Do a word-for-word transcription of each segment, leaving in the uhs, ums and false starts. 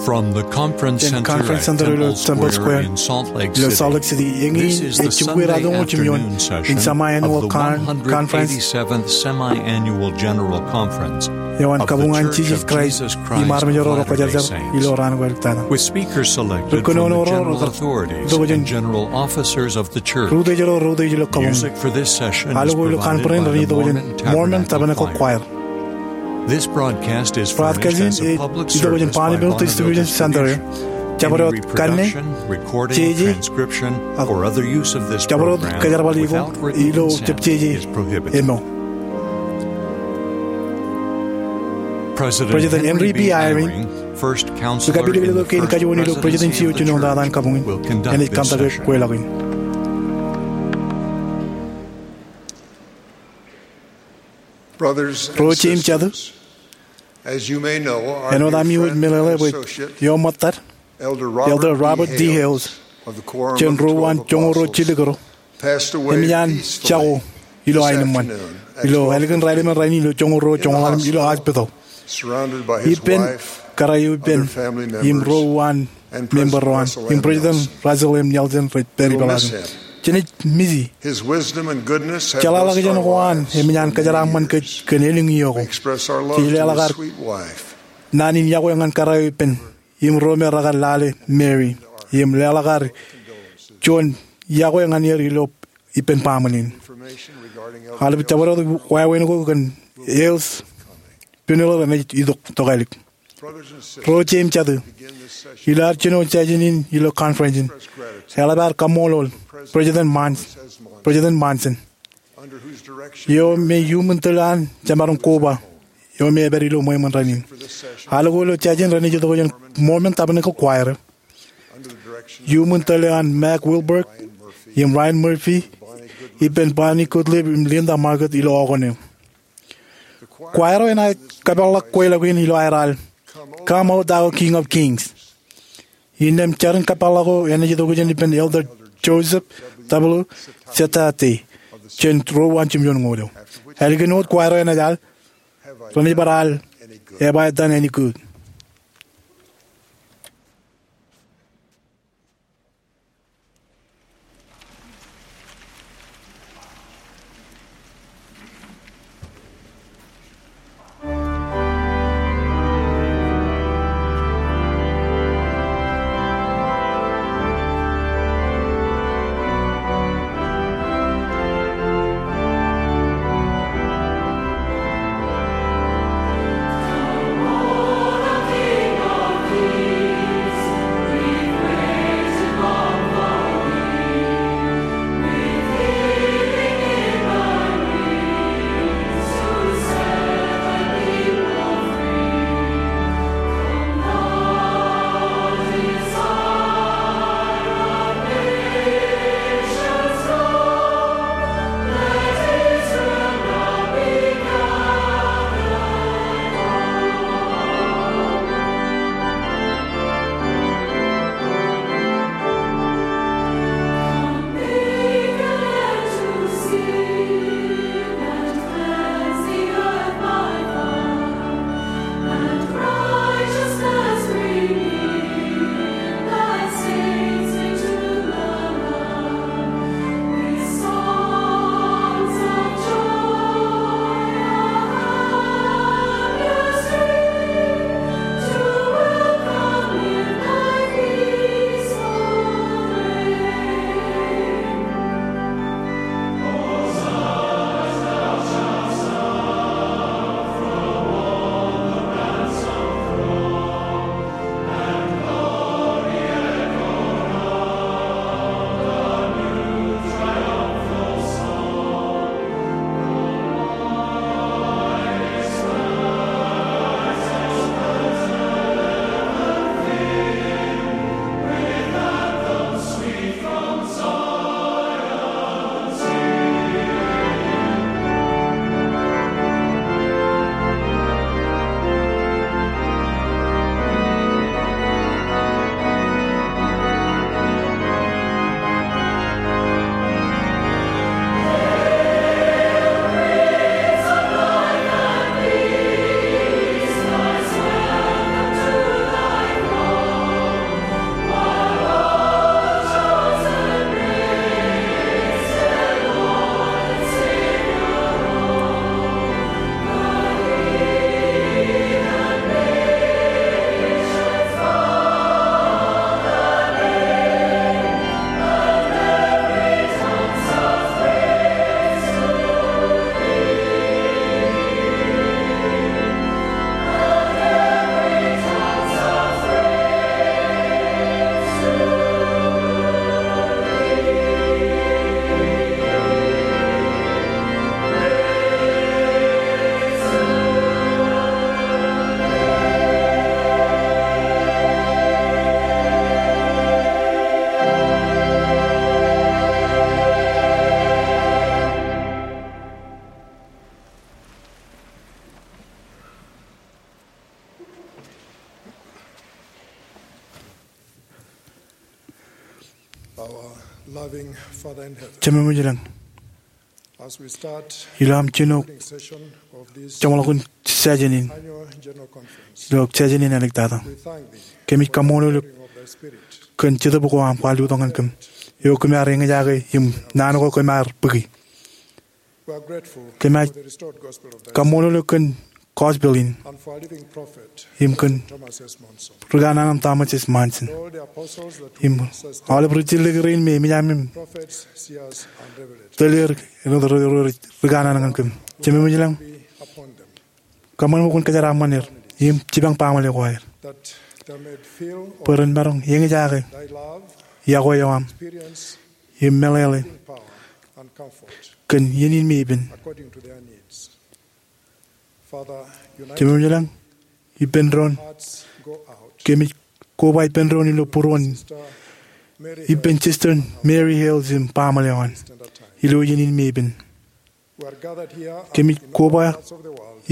From the Conference Jān Center Conference at Center ilo Temple Temple Square Square in Salt Lake ilo City, Salt Lake City, eñin this is the ej jibukwi Sunday ratimjuon afternoon session in of the semiannual con-, conference one hundred eighty-seventh Semiannual General Conference eo an of the kabuñ an Church Jesus of Christ Jesus Christ im armej ro ro Latter-day Kwōjarjar Saints, ilo raan ko āliktata. With speakers selected from the general authorities and general officers of the church. Ri-utiej ro ro ri-utiej ilo kabuñ. Music for this session is provided by the Mormon Tabernacle Choir. This broadcast is furnished as a public service by Barnabas Distribution Center. Any reproduction, recording, transcription, or other use of this program without written consent is prohibited. President Henry B. Eyring, First Counselor in the First Presidency of the Church, will conduct this session. Ro jeim jatū, āinwōt ami wōj meḷeḷe bwe eo ṃōttad, Elder Robert D. Hales, jān ro uwaan joñoul ruo jilkinro, eṃōj an jako ilo aenōṃṃan ilo ālikin raelep in rainin ilo joñoul ruo joñoul ḷalem ilo hospital. Ippān kōrā eo ippān im ro uwaan member ro an im President Russell M. Nelson rej pād ipeḷaakin. Jenaaj misi. Jeḷāḷọkjeṇ ko an eṃōj an kōjeraaṃṃan kōj kōn elōñ iiō ko. Jej leḷọk ad naan in yokwe ñan kōrā eo ippān im ro me rekar lale Mary im leḷọk ad juon yokwe ñan er ilo ippān baaṃle in. Aolep jabdewōt wāween ko kōn Hales funeral enaaj itok tokālik. Ro jeim jatū, ilo ad jino session in ilo conference in, eḷap ad kaṃṃoolol President Mons-, President Monson, eo me iuṃwin tōl an jemaroñ koba eo me epād ilo ṃweo in rainin. Alko ilo session renaaj itok jān Mormon Tabernacle Choir, iuṃwin tōl eo an Mac Wilberg im Ryan Murphy ippān Bonnie Goodlip im Linda Margaret ilo organ eo. Choir eo enaaj kōpeḷḷọk kweilọk in ilo aer al Come, O Thou King of Kings. Innām jarin kōpeḷḷọk eo enaaj itok jān ippān Elder Joseph W. Setate jān ro uwaan jimjuon ñoul eo. Ālikin wōt choir eo enaaj al, renaaj bar al Have I Done Any Good? Jemem ilañ, ilo aṃ jino jeṃḷọkin session in, ilo session in āliktata, kōmij kaṃṃoolol eok kōn Jetōb ko aṃ kwaar lutōk ñan kōm, eo kōm ar eñjake im naan ko kōm ar bōki. Kōmij kaṃṃoolol eok kōn gospel in im kōn rikanaan Thomas S. Monson im aolep ri-jilliki rein me emōj aṃ im tōl er āinwōt ri-, ri-, rikanaan ñan kōm. Jemem ilañ, kōṃṃan bwe kwōn kōjeraaṃṃan er im jipañ baaṃle ko aer, bwe ren maroñ eñjake iọkwe eo aṃ im meḷeḷe kōn iien in me ippān. Jemem ilañ, ippān doon, kōmij koba ippān doon ilo būruon ippān Sister Mary Hales im baaṃle eo an ilo iien in me ippān. Kōmij koba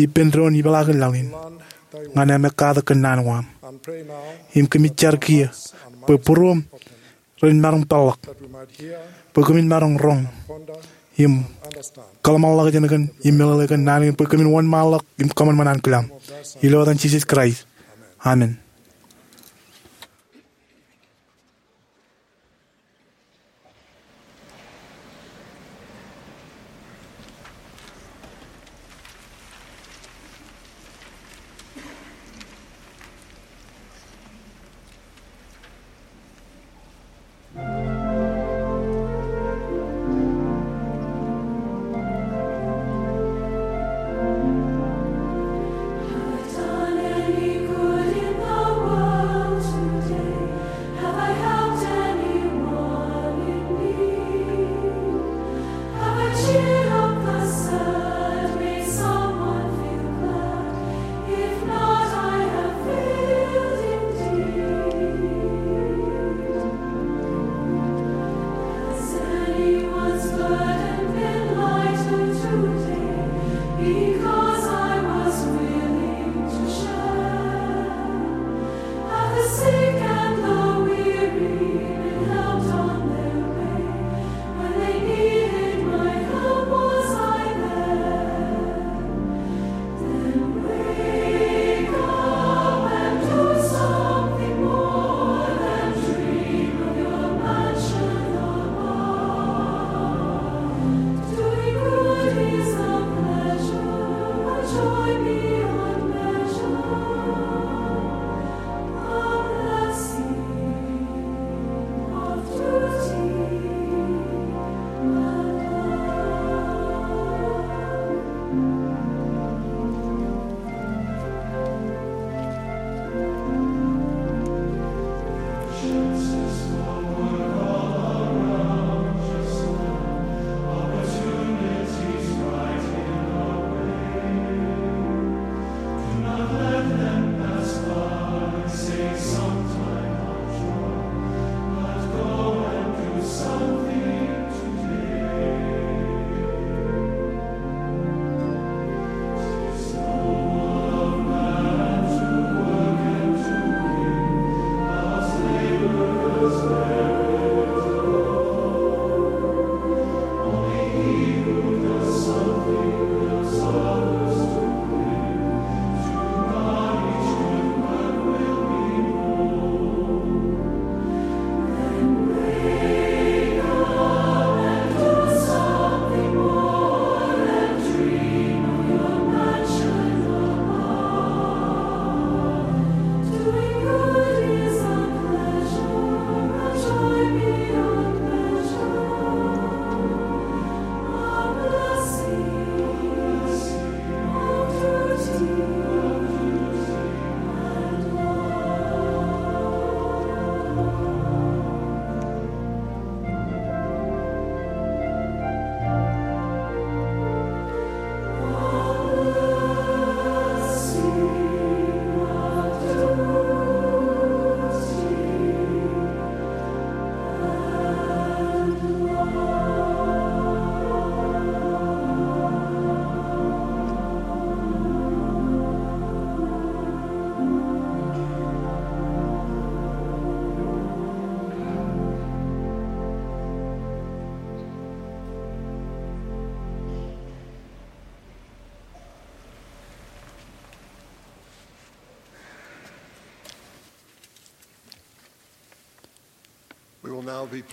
ippān doon ipeḷaakin laḷ in ñan aṃ ekkatak kōn naan ko aṃ. Im kōmij jar kiiō bwe būruōṃ ren maroñ peḷḷọk, bwe kōmin maroñ roñ im kōḷmānḷọkjeṇ kōn im meḷeḷe kōn naan kein, bwe kōmin wōnṃaanḷọk im kōṃanṃan an kōlaḷ. Ilo etan Jisōs Kraist, amen.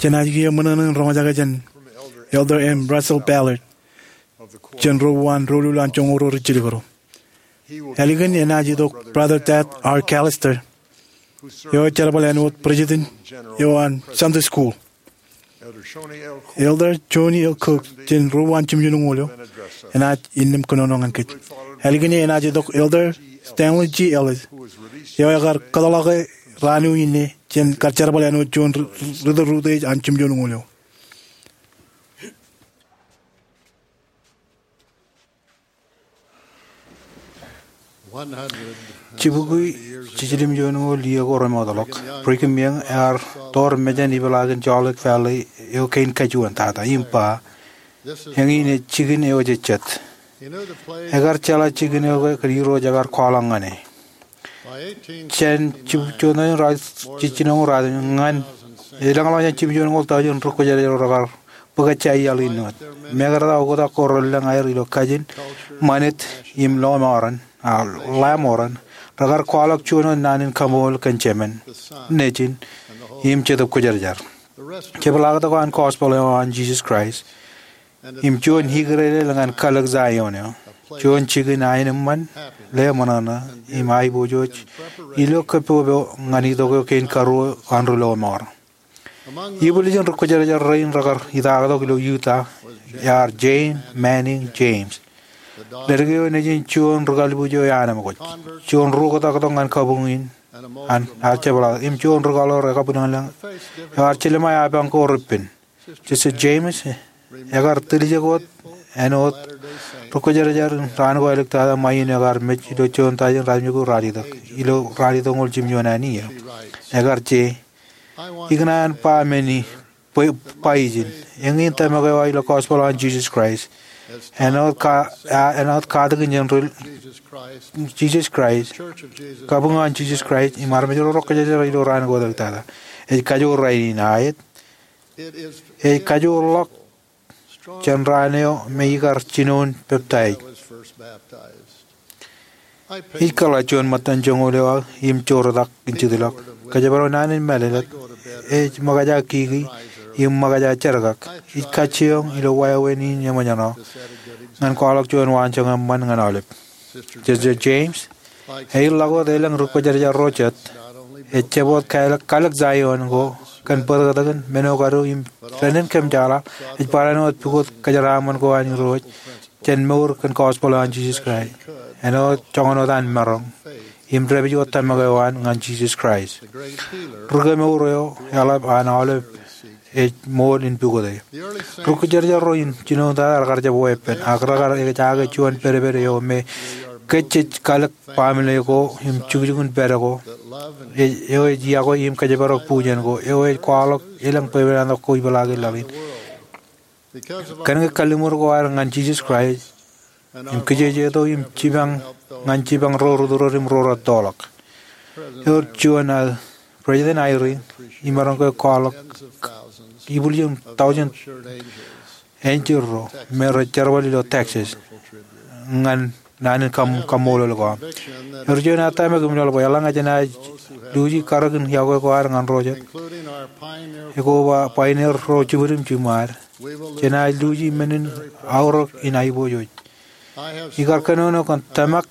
Jenaaj kiiō ṃōṇōṇō in roñjake jān Elder M. Russell Ballard, jān ro uwaan doulul an joñoul ro rijjilōk ro. Ālikin enaaj itok Brother Tad R. Callister, eo jerbal āinwōt president eo an Sunday School. Elder Joni L. Cook jān ro uwaan jimjuonñoul eo enaaj innām kōnono ñan kōj. Ālikin e enaaj itok Elder Stanley G. Ellis, eo ekar kōtḷọke raan eo inne jān kar jerbal āinwōt juon ri-, ri-, rūtto eo an jimjuonñoul eo. Jibukwi jiljilimjuonñoul iiō ko remootḷọk, Brigham Young ear toor mejān ipeḷaakin Salt Lake Valley eo kein kajuon tata im ba, eñin ej jikin eo jejjet. Ekar jeḷā jikin eo ke kōn Irooj ekar kwaḷọk ñan e. Jān jibukwi juon eo raar jijjinoñoul raar ñan elōñḷọk jān jimjuonñoul taujin ri-kwōjarjar ro rekar bōk ejja iaḷ in wōt. Mekarta oktak ko relōñ aer ilo kajin, ṃanit, im lọmọọren, a, lọmọọren, rekar kwaḷọk juon wōt naan in kaṃool kōn Jemān, Nejin, im Jetōb Kwōjarjar. Jepḷaaktok eo an gospel eo an Jesus Christ im juon ikōrere ñan kalōk Zion eo, juon jikin aenōṃṃan, leṃōṇōṇō, im aiboojoj ilo kōpopo ñan itok eo kein karuo an ri-lọmọọr. Ibwiljin ri-kwōjarjar rein rekar itaaktok ilo Utah ear Jane Manning James, ledik eo nejin juon ri-kalbuuj eo eanaṃ ṃōkaj, juon ri-oktaktok ñan kabuñ in an, ear jepḷaaktok, im juon ri-kọḷọk eo ekabwilōñlōñ eo ear jilōṃa eapañ ko repen. Sister James ekar tiljek wōt āinwōt ri-kwōjarjar in raan ko āliktata ṃae in eo ekar mej ilo juon taujin ratimjuonñoul ralitōk, ilo ralitōkñoul jimjuon an iiō. Ekar je, ikōṇaan ba men in, bwe, ba ijin. Eñin tōmak eo aō ilo gospel an Jesus Christ. Āinwōt ka-, a-, āinwōt katakin jān ri-, Jesus Christ, kabuñ an Jesus Christ, im armej ro rej kwōjarjar ilo raan ko āliktata. Ej kajoor rainin aet. Ej kajoorḷọk jān raan eo me ikar jinoin peptaij. Ij kōḷḷā juon ṃōttan joñoul eo aō im joortak in jitḷọk. Kōjparok naan in mālōtlōt, ej ṃōkaj aō kiki im ṃōkaj aō jerkak. Ij kajjioñ ilo wāween in eṃōjṇọ ñan kwaḷọk juon waanjoñak eṃṃan ñan aolep. Sister James, eḷak wōt elōñ ri-kwōjarjar ro jet, ej jab wōt kalōk, kalōk Zion ko kōn bōtōktōkin men eo kaduuj im dānnin kōm jeḷā, ej barāinwōt pukot kōjeraaṃṃan ko an Irooj jān mour kōn gospel eo an Jesus Christ. Āinwōt joñan wōt an maroñ im dāpij wōt tōmak eo an ñan Jesus Christ, ri-kemour eo eḷap an aolep ej ṃool in pukote. Ri-kwōjarjar ro im jinoin tata rekar jab weeppān, ak rekar ejaake juon pedped eo me kōj jej kalōk baaṃle ko im jukjukin pād ko, e-, eo ej iọkwe im kōjparok bujen ko, eo ej kwaḷọk elōñ bwebwenato ko ipeḷaakin laḷ in. Kōnke kalliṃur ko aer ñan Jesus Christ, im kijejeto im jipañ ñan jipañ ro rūtto ro im ro rej toḷọk. Ewōr juon aō, President Eyring, imaroñ ke kwaḷọk ibwiljin taujin enjeḷ ro me rej jerbal ilo Texas ñan naan in kaṃ-, kaṃṃoolol ko aṃ. Ewōr juon aō tōmak im laḷ bwe eḷaññe jenaaj luuji karōk in iọkwe ko ad ñan ro jet, ekwe ba pioneer ro jibwid im jiṃṃaad, jenaaj luuji men in aorōk in aiboojoj. Ikar kōnono kōn tōmak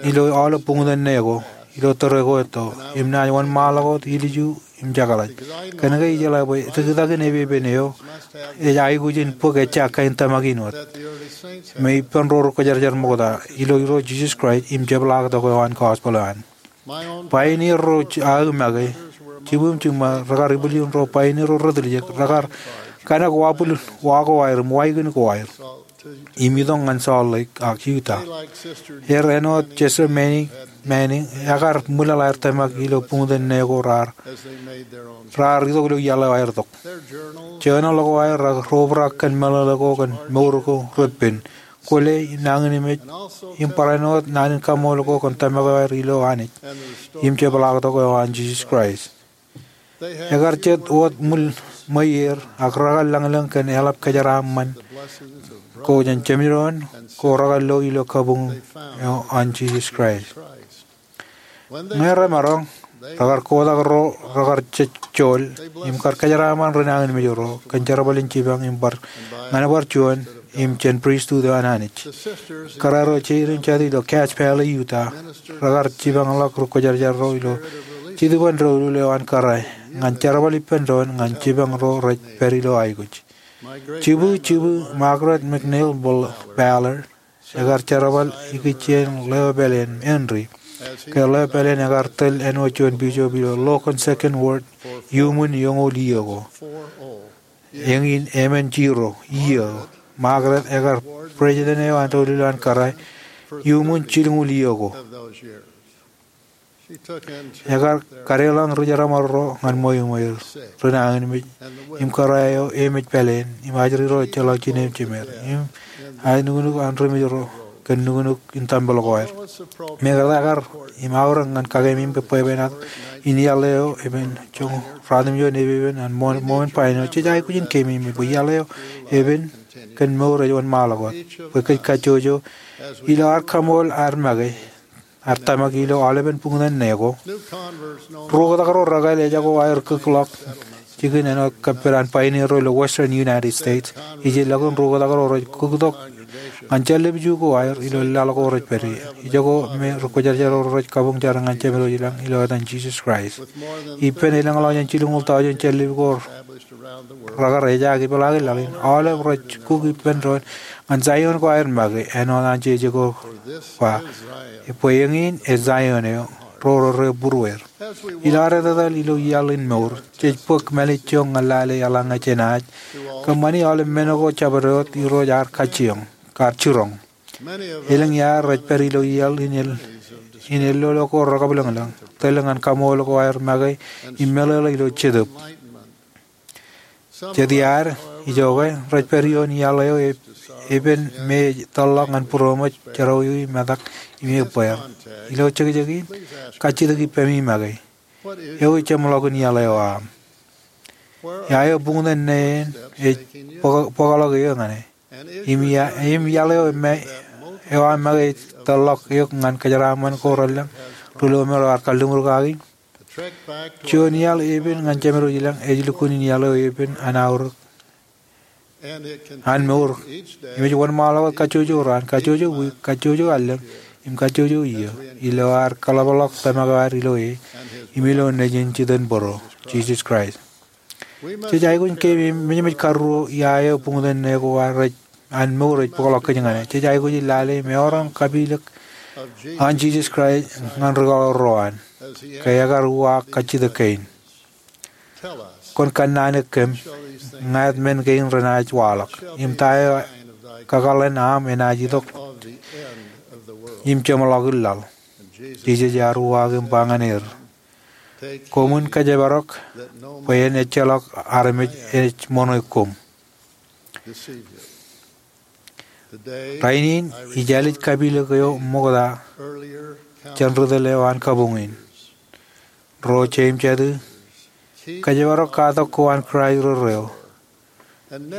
ilo aolep buñtōn ne ko ilo tōre ko etto, im naaj wōnṃaanḷọk wōt ilju im jekḷaj. Kōnke ijeḷā bwe tiktakin epepen eo ej aikuj in bōk ejja kain tōmak in wōt me ippān ro ri-kwōjarjar ṃokta ilo Irooj Jesus Christ im jepḷaaktok eo an gospel eo an. Pioneer ro j-, aō make, jibwid im jiṃṃaad, rekar ibwiljin ro pioneer ro retiljek, rekar kōṇak wabwil wa ko aer im waikin ko aer im itok ñan Salt Lake ak Utah. Er āinwōt Sister Manning, Manning, ekar ṃwilaḷ aer tōmak ilo buñtōn ne ko raar, raar itok ilo iaḷ eo aer tok. Jeornōḷ ko aer rej obrak kōn meḷeḷe ko kōn mour ko repen, kwōle, nañinmej, im barāinwōt naan in kaṃṃool ko kōn tōmak eo aer ilo Anij im jepḷaaktok eo an Jesus Christ. Ekar jet wōt ṃwilaḷ ṃweier ak rekar lañlōñ kōn eḷap kōjeraaṃṃan ko jān jemdoon ko rekar lo ilo kabuñ eo an Jesus Christ. Ñe remaroñ, Rekar kotak ro rekar jejjool im kar kōjeraaṃṃan ri nañinmej ro kōn jerbal in jipañ im bar ñan bar juon im jān pristut eo an Anij. Kōrā ro jeid im jatid ilo Cache Valley, Utah, rekar jipañḷọk ri kwōjarjar ro ilo Jetōb in doulul eo an kōrā ñan jerbal ippān doon ñan jipañ ro rej pād ilo aikuj. Jibwi, jibwi Margaret McNeil Ballard ekar jerbal ikijjien ḷeo pāleen Henry ke ḷeo pāleen ekar tōl āinwōt juon bishop ilo Logan Second Ward iuṃwin eñoul iiō ko. Eñin emān jiroñ iiō, Margaret ekar president eo an doulul eo an kōrā iuṃwin jilñuul iiō ko. Ekar kadeḷọñ ri jeramar ro ñan ṃweiṃweir, ri nañinmej, im kōrā eo emej pāleen, im ajri ro ejjeḷọk jined im jemed, im aer nuknuk an ri mej ro kōn nuknuk in tempel ko ad. Mekarta kar im aorōk ñan kakememej bwebwenato in iaḷ eo epen joñoul ruatimjuon epepen an ṃōn, ṃōn ṃōn bwebwenato, jej aikuj in keememej bwe iaḷ eo epen kōn mour ej wōnṃaanḷọk wōt bwe kōj kajjojo ilo ad kaṃool ad make, ad tōmak ilo aolepen buñtōn ne ko. Ri oktak ro rekāāl ejako aer kūkḷọk jikin āinwōt kōppān an pioneer ro ilo Western United States. Ijellọkin ri oktak ro rej kūktok ñan jān lōb iju ko aer ilo laḷ ko rej pād ie. Ijoko me ri kwōjarjar ro rej kabuñ jar ñan Jemedwōj ilañ ilo etan Jisōs Kraist. Ippān elōñḷọk jān jilñuul taujin jān lōb ko rekar ejaak ipeḷaakin laḷ in, aolep rej kuk ippān doon ñan Zion ko aer make, āinwōt an jeje ko ba, bwe eñin ej Zion eo, ro rej būrueir. Ilo ad etetal ilo iaḷ in mour, jej bōk mālejjoñ ñan lale eḷaññe jenaaj kōṃṃani aolep men ko jabdewōt Irooj ear kajjioñ, kar jiroñ. Elōñ iaer rej pād ilo iaḷ in el, in ellolo ko rekabwilōñlōñ, tōl ñan kaṃool ko aer make im meḷeḷe ilo Jetōb. Jet iaer, ijoke, rej pād ioon iaḷ eo ep-, epen me ej tōlḷọk ñan būroṃōj, jerọwiwi, metak, im ebbeer. Ilo jekjekin, kajjitōk ippemi make, ewi jeṃḷọkin iaḷ eo aṃ? Ia eo buñtōn ne en ej bōk-, bōkḷọk eō ñan e? Im ia, im iaḷ eo me, eo aṃ make ej tōlḷọk eok ñan kōjeraaṃṃan ko relōñ ri lọmọọr eo ear kalliṃur kaki? Juon iaḷ epen ñan Jemedwōj ilañ ej lukkuun in iaḷ eo epen an aorōk an mour. Im ej wōnṃaanḷọk wōt kajjojo raan, kajjojo wiik, kajjojo allōñ, im kajjojo iiō, ilo ad kaḷapḷọk tōmak eo ad ilo e, im ilo Nejin jitōnbōro, Jisōs Kraist. Jej aikuj in keememej mejaṃōj karuo ia eo buñtōn ne ko an mour ej bōkḷọk kōj ñan e. Jej aikuj in lale im eor aṃ kapilōk an Jisōs Kraist ñan ri kaḷoor ro an, ke ekar uwaak kajjitōk kein. Kwōn kannaanōk kōm, ñāāt men kein renaaj waḷọk, im ta eo kakōḷḷe aṃ enaaj itok im jeṃḷọkin laḷ? Jisōs ear uwaak im ba ñan er, koṃwin kōjparok bwe en ejjeḷọk armej ej ṃōṇe koṃ. Rainin ij ālij kapilōk eo ṃokta jān ri tōl eo an kabuñ in. Ro jeiū im jatū, kōjparok katak ko an Kraist rerreo,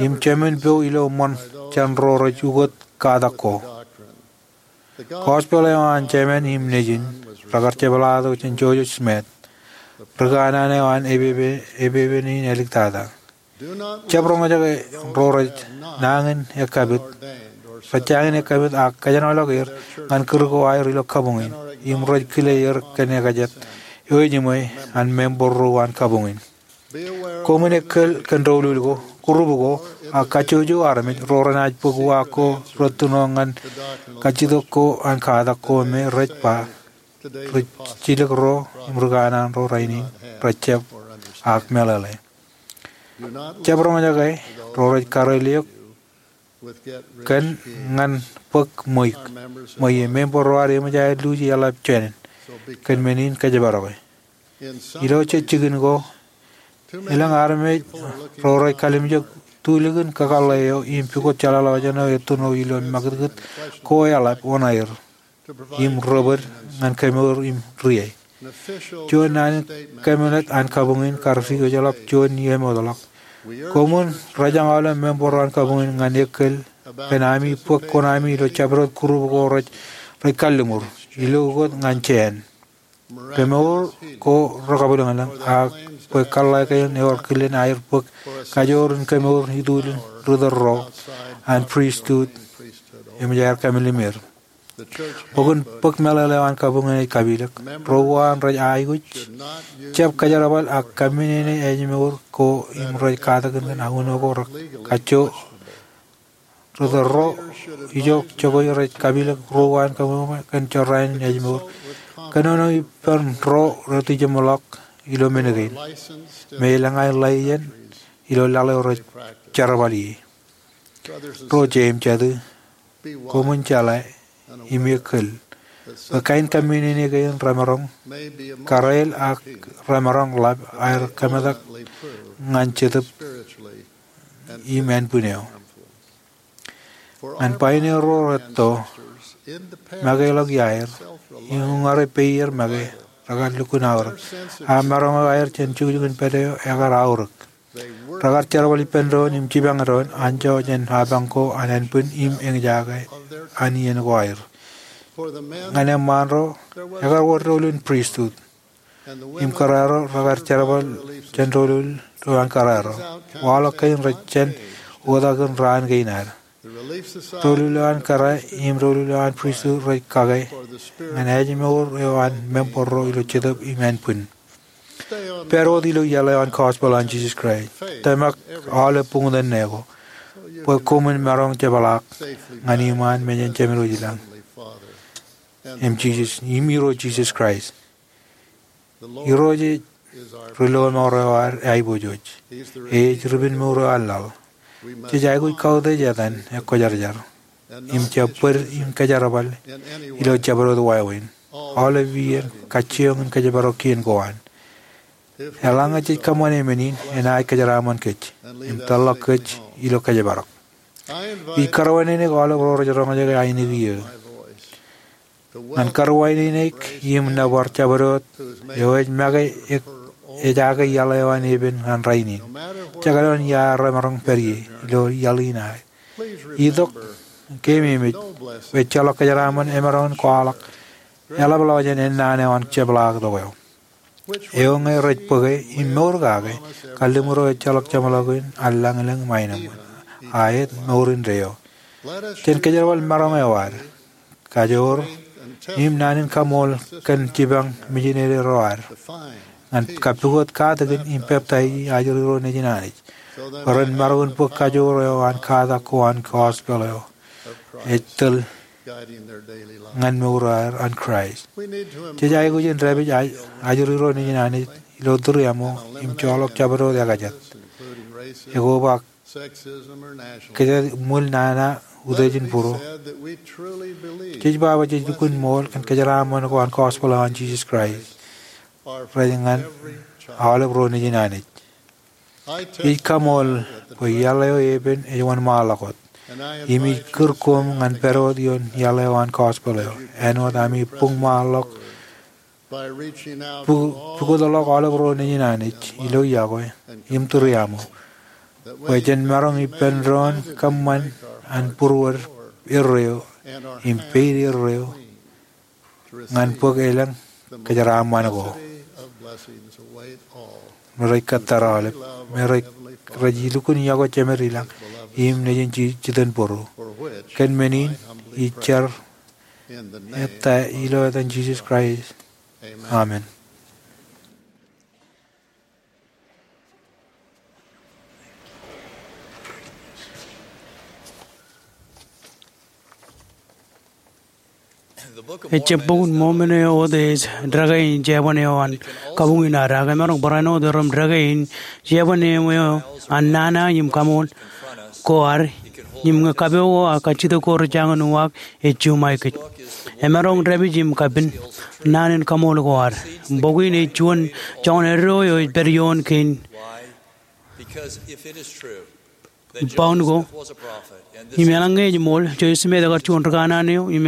im jemān po ilo ṃōn jān ro rej ukōt katak ko. Gospel eo an Jemān im Nejin rekar jepḷaaktok jān Joseph Smith, ri kanaan eo an epepe, epepen in āliktata. Jab roñjake ro rej nañin ekkapit, rej jañin ekkapit ak kōjenolọk er ñan kūr ko aer ilo kabuñ in, im rej kile er kōn ekajet eo ejiṃwe an member ro an kabuñ in. Koṃwin ekōl kōn doulul ko, group ko, ak kajjojo armej ro renaaj bōk uwaak ko rettuno ñan kajjitōk ko an katak ko me rej ba ri jilkinḷọk ro im ri kanaan ro rainin rej jab ak meḷeḷe. Jab roñjake ro rej kareel eok kōn ñan bōk ṃweiuk, ṃweiuk. Member ro ad eṃōj aer luuji eḷap jān in. Kōn men in kōjparoke. Ilo jej jikin ko, elōñ armej ro rej kalimjek tulikin kakōḷḷe eo im pukot jeḷāḷọkjeṇ eo ettoṇo ilo ṃakūtkūt ko eḷap oṇaer im ri-bōd ñan kemour im rie. Juon naan in kabinet an kabuñ in kar jinoḷọk juon iiō emootḷọk. Koṃwin rōjañ aolep member ro an kabuñ in ñan ekōl kōn ami bōk koṇaami ilo jabdewōt group ko rej, rej kalliṃur ilo ukōt ñan jāān. Kemour ko rekabwilōñlōñ, ak bwe kōḷḷā kein ewōr kilen aer bōk kajoor in kemour ituḷ in ri tōl ro an pristut eṃōj aer kamlimem er. Bok in, bok meḷeḷe eo an kabuñ in ej kapilōk, ro uwaan rej aikuj jab kajerbal ak kaminene ājmour ko im rej katakin kōn uno ko rekajjo ri tōl ro ijo jokwe rej kapilōk ro uwaan kabuñ kōn jorrāān in ājmour. Kōnono ippān ro rej tijeṃḷọk ilo men kein me elōñ aer ḷe iien ilo laḷ eo rej jerbal ie. Ro jeiū im jatū, koṃwin jeḷā im ekiil bwe kain kaminene kein remaroñ kōrā ak remaroñ ḷap aer kōmetak ñan Jetōb im ānbwin eo. Ñan pāine ro rej etto makeḷọk iaer im uññūr peier make, rekar lukkuun aorōk. Ak maroñ eo aer jān jukjuk in pād eo ekar aorōk. Rekar jerbal ippān doon im jipañ doon anjọ jān apañ ko an ānbwin im eñjake an iien ko aer. Ñan eṃṃaan ro, ekar wōr doulul in pristut im kōrā ro rekar jerbal jān doulul eo an kōrā ro. Waḷọk kein rej jān oktak in raan kein ad. Doulul eo an kōrā im doulul eo an pristut rej kake ñan ājmour eo an member ro ilo Jetōb im ānbwin. Pād wōt ilo iaḷ eo an gospel an Jisōs Kraist. Tōmak aolep buñtōn ṇe ko bwe koṃwin maroñ jepḷaak ñan iṃaan mejān Jemem wōt ilañ im Jisōs, im Irooj Jisōs Kraist. Irooj ej ri lọmọọr eo ad aiboojoj. Ej ri-penmour eo an laḷ. Jej aikuj kautiej etan ekwōjarjar im jab bōd in kajerbal ilo jabdewōt wāween. Aolep iien kajjioñ in kōjparok kien ko an. Eḷaññe jej kōṃṃane men in, enaaj kōjeraaṃṃan kōj im tōlḷọk kōj ilo kōjparok. Ij kōrọwānene aolep ro rej roñjake ainikien eō ñan kōrọwānene im nōbar jabdewōt eo ej make, ej ake iaḷ eo an epen ñan rainin. Jekdọọn ia remaroñ pād ie ilo iaḷ in aō, itok ke ememej bwe ejjeḷọk kōjeraaṃṃan emaroñ in kwaḷọk eḷapḷọk jān ennaan eo an jepḷaaktok eo. Eo ñe rej bōke im mour kake, kalliṃur eo ejjeḷọk jeṃḷọkin an lañlōñ im aenōṃṃan, a et mour indeeo. Jen kōjerbal maroñ eo ad, kajoor, im naan in kaṃool kōn jipañ mijinede ro ad ñan kappukot katakin im peptaij ajri ro nejin Anij bwe ren maroñ in bōk kajoor eo an katak ko an gospel eo ej tōl ñan mour eo an Kraist. Jej aikuj in dāpij ajri ro nejin Anij ilo tūriaṃo im joḷọk jabdewōt ekajet, ekobak kōjatdikdik, ṃwiil nana, utiej in būruō. Jej ba bwe jej lukkuun ṃool kōn kōjeraaṃṃan ko an gospel eo an Jisōs Kraist rej ñan aolep ro nejin Anij. Ij kaṃool bwe iaḷ eo epen ej wōnṃaanḷọk wōt, im ij kūr koṃ ñan pād wōt ioon iaḷ eo an gospel eo āinwōt ami buñṃaanḷọk pukotḷọk aolep ro nejin Anij ilo iọkwe im tūriaṃo bwe jen maroñ ippān doon kōṃṃan an būruod erreo im peid erreo ñan bōk elōñ kōjeraaṃṃan ko. Me rej kōttar aolep me rej, rej lukkuun iọkwe jemed ilañ im nejin jitōnbōro. Kōn men in ij jar ettā ilo etan Jisōs Kraist. Amen. Ejjab Bok in Mormon eo wōt ej dekā in jeban eo an kabuñ in ad, ak emaroñ barāinwōt erom dekā in jeban eo an nana im kaṃool ko ad, im ñe kapeo ko ak kajjitōk ko rej jañin uwaak, ej juṃae kōj. Emaroñ dāpij im kapin naan in kaṃool ko ad. Bok in ej juon joñan eddo eo ej pād ioon kein. Boun ko, im eḷaññe ej ṃool, Joseph Smith ekar juon rikanaan eo im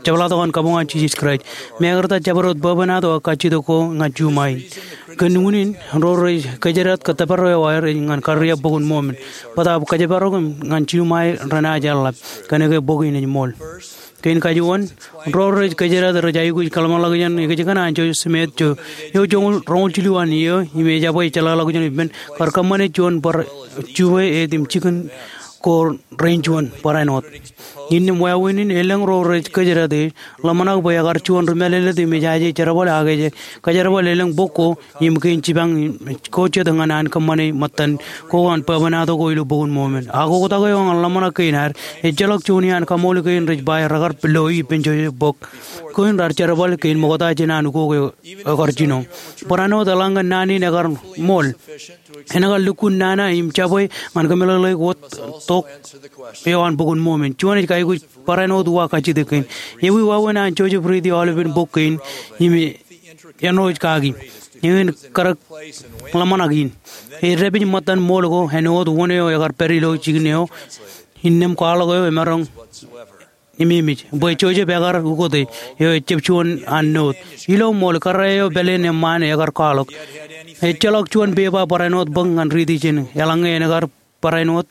jepḷaaktok an kabuñ an Jisōs Kraist. Im ekar ta jabdewōt bwebwenato ak kajjitōk ko ñan juṃae in. Kōn unin, ro rej kōjdat kōttōpar eo aer ej ñan karreo Bok in Mormon. Bōtaab kōjparok im ñan juṃae renaaj eḷap. Kōnke bok in ej ṃool. Kein kajuon, ro rej kōjdat rej aikuj kōḷmānḷọkjeṇ ikōjkan an Joseph Smith eo joñoul roñoul jilu an iiō im ejabwe jeḷāḷọkjeṇ ippān kar kōṃṃane juon bar juwe āt im jikin ko rein juon barāinwōt. Innām wāween in elōñ ro rej kōjdat ej ḷōmṇak bwe ekar juon ri mālōtlōt im ejaje jerbal ak ej kōjerbal elōñ bok ko im kein jipañ ko jet ñan an kōṃṃane ṃōttan ko an bwebwenato ko ilo Bok in Mormon. Ak oktak eo ñan ḷōmṇak kein ad, ejjeḷọk juon iaan kaṃool kein rej ba rekar loi ippān Joseph bok kein raar jerbal kein ṃokta jān an ukok eo ekar jino. Barāinwōt eḷaññe naan in ekar ṃool, en kar lukkuun nana im jabwe ñan kōmeḷeḷeik wōt tok eo an Bok in Mormon. Juon ej aikuj barāinwōt uwaak kajjitōk kein. Ewi wāween an Joseph riiti aolepen bok kein im āinwōt kaki. Eñin karōk ḷōmṇak in. Ej dāpij ṃōttan ṃool ko āinwōt wōn eo ekar pād ilo jikin eo. Innām kwaḷọk eo emaroñ ememej bwe Joseph ekar ukote eo ejab juon an note. Ilo ṃool, karā eo pāleen eṃṃaan ekar kwaḷọk. Ejjeḷọk juon pepa barāinwōt bōk ñan riiti jān eḷaññe en kar barāinwōt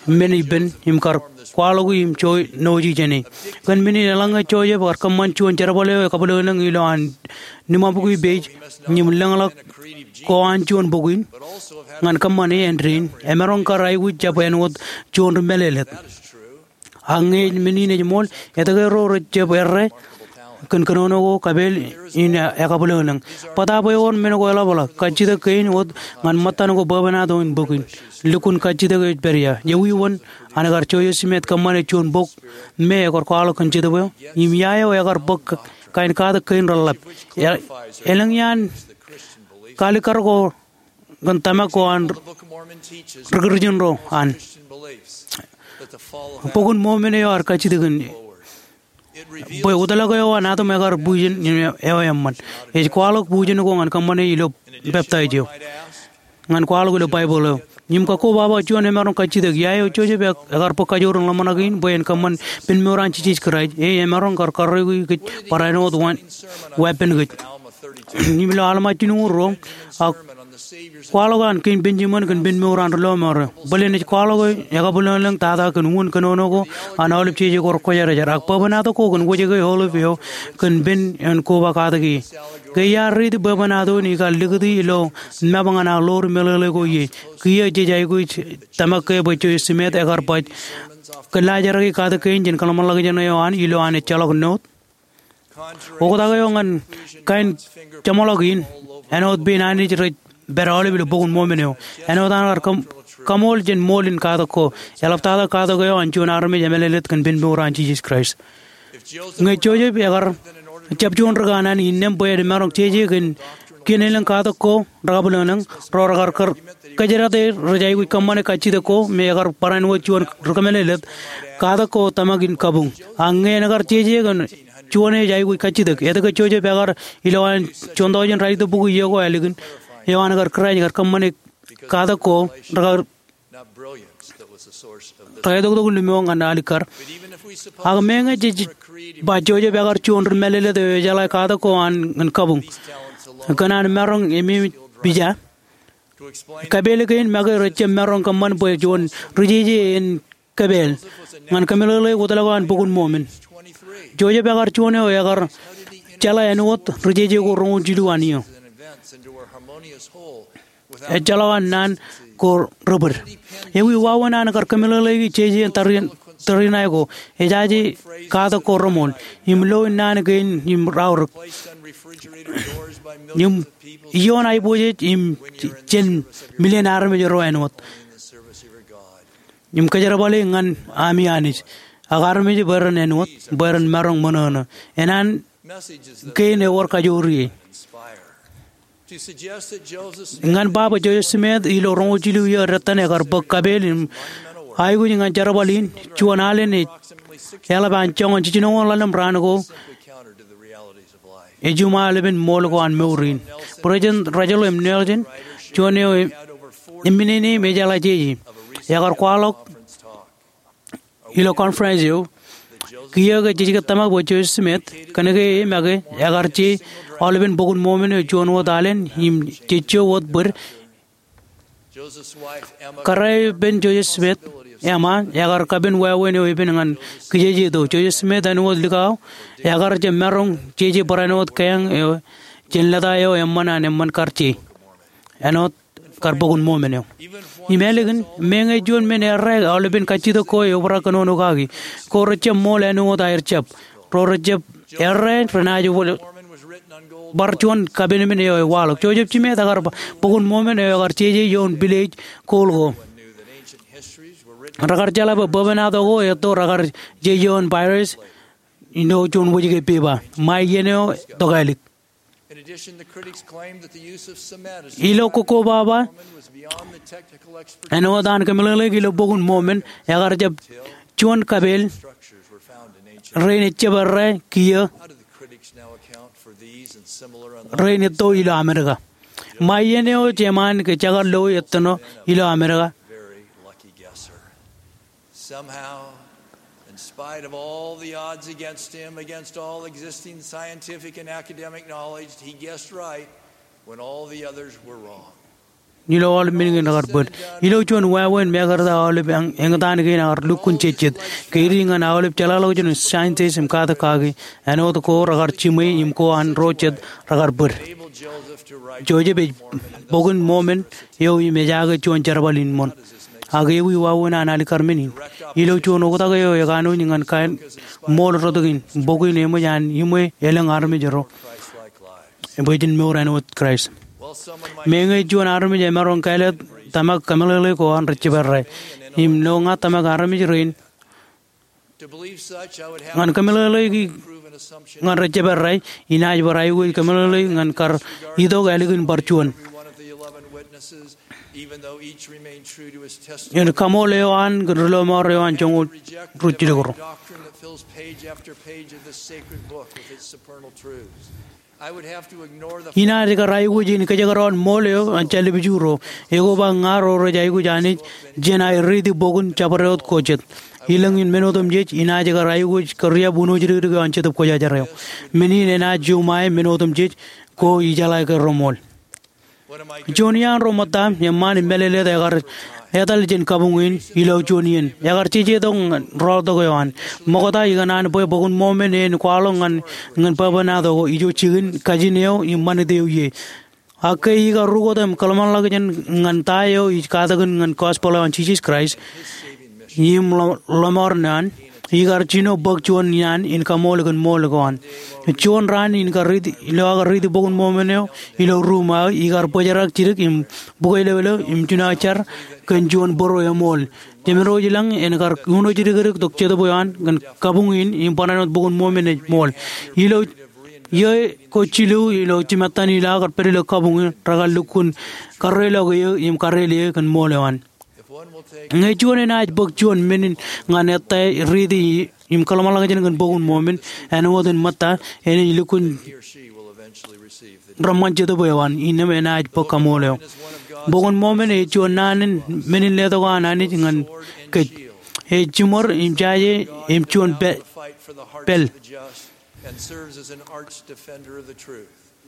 men ippān im kar kwaḷọki im joonoji jāne. Kōn men in, eḷaññe Joseph ekar kōṃṃan juon jerbal eo ekabwilōñlōñ ilo an niṃaṃkwi page im lōñḷọk ko an juon bok in ñan kōṃṃane āindein, emaroñ kar aikuj jab āinwōt juon ri mālōtlōt. Ak ñe men in ej ṃool, etke ro rej jab errā kōn kōnono ko kapeel in ekabwilōñlōñ? Bōtaab ewōr men ko eḷapḷọk, kajjitōk kein wōt ñan ṃōttan ko bwebwenato in bok in. Lukkuun kajjitōk ej pād ia? Ewi wōn an kar Joseph Smith kōṃṃane juon bok me ekar kwaḷọk kōn Jetōb eo? Im ia eo ekar bōk kain katak kein reḷḷap? E-, elōñ iaan kalikkar ko kōn tōmak ko an ri Kūrjin ro an. Bok in Mormon eo ear kajjitōk in bwe wōtlọk eo an atom ekar bujen eo eṃṃan. Ej kwaḷọk bujen ko ñan kōṃṃane ilo peptaij eo, ñan kwaḷọk ilo Baibōḷ eo. Im kakkobaba juon emaroñ kajjitōk, ia eo Joseph e-, ekar bōk kajoor in ḷōmṇak in bwe en kōṃṃan penmour an Jisōs Kraist? E emaroñ kar karreoiki kōj barāinwōt wāween, wāween kōj. Im ilo Alma jilñuul ruo, ak kwaḷọk an Kein Benjamin kōn penmour an ri lọmọọr eo. Bōlen ej kwaḷọk ekabwilōñlōñ tata kōn wūn kōnono ko an aolep jeje ko rekwōjarjar. Ak bwebwenato ko kōn wōjke aolep eo kōn pen en koba katak ie. Ke iar riiti bwebwenato in ikar likūti ilo map ñan aō ḷoor meḷeḷe ko ie. Kiiō jej aikuj tōmak ke bwe Joseph Smith ekar baj kōllaajraki katak kein jān kōḷmānḷọkjeṇ eo an ilo an ejjeḷọk note. Oktak eo ñan kain jeṃḷọk in, āinwōt pein Anij rej pād aolep ilo Bok in Mormon eo. Āinwōt an kar kaṃ-, kaṃool jān ṃool in katak ko, eḷaptata katak eo an juon armej emālōtlōt kōn penmour an Jisōs Kraist. Ñe Joseph ekar jab juon ri kanaan, innām bwe emaroñ jeje kōn kien elōñ katak ko rekabwilōñlōñ, ro rekar kōjdat er rej aikuj kōṃṃane kajjitōk ko me ekar barāinwōt juon ri kōmālōtlōt, katak ko tōmak in kabuñ. Ak ñe en kar jeje kōn juon ej aikuj kajjitōk, etke Joseph ekar ilowaan juon taujin ralitōk bukwi iiō ko ālikin, eo an kar Kraist kar kōṃṃane katak ko rekar, rekar etoktok in limo ñan alikkar. Ak meñe jej ba Joseph ekar juon ri mālōtlōt eo ejeḷā katak ko an ñan kabuñ, kōn an maroñ ememej pija, kapeel kein make rej jab maroñ kōṃṃan bwe juon ri jeje en kapeel ñan kōmeḷeḷeik wōtlọk eo an Bok in Mormon. Joseph ekar juon eo ekar jeḷā āinwōt ri jeje ko roñoul jilu an iiō. Ejjeḷọk an naan ko ri bōd. Ewi wāween an kar kōmeḷeḷeiki jeje in tariṇae ko, ejaje katak ko reṃool, im lo in naan kein im raorōk, im ioon aiboojoj im jān million armej ro āinwōt. Im kōjerbale ñan ami Anij ak armej bwe ren āinwōt, bwe ren maroñ ṃōṇōṇō. Enana kein ewōr kajoor ie. Ñan ba bwe Joseph Smith ilo roñoul jilu iiō dettan ekar bōk kapeel im aikuj ñan jerbal in, juon alen ej eḷap an joñan jijinoñoul ḷalem raan ko ejiṃwe aolepen ṃool ko an mour in. President Russell M. Nelson, juon eo eminene im ejeḷā jeje, ekar kwaḷọk ilo conference eo, kiiō ke jej ke tōmak bwe Joseph Smith, kōnke e make ekar je aolepen Bok in Mormon eo juon wōt alen im jejjo wōt bōd. Karā eo ippān Joseph Smith eṃṃan, ekar kapen wāween eo epen ñan kijeje itok. Joseph Smith āinwōt likao, ekar jab maroñ jeje barāinwōt keañ eo jān lōta eo eṃṃan an eṃṃan kar je. Āinwōt kar Bok in Mormon eo. Im ālikin, meñe juon men errā aolepen kajjitōk ko eobrak kōnono kaki, ko rejjab ṃool āinwōt aer jab. Ro rejjab errā renaaj bar juon kapenmān eo ewaḷọk. Joseph Smith ekar ba, Bok in Mormon eo ekar jeje ioon pilej kool ko. Rekar jeḷā bwe bwebwenato ko etto rekar jeje ioon papyrus ilo juon wōjke pepa. Ṃae iien eo tokālik. Ilo kokkobaba āinwōt an kōmeḷeḷeik ilo Bok in Mormon, ekar jab juon kapeel rein ejjab errā kiiō rein etto ilo Amerika. Ṃae iien eo jeṃaan ke jekar loi ettōṇo ilo Amerika. Somehow, in spite of all the odds against him, against all existing scientific and academic knowledge, he guessed right when all the others were wrong. Ilo aolep men kein rekar bōd. Ilo juon wāween mekarta aolep eñ-, eñtaan kein rekar lukkuun jejjet. Ke edik ñan aolep jeḷāḷọkjeṇ in scientist im katak kaki, āinwōt ko rekar jiṃwe im ko an ro jet rekar bōd. Joseph ej Bok in Mormon eo im ejaake juon jerbal in ṃoṇ. Ak ewi wāween an alikkar men in? Ilo juon oktak eo ekanooj ñan kain ṃool rot kein, bok in eṃōj an iṃwe elōñ armej ro bwe jen mour āinwōt Kraist. Meñe juon armej emaroñ kāālōt tōmak kōmeḷeḷe ko an rejjab errā. Im ilo ña tōmak armej rein ñan kōmeḷeḷeik ñan rejjab errā, inaaj bar aikuj kōmeḷeḷeik ñan kar itok ālikin bar juon. Im kaṃool eo an kōn ri lọmọọr eo an joñoul ruj jidik ro. Inaaj kar aikuj in kōjekdọọn ṃool eo an jālibjū ro. Ekoba ña ro rej aikuj Anij jān aer riiti bok in jabdewōt ko jet. Ilōñ in men otemjej, inaaj kar aikuj kōriab uno jidikdik eo an Jetōb Kwōjarjar eo. Men in enaaj juṃae men otemjej ko ijeḷā ke reṃool. Juon iaan ro ṃōtta eṃṃaan im mālōtlōt ekar etal jān kabuñ in ilo juon iien. Ekar jeje tok ñan rọọltok eo an. Ṃokta ikōṇaan bwe Bok in Mormon en kwaḷọk ñan, ñan bwebwenato ko, ijo jikin, kajin eo im ṃanit eo ie. Ak ke ikar rukot im kōḷmānḷọkjeṇ ñan ta eo ij katakin ñan gospel eo an Jisōs Kraist im lọmọọr eo an, ikar jino bōk juon iaan in kaṃool kōn ṃool ko an. Juon raan in kar riiti, ilo aō kar riiti Bok in Mormon eo ilo ruuṃ aō, ikar bōjrak jidik im bukwelewelo im jino jar kōn juon bōro eṃool. Jemedwōj ilañ en kar uno jidikdik tok Jetōb eo an kōn kabuñ in im barāinwōt Bok in Mormon ej ṃool. Ilo iiō ko jilu ilo jimattan ilo aō kar pād ilo kabuñ in, rekar lukkuun karreḷọk eō im karreḷ eō kōn ṃool eo an. Ñe juon enaaj bōk juon men in ñan ettā riiti im kōḷmānḷọkjeṇ kōn Bok in Mormon, āinwōt in ṃōtta, enaaj lukkuun reṃṃan Jetōb eo an, innām enaaj bōk kaṃool eo. Bok in Mormon ej juon naan in men in letok an Anij ñan kōj. Ej jiṃor im jaje im juon pāl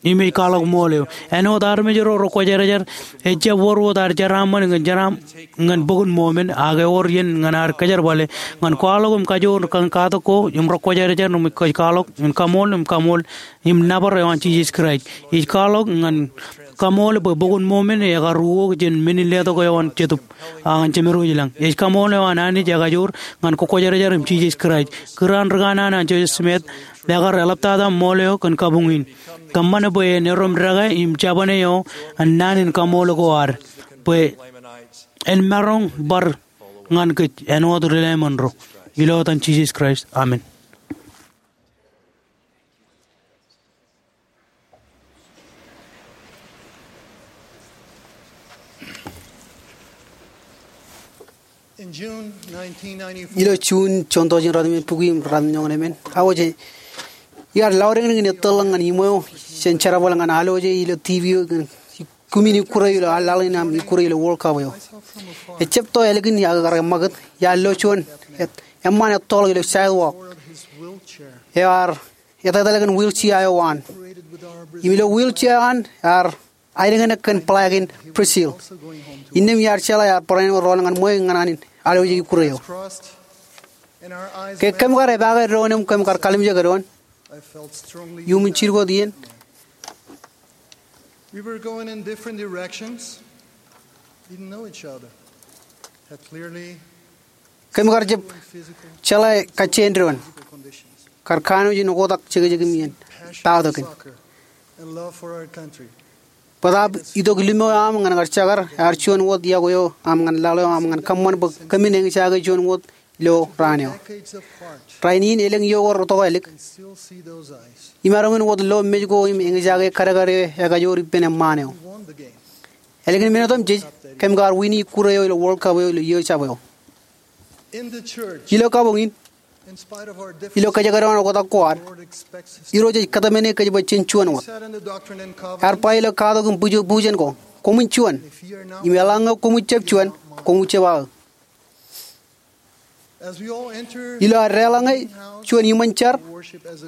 im ej kwaḷọk ṃool eo. Āinwōt armej ro rekwōjarjar, ejjab wōr wōt ad jeraaṃṃan ñan jeraaṃṃan ñan Bok in Mormon, ak ewōr iien ñan ad kōjerbale ñan kwaḷọk im kajoor kōn katak ko im rekwōjarjar im kōj kwaḷọk im kaṃool im kaṃool im nōbar eo an Jisōs Kraist. Ij kwaḷọk ñan kaṃool bwe Bok in Mormon ekar uwok jān men in letok eo an Jetōb ak ñan jemedwōj ilañ. Ej kaṃool eo an Anij ekajoor ñan kokwōjarjar im Jisōs Kraist. Kūr an rikanaan an Joseph Smith ekar eḷaptata ṃool eo kōn kabuñ in. Kōṃṃan bwe en erom dekā im jabōne eo an naan in kaṃool ko ad, bwe en maroñ bar ñan kōj āinwōt ri-Laman ro. Ilo etan Jisōs Kraist, amen. Ilo June, juon tọujin ratimjuonñoul bukwi im ratimjuonñoul emān, aō je iar lọdeñdeñ in ettōrḷọk ñan iṃweo jān jerbal ñan alwōje ilo TV eo ñan kumi in ikkure ilo laḷ in aṃ ikkure ilo World Cup eo. Ejjab to ālikin iar kar ṃakūt, iar lo juon eṃṃaan ettoḷọk ilo sidewalk eo ear etetal kōn wheelchair eo an. Im ilo wheelchair eo an ear aelōñḷọk kōn flag in Brazil. Innām iar jeḷā ear barāinwōt rọọl ñan ṃweo ñan an in aḷ eo jej ikkure eo. Ke kōm kar epaake doon im kōm kar kalimjek doon, iuṃwin jidik wōt iien. Kōm kar jab jeḷā kajjien doon, kar kanooj in oktak jekjek im iien, ta tok in. Bōtaab itok limo eo aṃ ñan kar jakar ear juon wōt iọkwe eo aṃ ñan laḷ eo aṃ ñan kōṃṃan bwe kōmin eñjake juon wōt ilo raan eo. Rainin elōñ iọkwe ro tokālik imaroñ in wōt lo mej ko im eñjake kadkad eo ekajoor ippān eṃṃaan eo. Ālikin men otemjej, kōm kar wini ikkure eo ilo World Cup eo ilo iiō jab eo. Ilo kabuñ in, ilo kōjekdọọn oktak ko ad, Irooj ej kōtmāne kōj bwe jen juon wōt. Ear ba ilo katok im bujen ko, koṃwin juon. Im eḷaññe koṃij jab juon, koṃij jab aō. Ilo ad deḷọñe juon iṃōn jar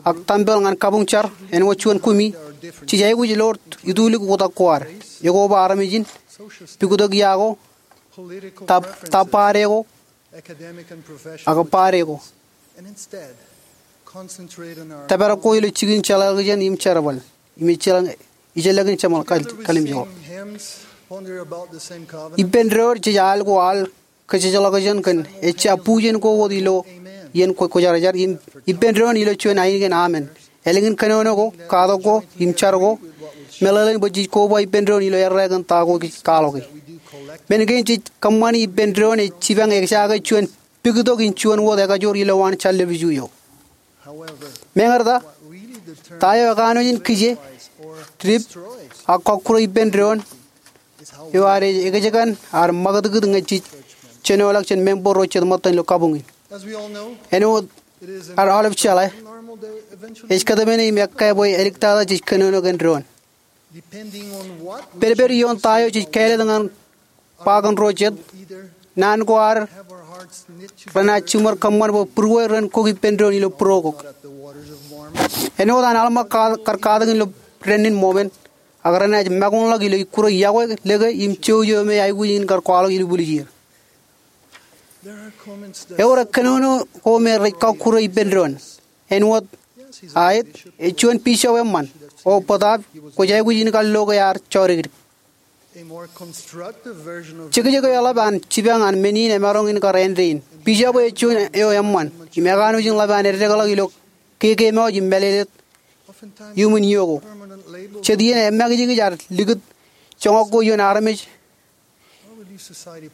ak tempel ñan kabuñ jar āinwōt juon kumi, jej aikuj lo itulik oktak ko ad, ekoba armej in, puktok ia ko, tōpar ko, ak bar ko. Tōpar ko ilo jikin jeḷāḷọkjeṇ im jerbal im ejjeḷọkin jeṃḷọk kalimjek ko. Ippān doon jej al ko al kōjejḷọkjeṇ kōn ejja bujen ko wōt ilo iien kwōjarjar im ippān doon ilo juon ainikien amen. Ālikin kōnono ko, katok ko, im jar ko, meḷeḷein bwe jej koba ippān doon ilo errā kōn ta ko jej kwaḷọke. Men kein jej kōṃṃani ippān doon ej jipañ ekjake juon puktok in juon wōt ekajoor ilowaan jar lepiju eo. Meñe ta, ta eo ekanooj in kije, dip, ak kọkkure ippān doon eo ad ej ekjekkan ad ṃakūtkūt ñe jej jenoḷọk jān member ro jet ṃōttan ilo kabuñ in. Āinwōt ad aolep jeḷā, ej kōtmāne im ekkā bwe āliktata jej kōnono kōn doon. Pedped ioon ta eo jej kāālōt ñan ba kōn ro jet, naan ko ad renaaj jiṃor kōṃṃan bwe būrueir ren kok ippān doon ilo būruokok. Āinwōt an Alma kar katak in ilo dān in Mōmen, ak renaaj makuñḷọk ilo ikkure iọkwe, lōke im jouj eo me aikuj in kar kwaḷọk ilubwiljier. Ewōr kōnono ko me rej kọkkure ippān doon. Āinwōt, aet, ej juon bishop eṃṃan, o bōtaab kwōj aikuj in kar lo ke ear jọdikdik. Jekjek eo eḷap an jipañ an men in emaroñ in kar āindein. Bishop eo ej juon eo eṃṃan im ekanooj in ḷap an eddekḷọk ilo kekeemwaj im mālōtlōt iuṃwin iiō ko. Jet iien emakijkij ad likūt joñak ko ioon armej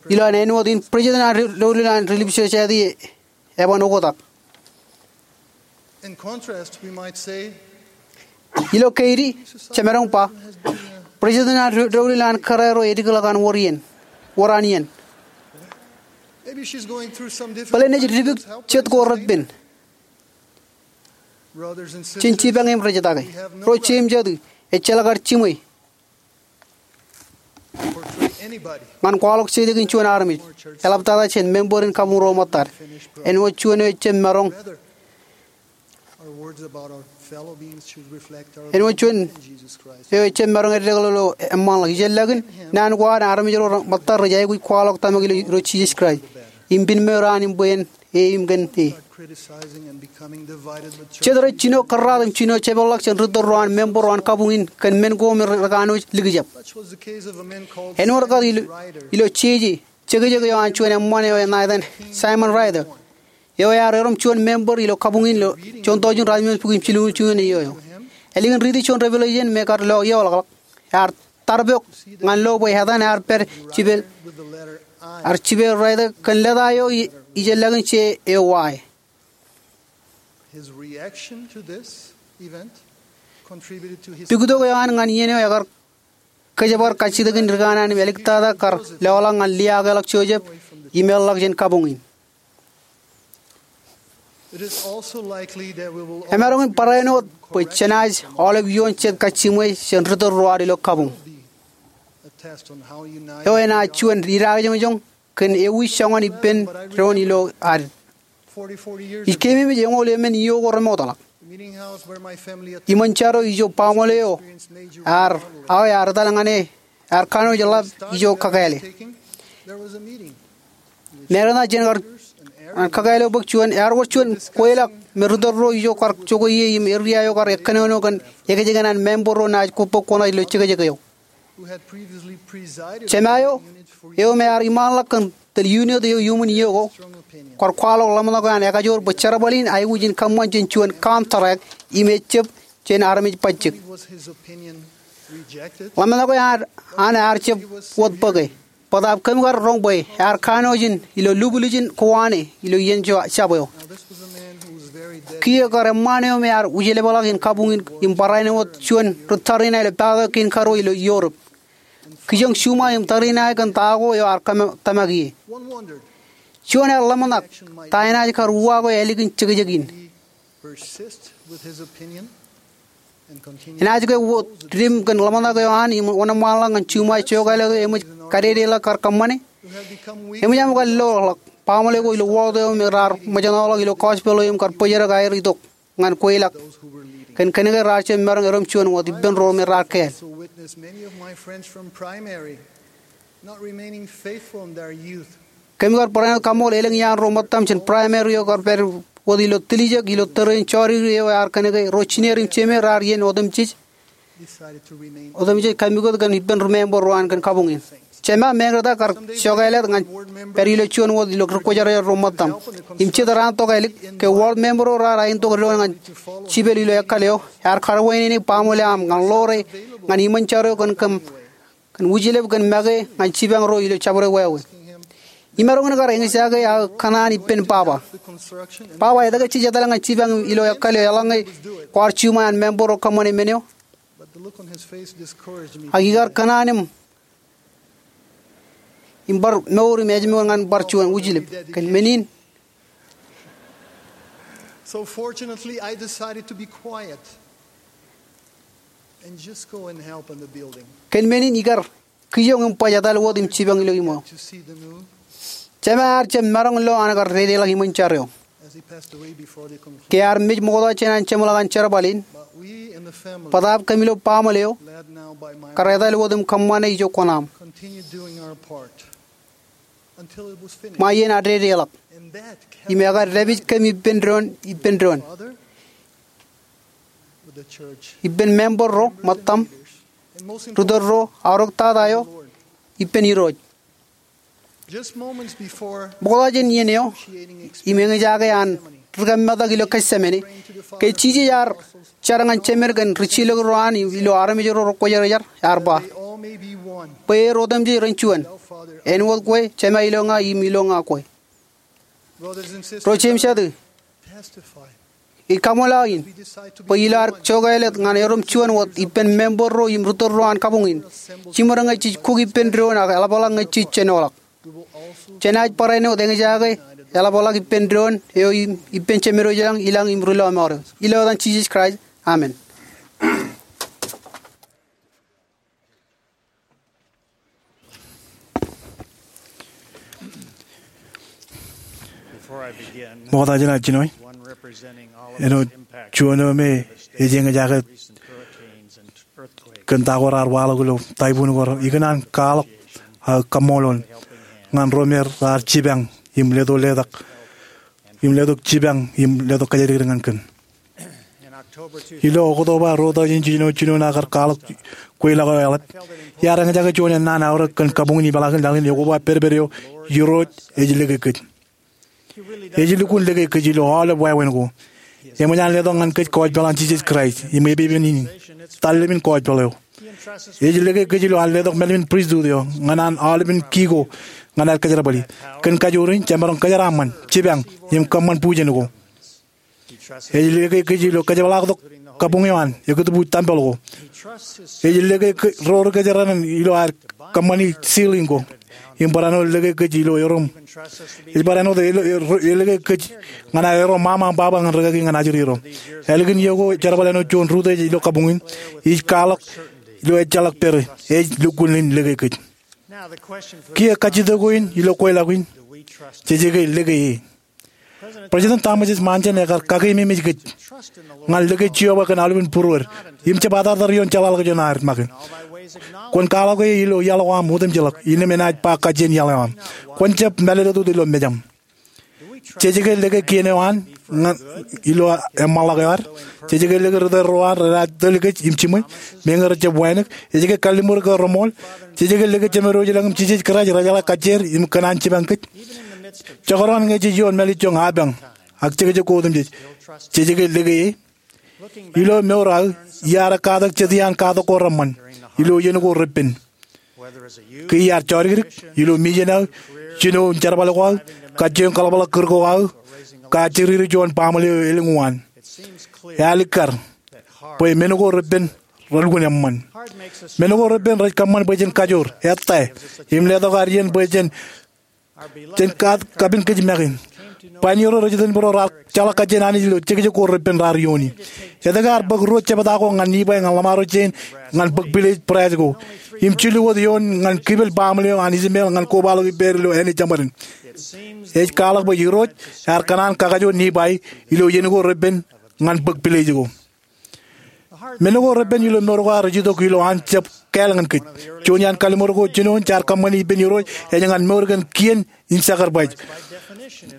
ilo an āinwōt in president an doulul an Relief Society eban oktak. Ilo keidi, jemaroñ ba, president an doulul an kōrā ro edikḷọk an wōr iien, wōr an iien. Bōlen ej dipik jet ko repen. Jen jipañ im rej jatake. Ro jeim jatū, ejjeḷọk ad jiṃwe ñan kwaḷọk jekjekin juon armej, eḷaptata jān member in kabuñ ro ṃōttad. Āinwōt juon eo ejjab maroñ, āinwōt juon eo ejjab maroñ eddekḷọk ilo eṃṃanḷọk. Ijellọkin naan ko an armej ro ṃōttad rej aikuj kwaḷọk tōmak ilo Irooj Jisōs Kraist im piṃṃool raan in bwe en e im kōn e. Jet rej jino kōrraat im jino jepeḷḷọk jān ri tōl ro an member ro an kabuñ in kōn men ko me rekanooj likjab. Āinwōt kōn ilo jeje, jekjek eo an juon eṃṃan eo enaaj etan Simon Rather, eo ear erom juon member ilo kabuñ in ilo juon tọujin ratimjuon bukwi im jiljilimjuon iiō eo. Ālikin riiti juon Revelation me kar lo eoḷọkḷọk, ear tarpok ñan lo bwe etan ear pād jipeḷ, ear jipeḷ Rather kōn leta eo ijellọkin je eo Y. Puktok eo an ñan iien eo ekar kōjparok kajjitōkin ri kanaan im āliktata kar lọḷọk ñan liaakḷọk Joseph im eḷḷọk jān kabuñ in. Emaroñ in barāinwōt bwe jenaaj aolep ioon jet kajjiṃwe jān ri tōl ro ad ilo kabuñ eo enaaj juon idaakōjọñjọñ kōn ewi joñan ippān doon ilo ad. Ij keememej eñoul emān iiō ko remootḷọk. Iṃōn jar eo ijo baaṃle eo ear, aō ear etal ñan e, ear kanooj ḷap ijo kakāāle. Meñe eo jān kar, an kakāālōt bōk juon, ear wōr juon kweilọk me ri tōl ro ijo kar jokwe ie im eria eo kar ekkōnono kōn ekōjkan an member ro naaj kobok kuṇaō ilo jekjek eo. Jema eo, eo me ear iṃaanḷọk kōn tōl unit eo iuṃwin iiō ko, kar kwaḷọk ḷōmṇak eo an ekajoor bwe jerbal in aikuj in kōṃṃan jān juon contract im ejjab jān armej bajjek. Ḷōmṇak eo an ear jab wōt bōke. Bōtaab kōm kar roñ bwe ear kanooj in ilo lubluj in kōwaane ilo iien jab eo. Kiiō kar eṃṃaan eo me ear wūjlepḷọk in kabuñ in im barāinwōt juon ri tariṇae ilo patok kein karo ilo Europe. Kijoñ juṃae im tariṇae kōn ta ko eo ear tōmak ie. Juon ear ḷōmṇak ta enaaj kar uwaak eo ālikin jekjek in. Enaaj ke wōt didim kōn ḷōmṇak eo an im wōnṃaanḷọk ñan juṃae jokāālōt eo eṃōj kadedeḷọk kar kōṃṃane? Eṃōj aṃ kar loḷọk baaṃle ko ilo wōt eo me raar ṃōjṇọḷọk ilo gospel eo im kar bōjrak aer itok ñan kweilọk kōn kōnke raar jab maroñ erom juon wōt ippān ro me raar kāāl. Kōm kar barāinwōt kaṃṃoolol elōñ iaan ro ṃōttaṃ jān primary eo kar pād wōt ilo tiljek ilo tōre in jọriir eo ear kōnke ro jined im jemāer raar iien otemjej, otemjej kaimukot kōn ippān ri member ro an kōn kabuñ in. Jema, meñe eo kar jokāālōt ñan pād ilo juon wōt ilo ri kwōjarjar ro ṃōttaṃ im jet raan tokālik ke wōt member ro raar aentok doon ñan jipel ilo ekkal eo, ear karwaineneik baaṃle aṃ ñan ḷoore ñan iṃōn jar eo kōn kōm kōn wūjlep kōn make ñan jipañ ro ilo jabdewāween. Imaroñ in kar eñjake aō kōṇaan ippān baba. Baba, etke jej etal ñan jipañ ilo ekkal eo eḷaññe kwaar juṃae an member ro kōṃṃane men eo? Ak ikar kōṇaan im, im bar mour im ājmour ñan bar juon wūjlep. Kōn men in, So fortunately, I decided to be quiet and just go and help in the building. Kōn men in ikar kijoñ im baj etal wōt im jipañ ilo iṃō. To see the moon Jema ear jab maroñ lo an kar dedeḷọk iṃōn jar eo. As he passed away before the conclave. Ke ear mej ṃokta jān an jeṃḷọk an jerbal in, But we in the family, bōtaab kōm ilo baaṃle eo, led now by my kar etal wōt im kōṃṃane ijo kuṇaaṃ. Continued doing our part. Ṃae iien ad dedeḷọk im ekar dāpij kōm ippān doon, ippān doon, ippān member ro ṃōttaṃ, ri tōl ro, aorōk tata eo, ippān Irooj. Ṃokta jān iien eo im eñjake an ri kōmmetak ilo Getsemane, ke Jisōs ear jar ñan jemed kōn ri jilkinro an ilo armej ro ri kwōjarjar, ear ba, bwe er otemjej ren juon, āinwōt kwe, Jema ilo ña im ilo ña kwe. Ro jeiū im jatū, ij kaṃṃoolol aō in bwe ilo ad jokāālōt ñan erom juon wōt ippān member ro im ri tōl ro an kabuñ in, jiṃor ñe jej kuk ippān doon ak eḷapḷọk ñe jej jenoḷọk. Jenaaj barāinwōt eñjake eḷapḷọk ippān doon eo im ippān Jemedwōj ilañ, ilañ im ri lọmọọr eo. Ilo etan Jisōs Kraist, amen. Before I begin, ṃokta jān ad jinoe, one representing all of āinwōt juon eo me ej eñjake kōn ta ko raar waḷọk ilo typhoon ko, ikōṇaan kwaḷọk aō kaṃṃoolol ñan ro me raar jipañ im letok letak im letok jipañ im letok kōjatdikdik ñan kōm. Ilo Oktoba ruo tọujin jiljino jiljino, ak kar kwaḷọk kweilọk eo eḷap, iar eñjake juon ennaan aorōk kōn kabuñ in im laḷ in, laḷ in ekoba pedped eo: Irooj, ej lōke kōj. Ej lukkuun lōke kōj ilo aolep wāween ko. Eṃōj an letok ñan kōj gospel an Jisōs Kraist im epepen in, tallepen gospel eo. Ej lōke kōj ilo an letok mālōtlōt in pristut eo ñan an aolepen ki ko ñan ad kōjerbali. Kōn kajoor in, jemaroñ kōjeraaṃṃan, jipañ, im kōṃṃan bujen ko. Ej lōke kōj ilo kōjepḷaaktok kabuñ eo an ekūtbuuj tempel ko. Ej lōke kōj ro ri kōjeraṇ ilo ad kōṃṃani ceiling ko im barāinwōt lōke kōj ilo erom. Ej barāinwōt ej lōke kōj ñan ad erom ṃaṃa im baba ñan rikaki ñan ajri ro. Ālikin iiō ko, jerbal āinwōt juon rūtto ej ilo kabuñ in, ij kwaḷọk ilo ejjeḷọk pere, ej lukkuun in lōke kōj. Kiiō kajjitōk ko in ilo kweilọk in, jej ke lōke e? President Thomas S. Monson ekar kakeememej kōj ñan lōke Jeova kōn aolepen būruod im jab atartar ioon jeḷāḷọkjeṇ eo an make. Kwōn kwaḷọk e ilo iaḷ ko aṃ otemjej ḷọk, innām enaaj ba kajjien iaḷ eo aṃ. Kwōn jab mālōtlōt ilo mejaṃ. Jej ke lōke kien eo an ñan ilo eṃṃanḷọk eo ad? Jej ke lōke ri tōl ro an renaaj tōl kōj im jiṃwe, meñe rej jab wānōk? Ej ke kalliṃur ke reṃool? Jej ke lōke Jemedwōj ilañ im Jisōs Kraist rejeḷā kajjier im kōṇaan jipañ kōj? Jekdọọn ñe jej ioon mālejjoñ apañ ak jekjek ko otemjej, jej ke lōke e? Ilo mour aō, iar katak jet iaan katak ko reṃṃan ilo iien ko repen. Ke iar jodikdik, ilo mijen aō, jino im jerbal ko aō, kajjioñ kaḷapḷọk kūr ko aō, kajjiriri juon baaṃle eo elōñ uwaan, ealikkar bwe men ko repen relukkuun eṃṃan. Men ko repen rej kōṃṃan bwe jen kajoor, ettā, im letok ad iien bwe jen jen kapen kōj make. Bwe āinwōt ro rej itōn bōro raar jeḷā kajjien Anij ilo jekjek ko repen raar iooni. Etke ear bōk ruo jebta ko ñan Nifai ñan ḷōṃaro jein ñan bōk pilej brass ko im jilu wōt eoon ñan kipel baaṃle eo an Ishmael ñan kobaḷọk ippāer ilo āne jeṃaden? Ej kwaḷọk bwe Irooj ear kōṇaan kakajoor Nifai ilo iien ko repen ñan bōk pilej ko. Men ko repen ilo mour ko ad rej itok ilo an jab kāāl ñan kōj. Juon iaan kalliṃur ko jinoin jaar kōṃṃani ippān Irooj ej ñan mour kōn kien in sacrifice.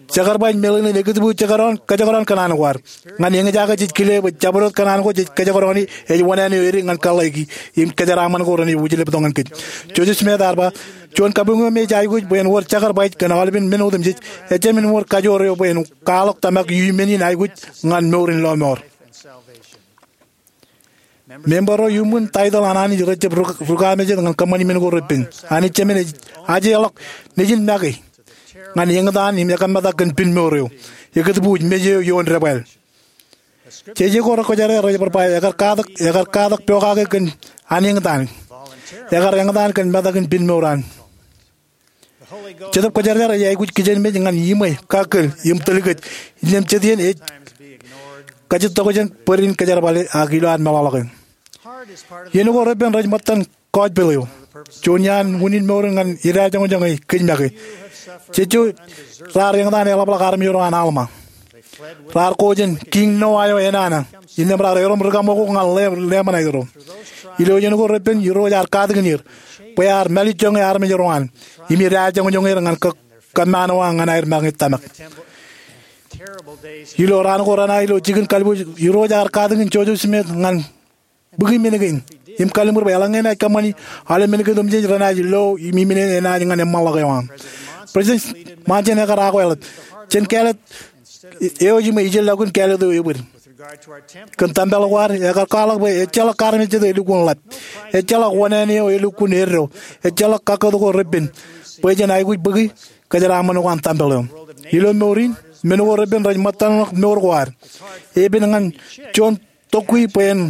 Sacrifice meḷeḷein ekōtbuuj jekdọọn, kōjekdọọn kōṇaan ko ad. Ñan eñjake jej kile bwe jabdewōt kōṇaan ko jej kōjekdọọn e ej wōṇāān eo edik ñan kōḷḷāiki im kōjeraaṃṃan ko renaaj wūjleptok ñan kōj. Joseph Smith ear ba, juon kabuñ eo me ej aikuj bwe en wōr sacrifice kōn aolepen men otemjej, ejāmin wōr kajoor eo bwe en kwaḷọk tōmak iuṃwin in aikuj ñan mour in lọmọọr. Member ro iuṃwin taitōḷ an Anij rej jab rūkaamejed ñan kōṃṃani men ko repen. Anij Jemān ej ajeḷọk nejin make ñan eñtaan im ekaṃṃata kōn pinmour eo, ekōtbuuj mej eo ioon debwāāl. Jeje ko rekwōjarjar rej bar ba, ekar katak, ekar katak pokake kōn an eñtaan. Ekar eñtaan kōn metakin pinmour an. Jetōb Kwōjarjar ej aikuj kijenmej ñan iṃwe, kakkōl, im tōl kōj, innām jet iien ej kajjitōk jān bōd in kōjerbale ak ilo ad meḷọkḷọke. Iien ko repen rej ṃōttan gospel eo. Juon iaan unin mour in ñan idajoñjoñ e kōj make. Jejjo raar eñtaan eḷapḷọk armej ro an Alma. Raar ko jān Kiiñ Noa eo enana, innām raar erom rikaṃoko ñan lem, lemṇae ro. Ilo iien ko repen Irooj ear katakin er bwe ear mālejjoñe armej ro an im idajoñjoñ er ñan kōm, kōmmaanwōj ñan aer make tōmak. Ilo raan ko renaaj ilo jikin kalbuuj, Irooj ear katakin Joseph Smith ñan bōki men kein im kalliṃur bwe eḷaññe enaaj kōṃṃani, aolep men kein otemjej renaaj lo im iminene enaaj ñan eṃṃanḷọk eo an. President Monson ekar akweḷap, jen kāālōt eo im ijellọkun kāālōt eo ebōd. Kōn tempel ko ad, ekar kwaḷọk bwe ejjeḷọk armej jet elukkuun ḷap. Ejjeḷọk wōṇāān eo elukkuun eddo. Ejjeḷọk kakkōt ko repen bwe jen aikuj bōki kōjeraaṃṃan ko an tempel eo. Ilo mour in, men ko repen rej ṃōttanḷọk mour ko ad. Epen ñan juon tokwi bwe en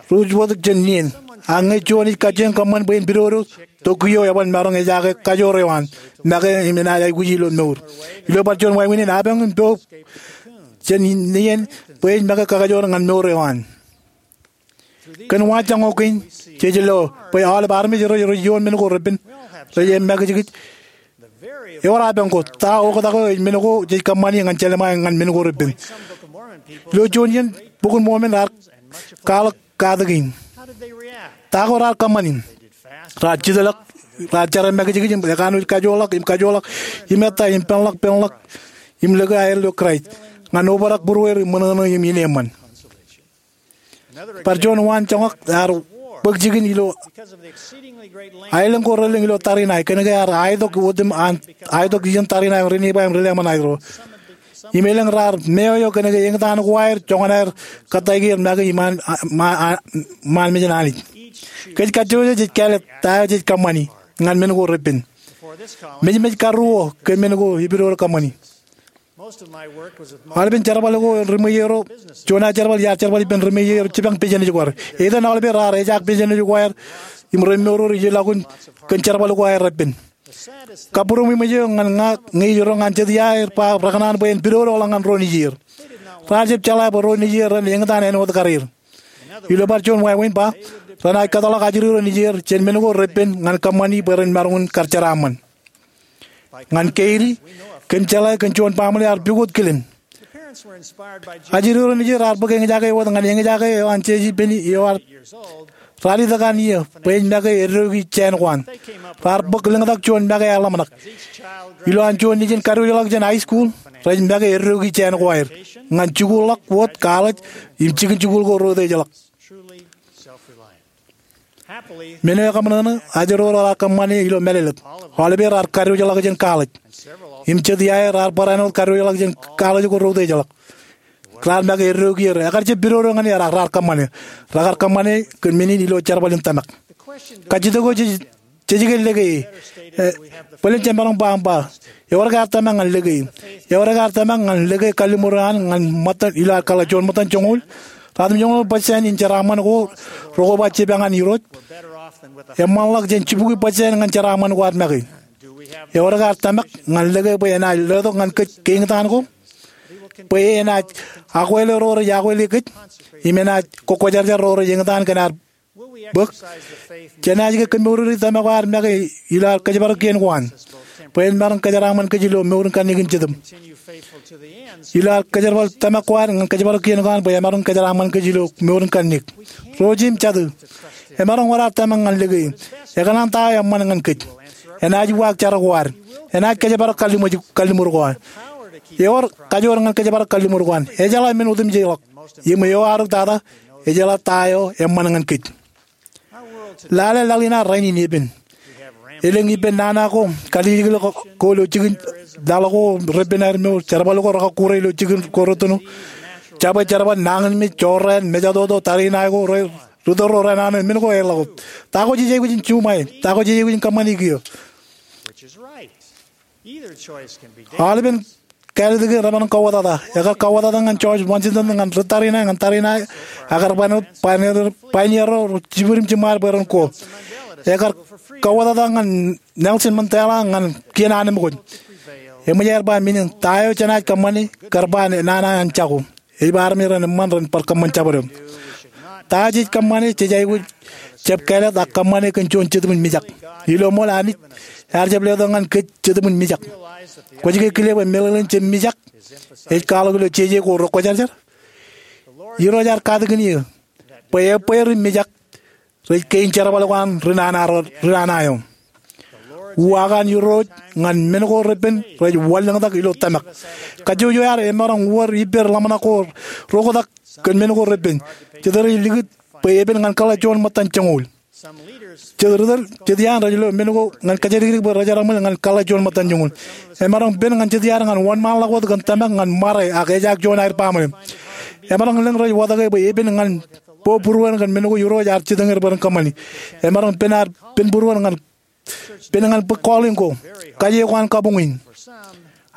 ruj wōt jān nien. Ak ñe juon ej kajjioñ kōṃṃan bwe en pidodo, tokwi eo eban maroñ ejaake kajoor eo an make im enaaj aikuji ilo mour. Ilo bar juon wāween in, apañ in poub jān nien bwe ej make kakajoor ñan mour eo an. Kōn waanjoñak kein, jej lo bwe aolep armej ro rej ioon men ko repen rej emakijkij. Ewōr apañ ko, ta oktak eo ej men ko jej kōṃṃani ñan jelṃae ñan men ko repen? Ilo juon iien, Bok in Mormon raar kwaḷọk katak in. Ta ko raar kōṃṃani? Raar jitḷọk, raar jar emakijkij im ekanooj kajoorḷọk im kajoorḷọk im ettā im penḷọk penḷọk im lōke aer ilo Kraist ñan obrak būrueir im ṃōṇōṇō im ineeṃṃan. Bar juon waanjoñak ear bōk jikin ilo aelōñ ko relōñ ilo tariṇae kōnke ear aetok otem an, aetok ijeṇ tariṇae ri Nifai im ri Leman aer ro. Im elōñ raar meoeo kōnke eñtaan ko aer joñan aer kōttāik er make iṃaan, ṃaan, ṃaan mejān Anij. Kōj kajjojo jej kāālōt ta eo jej kōṃṃani ñan men ko repen. Mejmej karuo kōn men ko epidodo kōṃṃani. Aolepen jerbal ko ri ṃweiie ro, juon aō jerbal iar jerbal ippān ri ṃweiie ro jipañ business ko ad. Etan aolepen raar ejaak business ko aer im remour ro ijellọkun kōn jerbal ko aer repen. Kabbūroṃ eṃōj eo ñan ña ñe ij roñ an jet ia er ba rekōṇaan bwe en pidodoḷọk ñan ro nejier. Raar jab jeḷā bwe ro nejier ren eñtaan āinwōt karier. Ilo bar juon wāween ba, renaaj kōtḷọk ajri ro nejier jān men ko repen ñan kōṃṃani bwe ren maroñ in kar jeraaṃṃan. Ñan Katie, kōm jeḷā kōn juon baaṃle ear pukot kilen. Ajri ro nejier ear bōk eñjake wōt ñan eñjake eo an Jesi Peni eo ear Raar itok an iiō bwe ej make eddoiki jāān ko an. Raar bōk lōñtak juon make eḷaññe ḷōmṇak. Ilo an juon nejin kadiwōjḷọk jān high school, rej make eddoiki jāān ko aer ñan jikuuḷḷọk wōt college im jikin jikuuḷ ko ro utiejḷọk. Men eo ekōṃanṃan, ajri ro raar kōṃṃane ilo mālōtlōt. Aolepād raar kadiwōjḷọk jān college. Im jet iaer raar barāinwōt kadiwōjḷọk jān college ko ro utiejḷọk. Raar make eddoiki er. Ekar jab pidodo ñan er ak raar kōṃṃane. Rekar kōṃṃane kōn men in ilo jerbal in tōmak. Kajjitōk eo jej, jej ke lōke e. E, bōlen jemaroñ ba aṃ ba, ewōr ke ear tōmak ñan lōke e? Ewōr ke ear tōmak ñan lōke kalliṃur eo an ñan ṃōttan, ilo ad kōḷḷā juon ṃōttan joñoul? Ratimjuonñoul percent in jeraaṃṃan ko rekwōj ba jipañ an Irooj eṃṃanḷọk jān jibukwi percent ñan jeraaṃṃan ko ad make. Ewōr ke ear tōmak ñan lōke bwe enaaj letok ñan kōj keeñtaan ko, bwe enaaj akwāle ro rej akwāle kōj, im enaaj kwōjarjar ro rej eñtaan kōn ad bōk? Jenaaj ke kōmoureri tōmak eo ad make ilo ad kōjparok kien ko an, bwe en maroñ kōjeraaṃṃan kōj ilo mour in kanniōk in Jetōb? Ilo ad kōjerbal tōmak ko ad ñan kōjparok kien ko an bwe emaroñ kōjeraaṃṃan kōj ilo mour in kanniōk? Ro jeiū im jatū, emaroñ wōr ad tōmak ñan lōke e? Ekōṇaan ta eo eṃṃan ñan kōj? Enaaj uwaak jar ko ad. Enaaj kōjparok kalliṃur, kalliṃur ko an. Ewōr kajoor ñan kōjparok kalliṃur ko an. Ejeḷā men otemjej ḷọk. Im eo arūtata, ejeḷā ta eo eṃṃan ñan kōj. Lale laḷ in ad rainin epen. Elōñ ippān nana ko, kaliliklik ko ilo jikin laḷ ko repen aer mour, jerbal ko rekọkkure ilo jikin ko rūttoṇo. Jabwe jerbal, nañinmej, jorrāān, mejatoto, tariṇae ko, ri, ritōl ro raṇae, men ko eḷḷọk. Ta ko jej aikuj in juṃae? Ta ko jej aikuj in kōṃṃani kiiō? Aolepān kāālōt kein remaroñ kawōtata. Ekar kawōtata ñan George Washington ñan ri tariṇae, ñan tariṇae, ak kar pioneer, pioneer, pioneer ro jibwid im jiṃṃaad bwe ren ko. Ekar kawōtata ñan Nelson Mandela ñan kien anemkwōj. Eṃōj aer ba men in, ta eo jenaaj kōṃṃane, kar ba nana an jako. Ej ba armej ren eṃṃan ren bar kōṃṃan jabdewōt. Ta jej kōṃṃane, jej aikuj jab kāālōt ak kōṃṃane kōn juon jetōb in mijak. Ilo ṃool Anij ear jab letok ñan kōj jetōb in mijak. Kwōj ke kile bwe meḷeḷein jab mijak ej kwaḷọk ilo jeje ko rekwōjarjar? Irooj ear katakin eō bwe ebbeer im mijak rej kein jerbal ko an ri nana ro, ri nana eo. Uwaak an Irooj ñan men ko repen rej wanlōñtak ilo tōmak. Kajjojo ad emaroñ wōr ippāer ḷōmṇak ko roktak kōn men ko repen. Jet rej likūt bwe epen ñan kōḷḷā juon ṃōttan joñoul. Jet ri tōl, jet iaan rej lo men ko ñan kōjatdikdik bwe rejeraaṃṃan ñan kōḷḷā juon ṃōttan joñoul. Emaroñ pen ñan jet iaad ñan wōnṃaanḷọk wōt kōn tōmak ñan ṃare ak ejaak juon aer baaṃle. Emaroñ lōñ rej watōke bwe epen ñan bōk būruon kōn men ko Irooj ear jitōñir bwe ren kōṃṃani. Emaroñ pen ad pen būruon ñan pen ñan bōk calling ko, kaje ko an kabuñ in.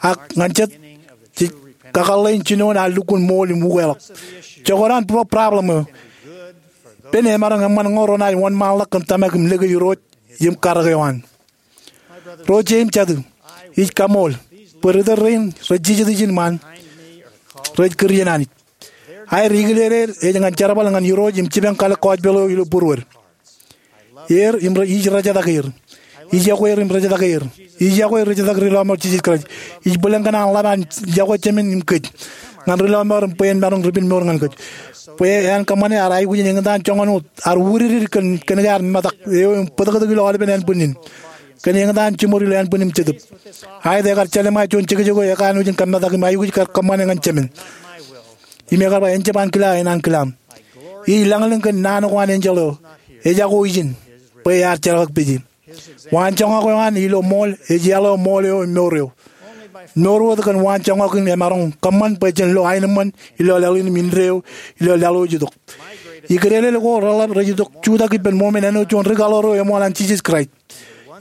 Ak ñan jet, jej kakōḷḷe in jinoin ad lukkuun ṃool im ukeḷọk. Jekdọọn problem eo, pen emaroñ eṃṃan ñe renaaj wōnṃaanḷọk kōn tōmak im lōke Irooj im karōk eo an. Ro jeiū im jatū, ij kaṃool bwe ri tōl rein rej jijet ijin ṃaan rej kūr iien Anij. Aer ikilel er ej ñan jerbal ñan Irooj im jipañ kalōk gospel eo ilo būruod. Er im ij rejetak er. Ij yokwe er im rejetak er. Ij yokwe rejetak ri lọmọọr Jisōs Kraist. Ij bōlen kōṇaan ḷap an yokwe jemān im kōj ñan ri lọmọọr im bwe en maroñ ri pen mour ñan kōj. Bwe en kōṃṃane ad aikuj in eñtaan joñan wōt ad wūdikdik kōn, kōn ke ad metak eo im bōtōktōk ilo aolepen ānbwinnin kōn eñtaan jiṃor ilo ānbwin im jetōb. Aet, ekar jelṃae juon jekjek eo ekanooj in kōmetak im aikuj kar kōṃṃane ñan jemān. Im ekar ba, en jab ankilā, en ankilaaṃ. Ij lañlōñ kōn naan ko an enjeḷ eo ejako ijin bwe ear jeḷak peje. Waanjoñak eo an ilo ṃool ej iaḷ eo ṃool eo im mour eo. Mour wōt kōn waanjoñak in emaroñ kōṃṃan bwe jen lo aenōṃṃan ilo laḷ in im indeeo ilo laḷ eo ej itok. Ikdeḷeḷe ko reḷap rej itok jutak ippān ṃool men āinwōt juon rikaḷoor eo eṃool an Jisōs Kraist.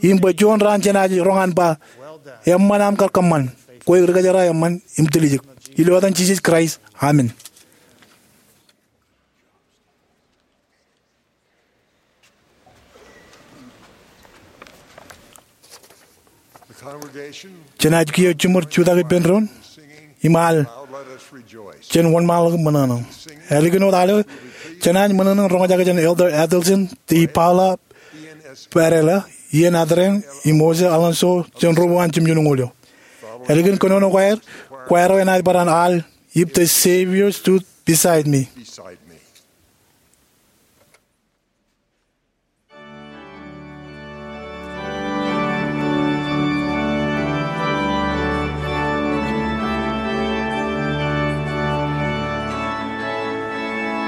Im bwe juon raan jenaaj roñ an ba, eṃṃan aṃ kar kōṃṃan, kwe ri kōjeraaṃṃan im tiljek. Ilo etan Jisōs Kraist, amen. Jenaaj kiiō jiṃor jutak ippān doon im al jān wōnṃaanḷọk im ṃōṇōṇō. Ālikin wōt al eo, jenaaj ṃōṇōṇō in roñjake jān Elder Adelson D. Paula Padilla, Ian Adrian, im Jose Alonso jān ro an jimjuonñoul eo. Ālikin kōnono ko aer, kwaer eo enaaj bar an al If the Savior Stood Beside Me.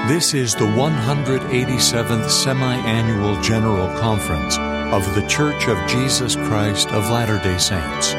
This is the one hundred eighty-seventh Semi-Annual General Conference of The Church of Jesus Christ of Latter-day Saints.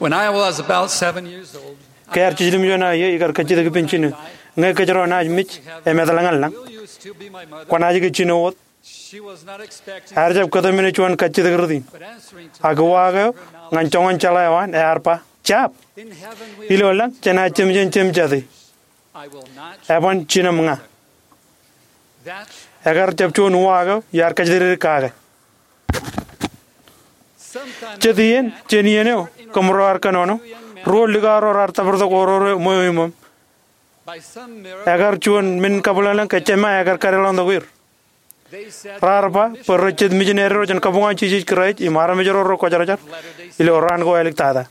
When I was about seven years old, ke ear jiljilimjuon aō iiō, ikar kajjitōk ippān jino. Ñe kōjro naaj mej im etal ñan lañ, kwōnaaj ke jino wōt. Ear jab kōtmāne juon kajjitōk rot in. Ak uwaak eo ñan joñan jeḷā eo an ear ba, "Jab!" Ilo lañ jenaaj jemjen jemjate. Eban jinem ña. Ekar jab juon uwaak eo iar kōjatdikdik kake. Jet iien, jān iien eo, kōmro ar kōnono, ruo likao ro raar tōpartok oror eo ṃweo iṃōṃ. Ekar juon men kabwilōñlōñ ke jema ekar kadeḷọñtok er. Raar ba bwe rej jet mijineri ro jān kabuñ an Jisōs Kraist im armej ro rekwōjarjar ilo raan ko āliktata.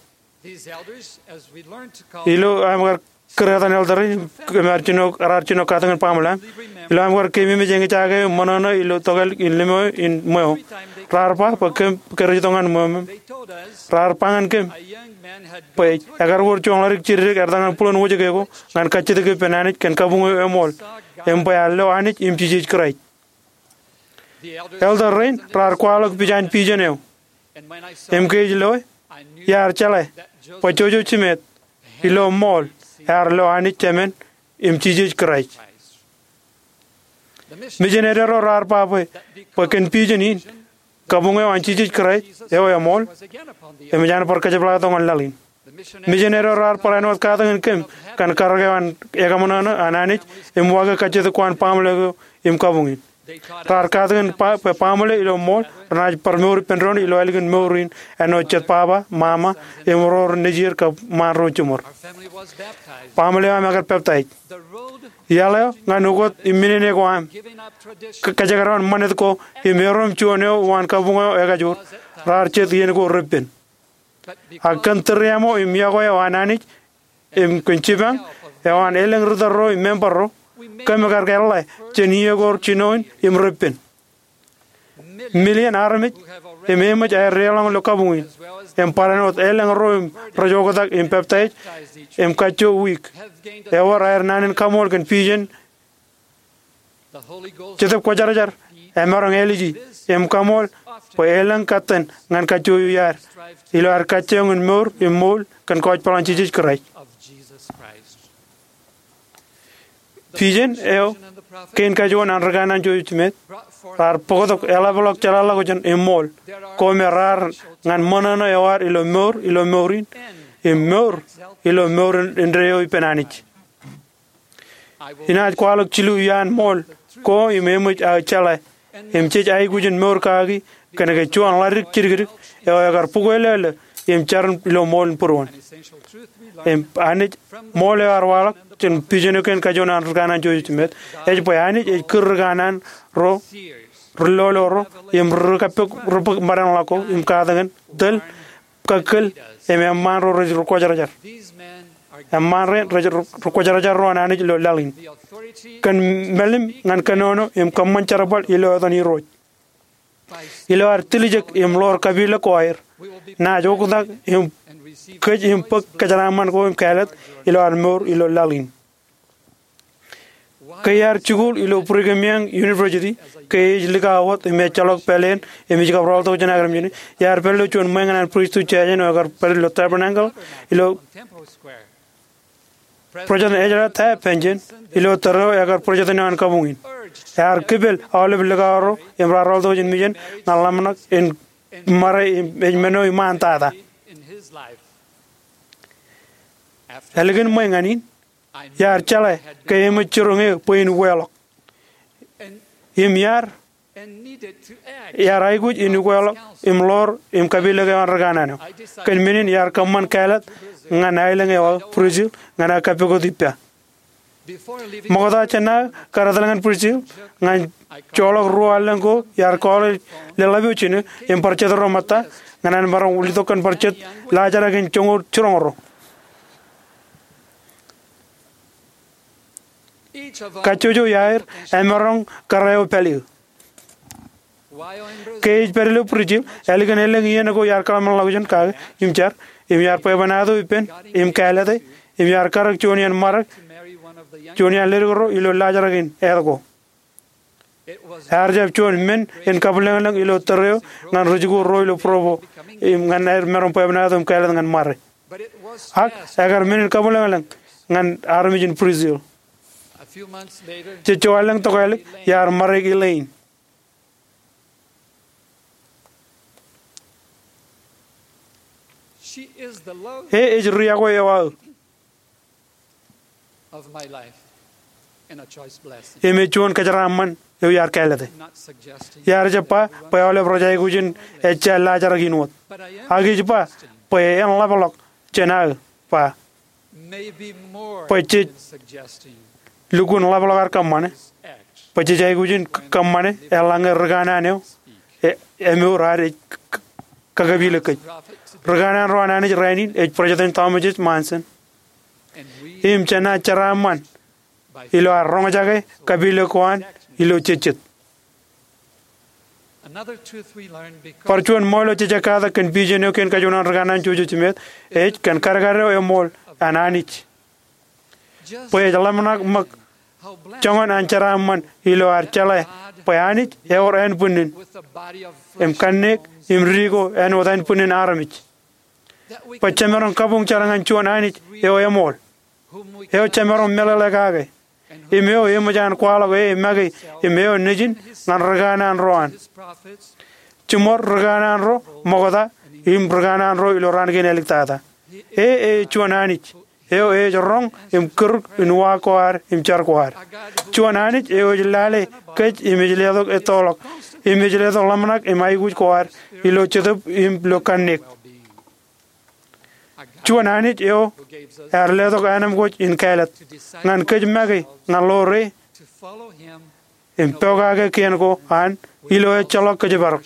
Ilo aṃ kar kūr etan elder rein, im raar jino, raar jino katakin baaṃle aṃ. Ilo aṃ kar keememej eñjake eo ṃōṇōṇō ilo tokālik in liṃo in ṃweo, raar ba bwe kōm ke rej itok ñan ṃweo ṃōṃ. Raar ba ñan kōm bwe ekar wōr joñḷadik jidikdik ertōñan būḷon wōjke ko ñan kajjitōk ippān Anij kōn kabuñ eo eṃool, im bwe ear lo Anij im Jisōs Kraist. Elder rein raar kwaḷọk pija in vision eo. Im ke ij loe, iar jeḷā bwe Joseph Smith ilo ṃool ear lo Anij Jemān im Jisōs Kraist. Mijineri ro raar ba bwe, bwe kōn vision in, kabuñ eo an Jisōs Kraist eo eṃool eṃōj an bar kōjepḷaaktok ñan laḷ in. Mijineri ro raar barāinwōt katakin kōm kōn karōk eo an ekaṃōṇōṇō an Anij im waake kajjitōk ko an baaṃle eo im kabuñ in. Raar katakin ba bwe baaṃle ilo ṃool renaaj bar mour ippān doon ilo ālikin mour in āinwōt jet baba, mama, im ro rej nejier kab ṃaan ro jiṃor. Baaṃle eo aṃ ekar peptaij. Iaḷ eo ñan ukōt im minene ko aṃ, kōjekdọọn ṃanit ko im erom juon eo uwaan kabuñ eo ekajoor, raar jet iien ko reppen. Ak kōn tūriaṃo im iọkwe eo an Anij im kōn jipañ eo an elōñ ritōl ro im member ro, kōm ekar kōḷḷā jān iiō ko jinoin im reppen. Million armej im eṃōj aer deḷọñ ilo kabuñ in, im barāinwōt elōñ ro im rej oktak im peptaij im kajjo wiik, ewōr aer naan in kaṃool kōn vision. Jetōb Kwōjarjar emaroñ āliji im kaṃool bwe elōñ kōttan ñan kajjojo iaad ilo ad kajjioñ in mour im ṃool kōn kōjpaḷ an Jisōs Kraist. Vision eo kein kajuon an ri kanaan jojejjimet raar bōktok eḷapḷọk jeḷāḷọkjeṇ im ṃool ko me raar ñan ṃōṇōṇō eo ad ilo mour ilo mour in im mour ilo mour indeeo ippān Anij. Inaaj kwaḷọk jilu iaan ṃool ko im eṃōj aō jeḷā im jej aikuj in mour kaki kōnke juon ḷaddik jidikdik eo ekar bukweilōḷḷō im jar ilo ṃool in būruon. Im Anij, ṃool eo ear waḷọk jān vision eo kein kajuon an ri kanaan jojejjimet ej bwe Anij ej kūr ri kanaan ro, ri lolo ro, im ri kappok ri bōk mādanḷọk ko im katakin tōl, kakkōl, im eṃṃaan ro rej ri kwōjarjar. Eṃṃaan rein rej ri kwōjarjar ro an Anij ilo laḷ in. Kōn mālim ñan kōnono im kōṃṃan jerbal ilo etan Irooj. Ilo ad tiljek im ḷoor kapilōk ko aer, naaj oktak im kōj im bōk kōjeraaṃṃan ko im kāālōt ilo ad mour ilo laḷ in. Ke iar jikuuḷ ilo Brigham Young University, ke ej likao wōt im ejjeḷọk pāleen im ij kab rọọltok jān aō kōrā im jān e, iar pād ilo juon ṃweiñin an priesthood jāājen eo ekar pād ilo Tabernacle ilo President Ezra Taft Benson ilo tōre eo ekar president eo an kabuñ in. Ear kipel aolep likao ro im raar rọọltok jān mission ñan ḷōmṇak in ṃare im ej men eo iṃaan tata. Ālikin ṃwe ñan in, iar jeḷā ke eṃōj jiroñ eō bwe in uweḷọk. Im iar, iar aikuj in uweḷọk im ḷoor im kapilōk eo an ri kanaan eo. Kōn men in iar kōṃṃan kāālōt ñan aelōñ eo aō Brazil ñan aō kappukot ippa. Ṃokta jān aō kar etal ñan Brazil, ña ij joḷọk ruo allōñ ko iar kọọle leḷḷap eo jino im bar jet ro ṃōtta ñan an maroñ letok kōn bar jet laajrak in joñoul jiroñ ro. Kajjojo iaer emaroñ kōrā eo pād eō. Ke ij pād ilo Brazil, ālikin elōñ iien ko iar kōḷmānḷọkjeṇ kake im jar, im iar bwebwenato ippān im kāālōte, im iar karōk juon iaan ṃarek juon iaan ledik ro ilo laajrak in āt ko. Ear jab juon men in kabwilōñlōñ ilo tōre eo ñan ri jikuuḷ ro ilo Provo im ñan aer maroñ bwebwenato im kāālōt ñan ṃare. Ak ekar men in kabwilōñlōñ ñan armej in Brazil. Jejjo allōñ tokālik iar ṃare Elaine. E ej ri-yokwe eo aō im ej juon kōjeraaṃṃan eo iar kāālōte. Iar jab ba bwe aolep rej aikuj in ejja laajrak in wōt. Ak ij ba bwe en ḷapḷọk jān aō ba bwe jej lukkuun ḷapḷọk ad kōṃṃane, bwe jej aikuj in kōṃṃane eḷaññe ri kanaan eo emour ad ej kakapilōk kōj. Ri kanaan ro an Anij rainin ej President Thomas S. Monson im jenaaj jeraaṃṃan ilo ad roñjake kapilōk ko an ilo jejjet. Bar juon ṃool eo jej ekkātak kōn vision eo kein kajuon an ri kanaan jojejjimet ej kōn kadkad eo eṃool an Anij. Bwe ej ḷōmṇak ṃōk joñan an jeraaṃṃan ilo ad jeḷā bwe Anij ewōr ānbwinnin im kanniōk im dike āinwōt ānbwinnin armej. bwe jemaroñ kabuñ jar ñan juon Anij eo eṃool, eo jemaroñ meḷeḷe kake, im eo eṃōj an kwaḷọk e make im eo nejin ñan rikanaan ro an, jiṃor rikanaan ro ṃokta im rikanaan ro ilo raan kein āliktata. E ej juon Anij eo ej roñ im kūruk in uwaak ko ad im jar ko ad. Juon Anij eo ej lale kōj im ej letok ettoḷọk im ej letok ḷōmṇak im aikuj ko ad ilo jetōb im ilo kanniōk. Juon Anij eo ear letok anemkwōj in kāālōt ñan kōj make ñan ḷoor e im pokake kien ko an ilo ejjeḷọk kōjparok.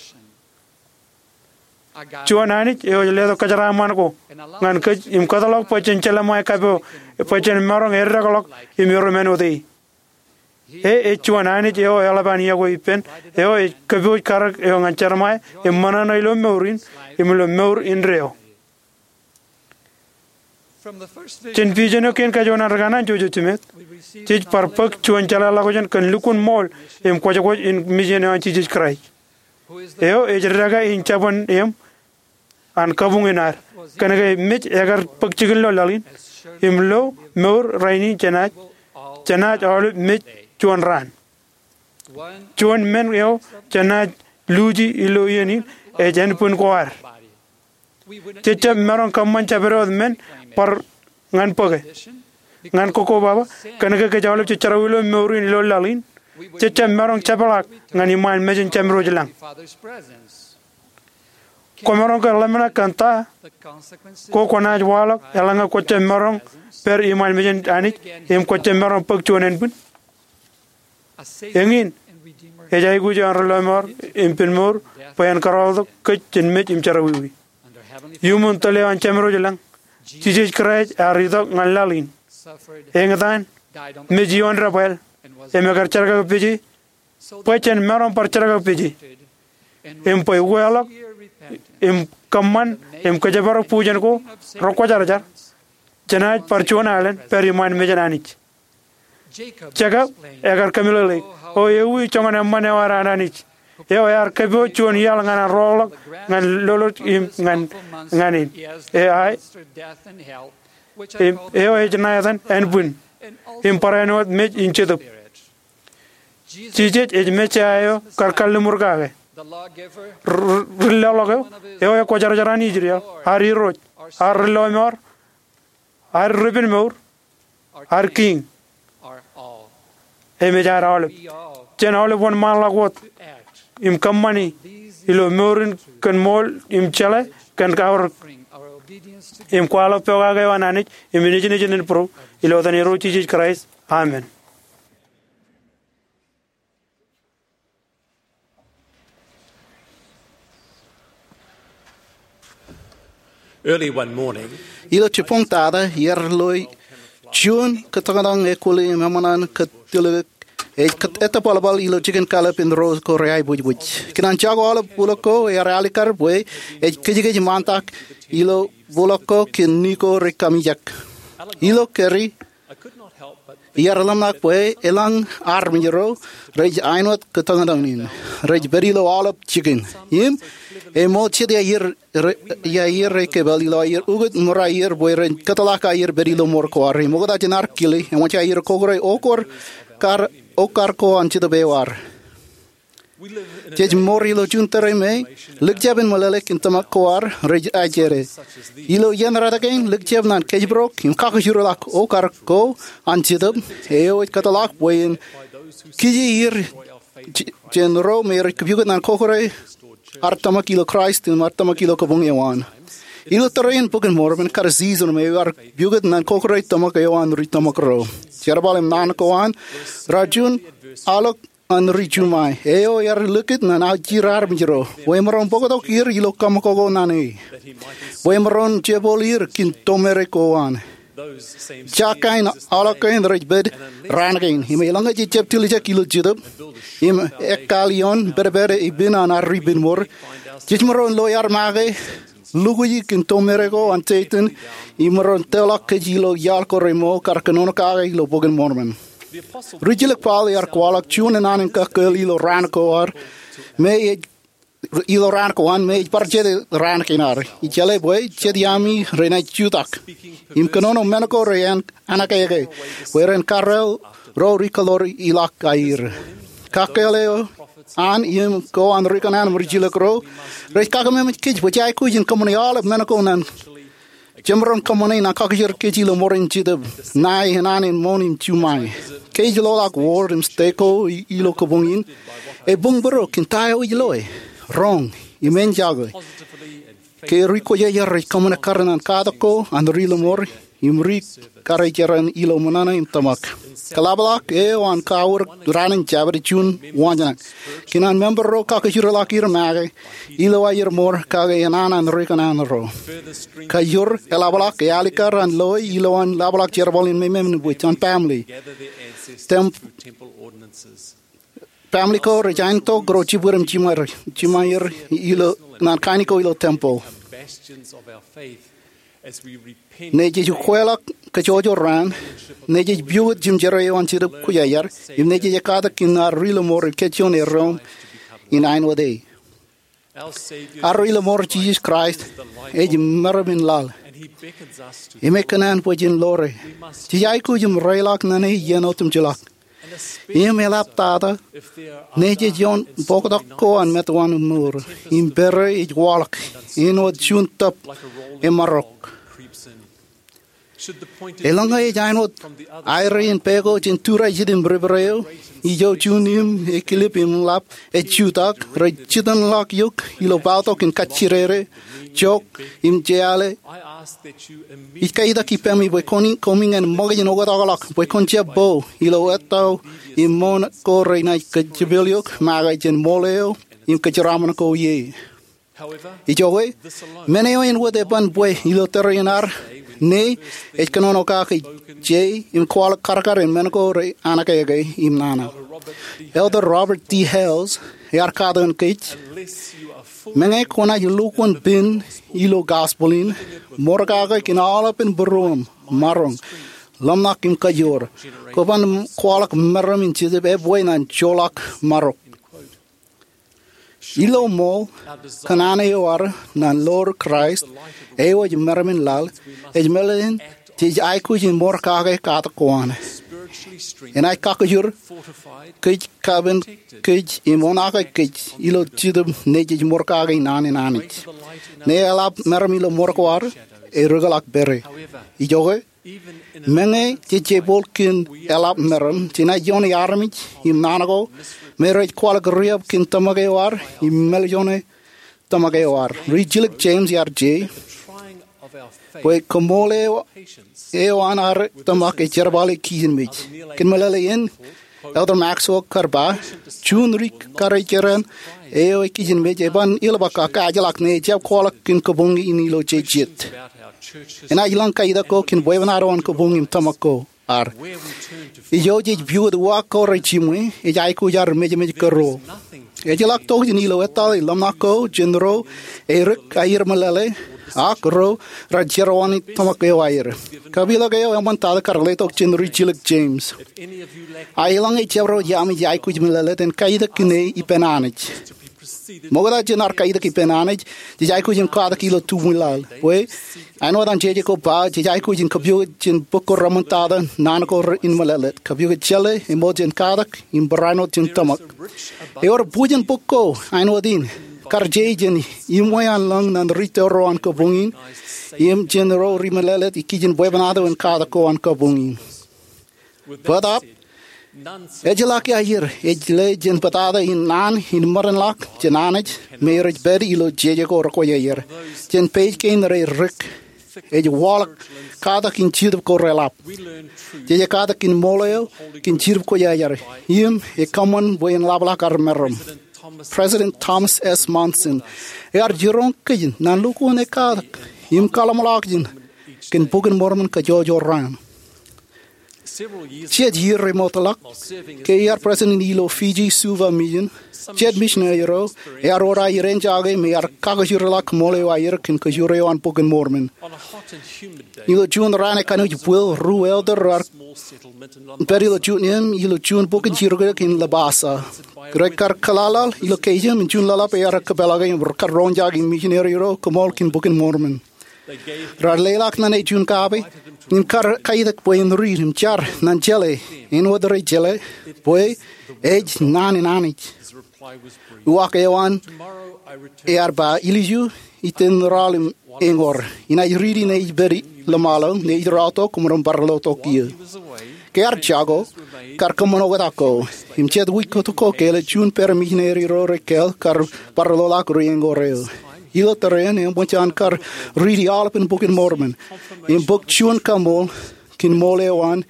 Juon Anij eo ej letok kōjeraaṃṃan ko ñan kōj im kōtḷọk bwe jen jeleṃae kapo bwe jen maroñ eddekḷọk im erom āinwōt e. E ej juon Anij eo eḷap an iọkwe ippān, eo ej kōpooj karōk eo ñan jerṃae im ṃōṇōṇō ilo mour in im ilo mour indeeo. Jān vision eo kein kajuon an rikanaan Joseph Smith, jej bar bōk juon jeḷāḷọkjeṇ kōn lukkuun ṃool im kwōjkwōj in mission eo an Jisōs Kraist, eo ej dekā in jabōn eṃ an kabuñ in ad. Kōnke mej ekar bōk jikin ilo laḷ in im lo mour rainin jenaaj, jenaaj aolep mej juon raan. Juon men eo jenaaj luuji ilo iien in ej ānbwin ko ad. Jej jab maroñ kōṃṃan jabdewōt men bar ñan bōke, ñan kokkobaba, kōnke kōj aolep jej jerọwiwi ilo mour in ilo laḷ in. Jej jab maroñ jepḷaak ñan iṃaan mejān Jemedwōj lañ. Kwōmaroñ ke ḷōmṇak kōn ta ko kwōnaaj waḷọk eḷaññe kwōj jab maroñ pād iṃaan mejān Anij im kwōj jab maroñ bōk juon ānbwin? Eñin ej aikuj eo an ri-lọmọọr im pen mour bwe en kōrọọltok kōj jān mej im jerọwiwi. Iuṃwin tōl eo an Jemedwōj lañ, Jisōs Kraist ear itok ñan laḷ in, eñtaan, mej ioon debwāāl, im ekar jerkakpeje bwe jen maroñ bar jerkakpeje, im bwe ukeḷọk im kōṃṃan im kōjparok bujen ko rekwōjarjar, jenaaj bar juon alen pād iṃaan mejān Anij. Jekab ekar kōmeḷeḷeik, o ewi joñan eṃṃan eo ad an Anij, eo ear kōpooj juon iaḷ ñan an rọọlḷọk ñan loloj im ñan, ñan in. E, eo ej ṇa etan ānbwin im barāinwōt mej in jetōb. Jisōs ej Messaia eo kar kalliṃur kake, ri-, ri-, ri-lọḷọk eo, eo ekwōjarjar an Israel, ad Irooj, ad ri-lọmọọr, ad ri-penmour, ad Kiiñ, im ej ad aolep. Jen aolep wōnṃaanḷọk wōt im kōṃṃani ilo mour in kōn ṃool im jeḷā kōn kaorōk im kwaḷọk pokake eo an Anij im nejin nejin in būruō, ilo etan Irooj Jisōs Kraist. Amen. Early one morning, ilo jibboñ tata, iar lo juon kōtōñtōñ ekwōḷ im eṃṃan an kōtilōk ej ettepalpal ilo jikin kallib in ro ko reaibwijbwij. Kōn an jako aolep bulōk ko, ear alikkar bwe ej kōjkōj ṃaantak ilo bulōk ko kōn ni ko rej kamijak. Ilo kōrā, iar ḷōmṇak bwe elōñ armej ro rej āinwōt kōtōñtōñ in. Rej pād ilo aolep jikin. Im, eṃool jet iar, re-, iar ri-kōpeḷ ilo aer ukōt ṃōr aier bwe ren kōtḷọk aier pād ilo ṃoor ko ad. Im oktak jān ad kile, eṃōj aier kokore okar, okar ko an Jetōb eo ad. Jej ṃoor ilo juon tōre me likjab in meḷeḷe kōn tōmak ko ad rej ajere. Ilo iien rot kein, likjab ñan kōjparok im kakōjruḷọk okar ko an Jetōb eo ej kōtḷọk bwe en kije er j-, jān ro me rej pukot ñan kokore ad tōmak ilo Kraist im ad tōmak ilo kabuñ eo an. Ilo tōre in Bok in Mormon kar season me ear pukot ñan kokore tōmak eo an ri tōmak ro. Jerbal im naan ko an, rej juon aolep an ri Juṃae, eo ear likūt ñan aujir armej ro, bwe emaroñ bōktok er ilo kaṃakoko ñan e, bwe emaroñ jepooḷ er kōn tomereik ko an. Jake in aolep kein rej pād raan kein, im eḷaññe jej jab tiljek ilo Jetōb, im ekkāāl ioon pedped epen an ad ri penmour, jej maroñ lo iaar make lukuji kōn tomereik ko an Setan, im maroñ tōlọk kōj ilo iaḷ ko remo kar kōnono kake ilo Bok in Mormon. Rijjilōk Paul ear kwaḷọk juon naan in kakkōl ilo raan ko ad, me ej ilo raan ko an me ej bar jete raan kein ad. Ij jeḷā bwe jet iaami renaaj jutak im kōnono men ko renaaj anōkeke bwe ren karreo ro ri-kōḷoor ḷọk aer. Kakkāāl eo an im ko an ri-kōṇaan im ri-jilkinḷọk ro rej kakeememej kōj bwe jej aikuj in kōṃṃane aolep men ko ñan jemaroñ kōṃṃane ñan kakajoor kōj ilo ṃōrāin Jetōb Ña enana in ṃoṇ im juṃae. Ke ej loḷọk wōd im stek ko ilo kabuñ in, ebuñbūrok kōn ta eo ej loe, roñ, im enjake. Ke ri-kwōjarjar rej kōṃṃane kar ñan katak ko an ri-lọmọọr im ri-karijeran ilo ṃōṇōṇō im tōmak, kaḷapḷọk eo an kawūr raan in Jabōt juon waanjoñak kōn an member ro kakajoorḷọk er make ilo aer ṃoor kake enana an ri-kōṇaan ro. Kajoor eḷapḷọk e alikkar an loe ilo an ḷapḷọk jerbal in memeṃ in wōj an family. Family ko rej aentok ro jibwid im jiṃaer ilo ñan kain ko ilo tempeḷ. Ñe jej ukweḷọk kōjwōjwōr raan, ñe jej piwōj jimjerā eo an Jetōb Kwōjarjar, im ñe jej katak kōn ad ri-lọmọọr im kōjjoñe doon in āinwōt e. Ad ri-lọmọọr Jisōs Kraist ej meram in laḷ, im e kōṇaan bwe jen ḷoore. Jej aikuj im reiḷọk ñan e iien otemjeḷọk. Im eḷaptata, ñe jej ioon bōktok ko an metwaan im mour, im pere ej waḷọk āinwōt juon tōb emarok. Eḷaññe ej āinwōt aerā in pā ko jān tūrā ijin im ripād eo, ijo juon im ekilip im ḷap ej jutak, rej jitōnḷọk eok ilo pautok in kajjidede, jok, im jeale. Ij kaitak ippaṃ bwe kwōn, koṃ ñan ṃōkaj in oktakḷọk bwe kwōn jab po ilo ettā im ṃoṇ ko renaaj kōjepel eok make jān ṃool eo im kōjeraaṃṃan ko ie. Ijoke, men eo āinwōt eban bwe ilo tōre in ad ñe ej kōnono kake je im kwaḷọk karkar in men ko renaaj anōkeke im nana. Elder Robert D. Hales ear katakin kōj, meñe kwōnaaj lukkuun pen ilo gospel in, ṃoor kake kōn aolepān būruōṃ, maroñ, ḷōmṇak im kajoor, kwō ban kwaḷọk meram in Jetōb epwe nan joḷọk marok. Ilo ṃool kōṇaan eo ad ñan ḷoor Kraist eo ej meram in laḷ, ej meḷeḷein jej aikuj in ṃoor kake katak ko an. Enaaj kakajoor kōj, kapen kōj im oṇaake kōj ilo Jetōb ñe jej ṃoor kake naan in Anij. Ñe eḷap meram ilo ṃoor ko ad, erūkḷọk pere. Ijoke, meñe jej jepol kōn eḷap meram, jenaaj ioone armej im naan ko me rej kwaḷọk riab kōn tōmak eo ad im meḷeḷe tōmak eo ad. Ri-jilōk James ear je bwe kaṃṃoolol eo an ad tōmak ej jerbale kijinmej. Kōn meḷeḷe in, Elder Maxwell kar ba, juon ri-karijeran eo ekijinmej eban ilbōk ak kaajḷọk ñe ejjab kwaḷọk kōn kabuñ in ilo jejet. Enaaj lōñ kaitak ko kōn bwebwenato an kabuñ im tōmak ko ad. Ijo jej piwōj uwaak ko rejiṃwe, ej aikuj ad mejeṃej kōrro. Ejjeḷọk tokjān ilo etal im ḷōmṇak ko jān ro erik aer meḷeḷe, ak ro rej jerọwiwi tōmak eo aer. Kapeḷḷọk eo eṃṃantata kar letok jān ri-jilōk James. A eḷaññe jabdewōt iaami jej aikuj meḷeḷe, jen kaitak kōn e ippān Anij. Ṃokta jān ad kaitak ippān Anij, jej aikuj im katak ilo tubwilaḷ. Bwe, āinwōt an jeje ko ba, jej aikuj in kapiwōj jān bok ko reṃōntata naan ko in meḷeḷe. Kapiwōj jeḷā, eṃool jān katak, im barāinwōt jān tōmak. Ewōr bwijin bok ko, āinwōt in, kar je jān iṃwe an lōñ ñan ri-tōro an kabuñ in, im jān ro ri-meḷeḷe ikijjien bwebwenato in katak ko an kabuñ in. Bōtaab, ejjeḷọk aer ej le jān bōtata in naan in ṃōdenḷọk jān Anij me rej pād ilo jeje ko rekwōjarjar. Jān page kein rej dik, ej waḷọk katak in Jetōb ko reḷap. Jej katak kōn ṃool eo kōn Jetōb Kwōjarjar im ekōṃṃan bwe en ḷapḷọk ad meram. President Thomas S. Monson ear jiroñ kōj ñan lukkuun e katak im kaḷōmṇak in kōn Bok in Mormon kajjojo raan. Jet iiō remootḷọk, ke iar president ilo Fiji Suva Mission, jet misineri ro ear wōr aer enjake im ear kakkōjerḷọk ṃool eo aer kōn kajoor eo an Bok in Mormon. Ilo juon raan ekaṇe ej bwil, ruo elder rear pād ilo juon iien ilo juon bukun jirokiroki in Labasa. Rekar kōḷaḷḷaḷ ilo keijem im juon ḷōḷḷap ear kōpeḷḷọke im rekar roñjake misineri ro koṃṃool kōn Bok in Mormon. Raar leḷọk ñan e juon kape im kar kaitōk bwe en riit im jar ñan jeḷā āinwōt rej jeḷā bwe ej naan in Anij. Uwaak eo an ear ba, ilju iten rọọl im eñoor, inaaj riiti ñe ij pād ḷōṃaḷo, ñe ij rọọltok im ren bar lo tok iiō. Ke ear jako, kar kōṃṃan oktak ko, im jet wiik ko tok ko ke eḷap juon pād misineri ro rekāāl kar bar loḷọk ri eñoor eo. Ilo tōre eṇ eṃōj an kar riiti aolepān Bok in Mormon im bōk juon kaṃool kōn ṃool eo an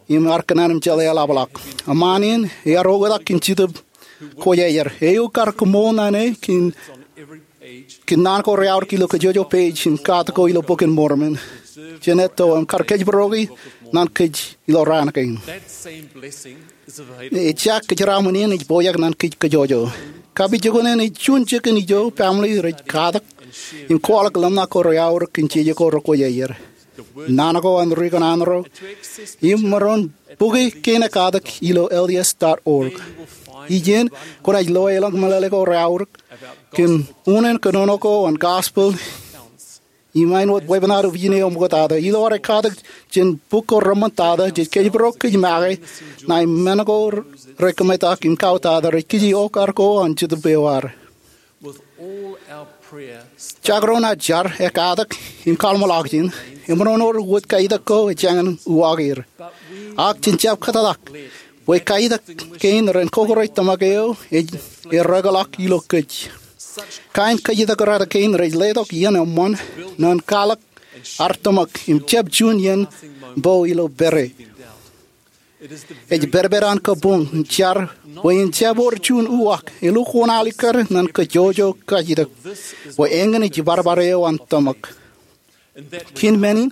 im ear kōṇaan im jeḷā eḷapḷọk. Eṃṃaan in ear oktak kōn Jetōb Kwōjarjar eo kar kōṃṃool ñan e kōn kōn naan ko reaorōk ilo kōjwōjwo page im katak ko ilo Bok in Mormon jān etto im kar kōjparoki ñan kōj ilo raan kein. Ejja kōjeraaṃṃan in ej pojak ñan kōj kōjwōjwo. Kapijukunen ej juon jikin ijo baaṃle rej katak im kwaḷọk ḷōmṇak ko reaorōk kōn jeje ko rekwōjarjar. Naan ko an ri kōṇaan ro im maroñ bukwi kein ekatak ilo L D S dot org. Ijin, kwōnaaj loe eḷap meḷeḷe ko reaorōk kōn unin kōnono ko an gospel im āinwōt weeppān ad ijin eo ṃoktata. Ilo ad katak jān buk ko reṃṃantata, jej kōjparok kōj make ṇae men ko rekōmetak im kautata rej kije okar ko an Jetōb eo ad. Jakrōn ad jar, ekatak im kaḷmōḷaak jān, emaroñ wōr wōt kaetak ko ejjañin uwaak er. Ak jen jab kōtḷọk bwe kaetak kein ren kōkore tōmak eo ej errekḷọk ilo kōj. Kain kōjtak rot kein rej letok iien eṃṃan ñan kwaḷọk ad tōmak im jab juon iien bo ilo pere. Ej pedped an kabuñ im jar bwe en jab wōr juon uwaak, elukkuun alikkar ñan kōjwōjwo kaetak bwe eñin ej barbare eo an tōmak. Kōn men in,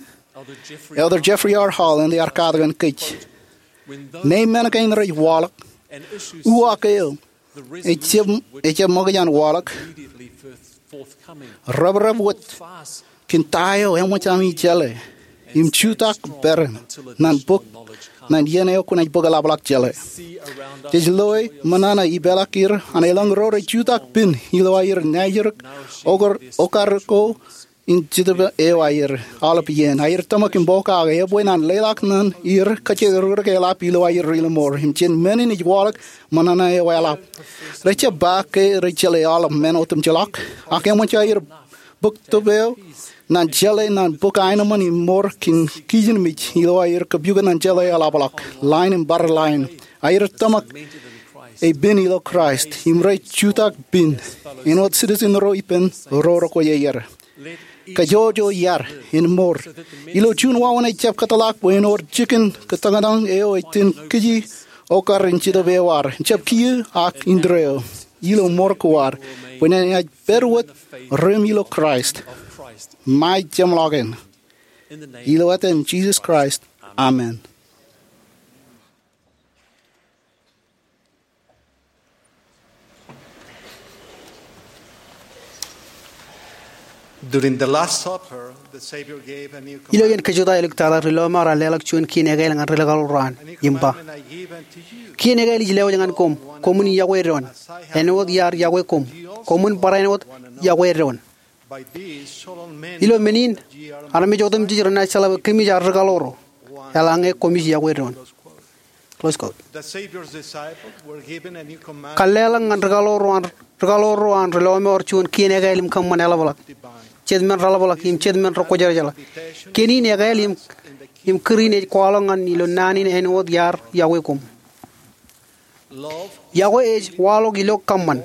Elder Jeffrey R. Holland ear katakin kōj, ñe men kein rej waḷọk, uwaak eo ejjab, ejjab ṃōkaj an waḷọk, reprep wōt kōn ta eo eṃōj ami jeḷā im jutak peran ñan bōk, ñan iien eo kwōnaaj bōk eḷapḷọk jeḷā. Jej loe ṃōṇōṇō ipeḷaakier an elōñ ro rej jutak pen ilo aer naajdik okar, okar ko in Jetōb eo aer. Aolep iien aer tōmak im pokake, ebwe ñan leḷọk ñan er kōjatdikdik eḷap ilo aer ri-lọmọọr. Im jān men in ej waḷọk ṃōṇōṇō eo eḷap. Rej jab ba ke rej jeḷā aolep men otemjeḷọk, ak eṃōj aer bōk tōb eo ñan jeḷā ñan bōk aenōṃṃan im mour kōn kijenmej ilo aer kōpukot ñan jeḷā eḷapḷọk, line im bar line. Aer tōmak ej pen ilo Kraist im rej jutak pen āinwōt citizen ro ippān ro rekwōjarjar. Kōjwōjwo iar in mour ilo juon wāween ejjab kōtḷọk bwe en wōr jikin kōtōñtōñ eo ej itōn kōj okar in Jetōb eo ad, jab kiiō ak indeeo ilo mour ko ad, bwe enaaj pād wōt ri-im ilo Kraist. Ṃae jeṃḷọkin. Ilo etan Jisōs Kraist, amen. During the Last Supper, the Savior gave a new command. Ilo iien kōjutḷọk eo iliktata, ri-lọmọọr ear leḷọk juon kien ekail ñan ri-kaḷoor ro an, im ba, kien ekail ij lewōj ñan koṃ, koṃwin yokwe doon, āinwōt iar yokwe koṃ, koṃwin bar āinwōt yokwe doon. Ilo men in, armej otemjej renaaj jeḷā bwe kōmij aō ri-kaḷoor ro, eḷaññe koṃij yokwe doon. Close quote. Kōḷḷāḷọk ñan ri-kaḷoor ro an, ri-kaḷoor ro an ri-lọmọọr juon kien ekail im kōṃṃan eḷapḷọk, jet men reḷapḷọk im jet men rekwōjarjar. Kien in ekail im, im kūr in ej kwaḷọk ñan ilo naan in āinwōt iar yokwe koṃ. Yokwe ej waḷọk ilo kōṃṃan.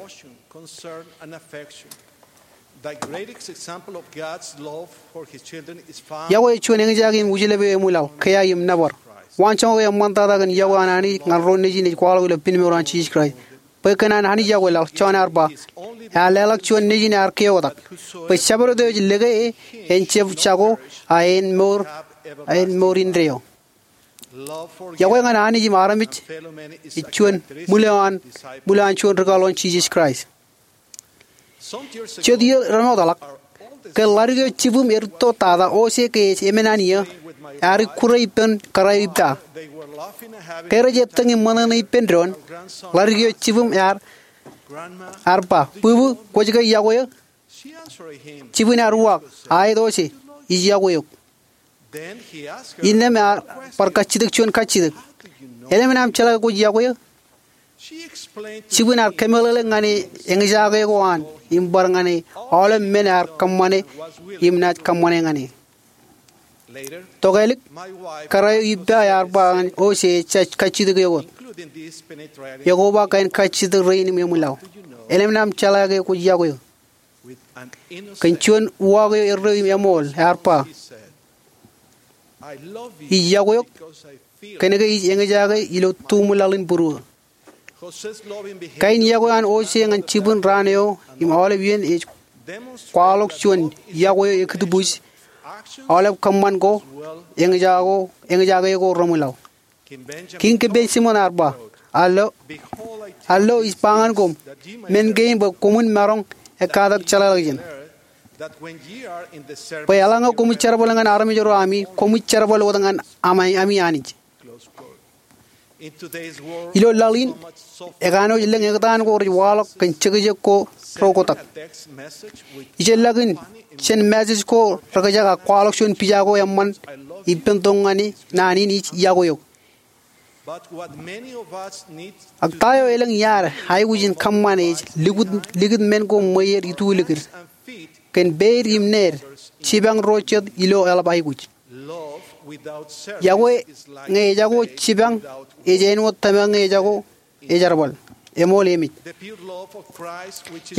Yokwe ej juon eñjake im ujlepān eo eṃwilaḷ, kea im nōbar. Waanjoñak eo eṃṃantata kōn yokwe an Anij ñan ro nejin ej kwaḷọk ilo pen mour an Jisōs Kraist. Bwe kōn an Anij yokwe laḷ, Jon ear ba, ear leḷọk juon Nejin ear keotak, bwe Shepherd eo ej lōke e en jab jako, a en mour, a en mour indeeo. Iọkwe ñan Anij im armej ej juon ṃwiloan, ṃwiloan juon rikaḷoon Jisōs Kraist. Jet iiō remootḷọk, ke ḷaddik eo jibwim ear rūtto tata, Ose ke ej emān an iiō, ear ikkure ippān kōrā eo ippa. Ke rej ettōñ im ṃōṇōṇō ippān doon, ḷaddik eo jibwim ear, ear ba, Bwibwi, kwōj ke iọkwe eō? Jibwin ear uwaak, Aet Ose, ij iọkwe eok. Innām ear bar kajjitōk juon kajjitōk, Elōñ men aṃ jeḷā ke kwōj iọkwe eō? Jibwin ear kōmeḷeḷe ñan e eñjake ko an im bar ñan e aolep men ear kōṃṃane im naaj kōṃṃane ñan e. Tokālik, kōrā eo ippa ear ba ñan Ose ejja kajjitōk eok wōt. Ekoba kain kajjitōk rein im eṃwilaḷ. Elōñ men aṃ jeḷā ke kwōj iọkwe eō? Kōn juon uwaak eo erreo im eṃool, ear ba, Ij iọkwe eok kōnke ij eñjake ilo tuṃwilaḷ in būruō. Kain iọkwe an Ose ñan jibwin raan eo im aolep iien ej kwaḷọk juon iọkwe eo ekūtbuuj, aolep kōṃṃan ko, eñjake ko reṃwilaḷ. Kiiñ Benjamin ear ba, Al lo, al lo, ij ba ñan koṃ men kein bwe koṃwin maroñ ekkatak jeḷāḷọkjeṇ, bwe eḷaññe koṃij jerbal ñan armej ro ami, koṃij jerbal wōt ñan ami Anij. Ilo laḷ in, ekanooj lōñ ektaan ko rej waḷọk kōn jekjek ko ro kotak. Ijellọkin jān message ko rekjak ak kwaḷọk juon pija ko eṃṃan ippān tok ñan e, Naan in ij iọkwe eok. Ak ta eo elōñ iaad aikuj in kōṃṃan ej likūt, likūt men ko ṃweieid itulikid kōn peiid im need, jipañ ro jet ilo eḷap aikuj. Iọkwe ñe ejako jipañ ej āinwōt tōmak ñe ejako ejerbal. Eṃool emej.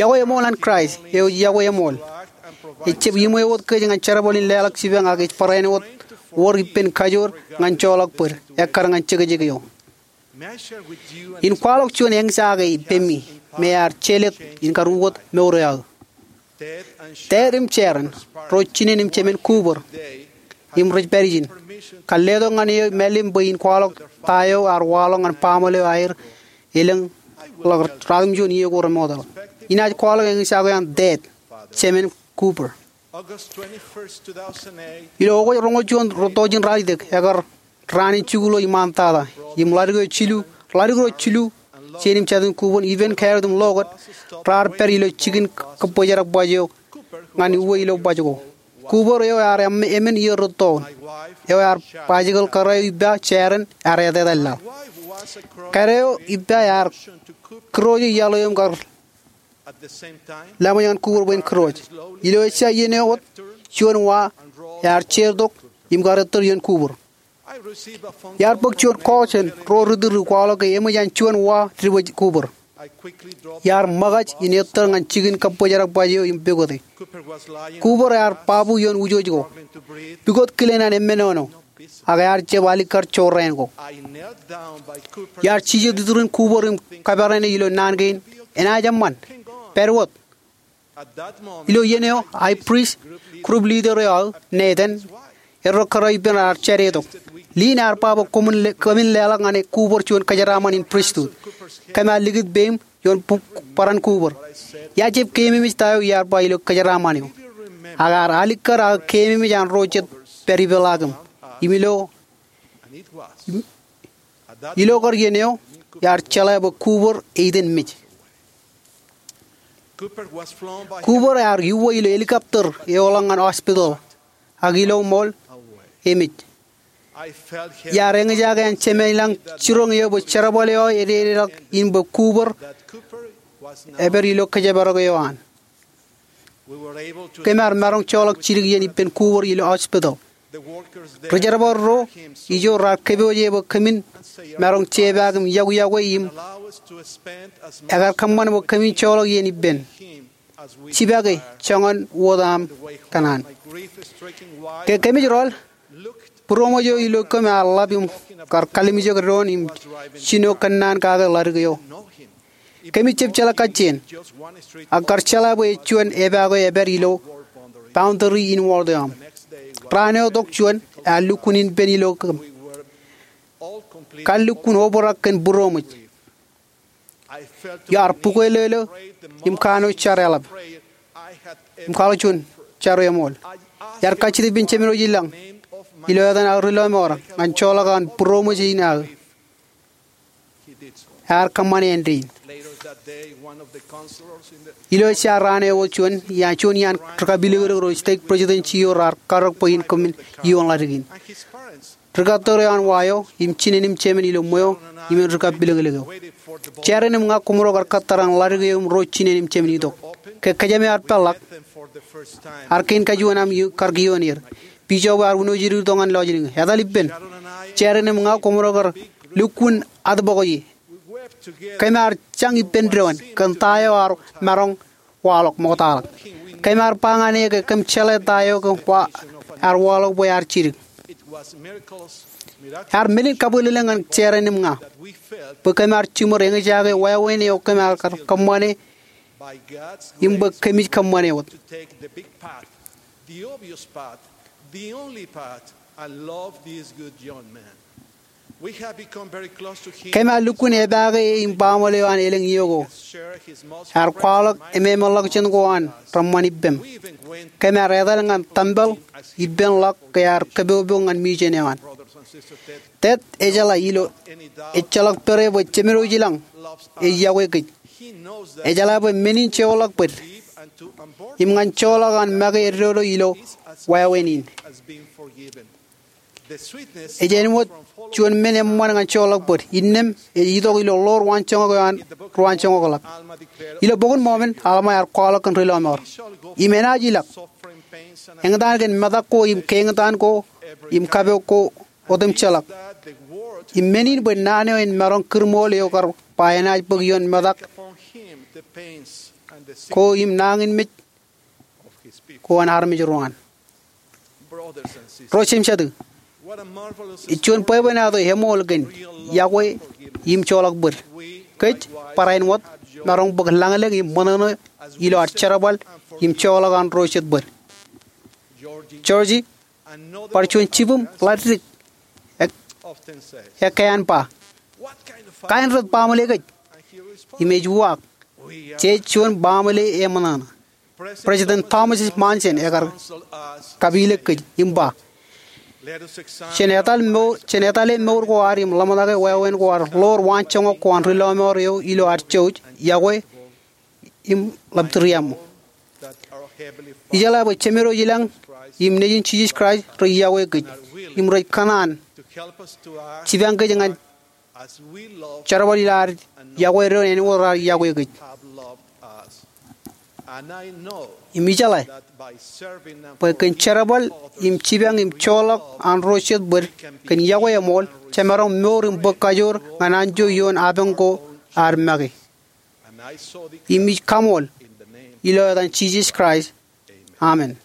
Iọkwe eṃool an Kraist eo ej iọkwe eṃool. Ejjab iṃweo wōt kōj ñan jerbal in leḷọk jipañ ak ej barāinwōt wōr ippān kajoor ñan joḷọk bōd, ekkar ñan jekjek eo. In kwaḷọk juon eñjake ippemi me ear jelōt in kar ukōt mour eo aō. Dād im Sharon, ro jinen im jemān Cooper, im rej pād ijin, kar letok ñan eō mālim bwe in kwaḷọk ta eo ear waḷọk ñan baaṃle eo aer elōñ ḷọk ratimjuon iiō ko remootḷọk. Inaaj kwaḷọk eñjake eo an Dād, jemān Cooper. Ilo August roñoul juon, rūtto jān ralitōk, ekar raan in jikuuḷ eo iṃaantata, im ḷadik eo jilu, ḷadik ro jilu jān im jatūṃ Cooper, ippān Garrett im Lorquet, raar pād ilo jikin kōbōjrak baj eo ñan uwe ilo baj ko. Cooper eo ear em-, emān iiō rūtto, eo ear bajikōḷ kōrā eo ippa Sharon, ear etetal laḷ. Kōrā eo ippa ear kūrooj iaḷ eo im kar laṃōj ñan Cooper bwe en kūrooj. Ilo ejja iien eo wōt, juon wa ear jeortok im kar ettōr iien Cooper. Iar bōk juon call jān ro ri tūriū kwaḷọk ke eṃōj an juon wa dibōj Cooper. Iar ṃōkaj in ettōr ñan jikin kōbōjrak baj eo im pukot e. Cooper ear babu ioon wūjooj ko, pukot kilen an emmenono, ak ear jab alikkar jorrāān ko. Iar jijet iturin Cooper im kaperan e ilo naan kein, Enaaj eṃṃan. Pād wōt. Ilo iien eo, high priest, group leader eo aō, Nathan, erro kōrā eo ippān ear jade tok. Lynn ear ba bwe koṃwin le-, kōmin leḷọk ñan Cooper juon kōjeraaṃṃan in pristut. Kōm ar likūt peiṃ ioon bu-, barāinwōt Cooper. Iar jab keememej ta eo iar ba ilo kōjeraaṃṃan eo. Ak ear alikkar aō keememej an ro jet pād ipeḷaakim. Im ilo, im, ilo kar iien eo, iar jeḷā bwe Cooper eiten mej. Cooper ear iuwe ilo helicopter eoḷọk ñan hospital, ak ilo ṃool, emej. Iar eñjake an jemān ilañ jiroñ eo bwe jerbal eo aō ededeḷọk in bwe Cooper epād ilo kōjparok eo an. Kōm ar maroñ joḷọk jidik iien ippān Cooper ilo hospital. Ri jerbal ro ijo raar kōpooje bwe kōmin maroñ jepaak im iọkwe iọkwe im ekar kōṃṃan bwe kōmin joḷọk iien ippān. Jipake joñan wōt aṃ kōṇaan. Ke kōmij rọọl, būroṃōj eo ilo kōm ear ḷap im kar kalimjek doon im jino kōnnaan kake ḷadik eo. Kōmij jab jeḷā kajjien, ak kar jeḷā bwe ej juon epaak eo epād ilo boundary in wōḷ eo aṃ. Raan eo tok juon, ear lukkuun inpen ilo kōm. Kar lukkuun obrak kōn būroṃōj. Iar bukweilōlō im kanooj jar eḷap im kwaḷọk juon jar eṃool. Iar kajjitōk ippān Jemedwōj ilañ ilo etan aō ri lọmọọr ñan joḷọk an būroṃōj in aō. Ear kōṃṃane āindein. Ilo ej jaar raan eo wōt juon iaan, juon iaan ri kapilōklōk ro stake presidency eo raar karōk bwe in kōṃṃan iioon ḷadik in. Ri kōttar eo an wa eo im jinen im jemān ilo ṃweo im en ri kapilōklōk eo. Jaren im ña koṃro kar kōttar an ḷadik eo im ro jinen im jemān itok. Ke kōjām eo ear peḷḷọk, ear kein kajuon aṃ kar kioon er. Bishop eo ear wūnooj itok ñan lọjilñi. Etal ippān, Jaren im ña koṃro kar lukkuun atbōkje. Kōm ar jañ ippān doon kōn ta eo ear maroñ waḷọk ṃoktaḷọk. Kōm ar ba ñan e ke kōm jeḷā ta eo kōm wa, ear waḷọk bwe ear jidik. Ear men in kabwilōñlōñ ñan Jaren im ña bwe kōm ar jiṃor eñjake wāween eo kōm ar kar kōṃṃane im bwe kōmij kōṃṃane wōt. Kōm ar lukkuun epaake e im baaṃle eo an elōñ iiō ko. Ear kwaḷọk ememānḷọkjeṇ ko an reṃṃan ippem. Kōm ar etal ñan tempel ippānḷọk ke ear kōpopo ñan mission eo an. Ted ejeḷā ilo ejjeḷọk pere bwe Jemedwōj ilañ ej yokwe kōj. Ejeḷā bwe men in joḷọk bōd im ñan joḷọk an make eddodo ilo wāween in. Ej āinwōt juon men eṃṃan ñan joḷọk bōd. Innām ej itok ilo ḷoor waanjoñak eo an ri waanjoñakḷọk. Ilo Bok in Mọmọn, Alma ear kwaḷọk kōn ri lọmọọr, im enaaj ilọk eñtaan kōn metak ko im keeñtaan ko im kapok ko otemjeḷọk. Im men in bwe naan eo en maroñ kūrṃool eo kar ba enaaj bōk ioon metak ko im nañinmej ko an armej ro an. Ro jemjetak, ej juon bwebwenato eṃool kōn yokwe im joḷọk bōd. Kōj barāinwōt maroñ bōk lañlōñ im ṃōṇōṇō ilo ad jerbal im joḷọk an ro jet bōd. Georgie, bar juon jibwim ḷaddik, e, ekkā an ba, "Kain ret baaṃle kōj?" Im ej uwaak, "Jej juon baaṃle eṃōṇōṇō." President Thomas S. Monson ekar kapilōk kōj im ba, "Jen etale mour, jen etale mour ko ad im ḷōmṇake wāween ko ad ḷoor waanjoñak ko an ri lọmọọr eo ilo ad jouj, yokwe im ḷap tūriaṃo." Ijeḷā bwe Jemedwōj ilañ im Nejin Jisōs Kraist rej yokwe kōj im rej kōṇaan jipañ kōj ñan jerbal ilo ad yokwe doon āinwōt raar yokwe kōj. Im ijeḷā bwe kōn jerbal im jipañ im joḷọk an ro jet bōd kōn yokwe eṃool, jemaroñ mour im bōk kajoor ñan anjo ioon apañ ko ad make. Im ij kaṃool ilo etan Jisōs Kraist. Amen.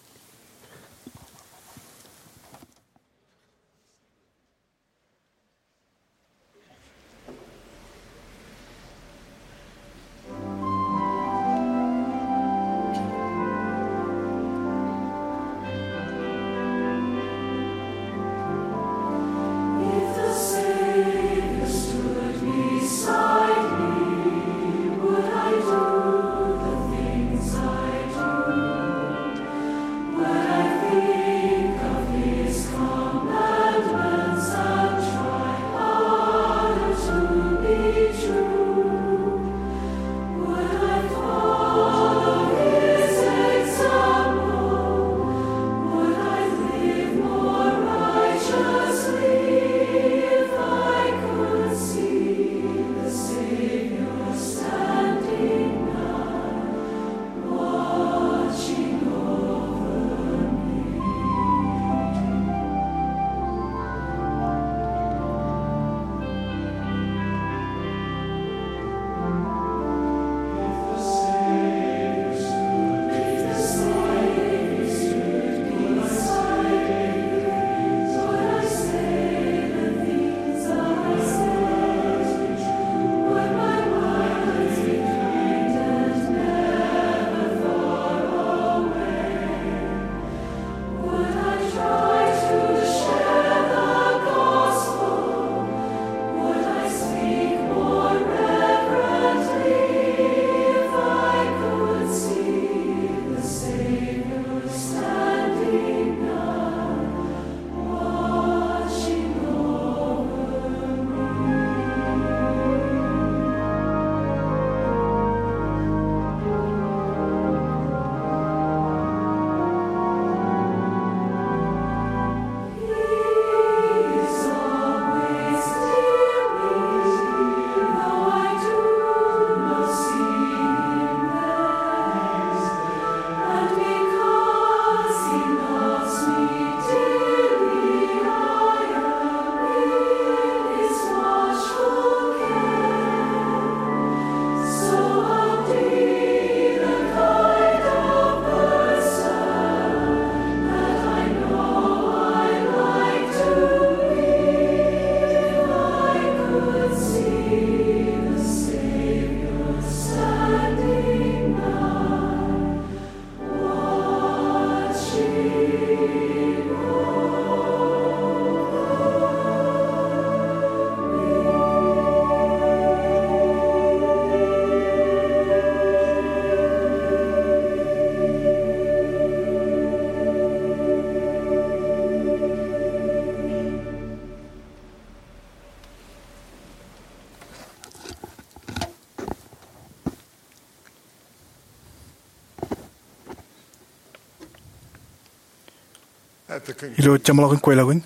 Ilo jeṃḷọkin kweilọk in,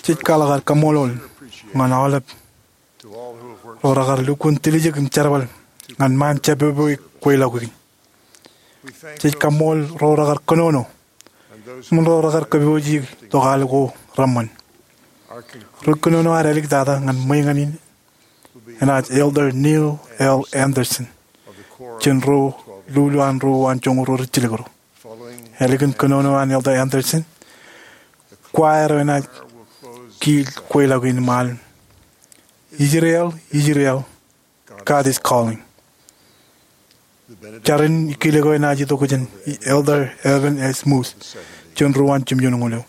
jej kwaḷọk ad kaṃṃoolol ñan aolep ro rekar lukkuun tiljek im jerbal ñan ṃaan jabōbwe kweilọk in. Jej kaṃṃoolol ro rekar kōnono im ro rekar kōpooji tok al ko reṃṃan. Ri kōnono ad āliktata ñan ṃweiñān in enaaj Elder Neil L. Andersen, jān ro lulu an ro uwaan joñoul ruo rijjilōk ro. Ālikin kōnono an Elder Andersen, kwaer eo enaaj kiil kweilọk in im al, Israel, Israel, God is calling. Jar in kilōk eo enaaj itok jān Elder Evan A. Smith, jān ro uwaan jimjuonñoul eo.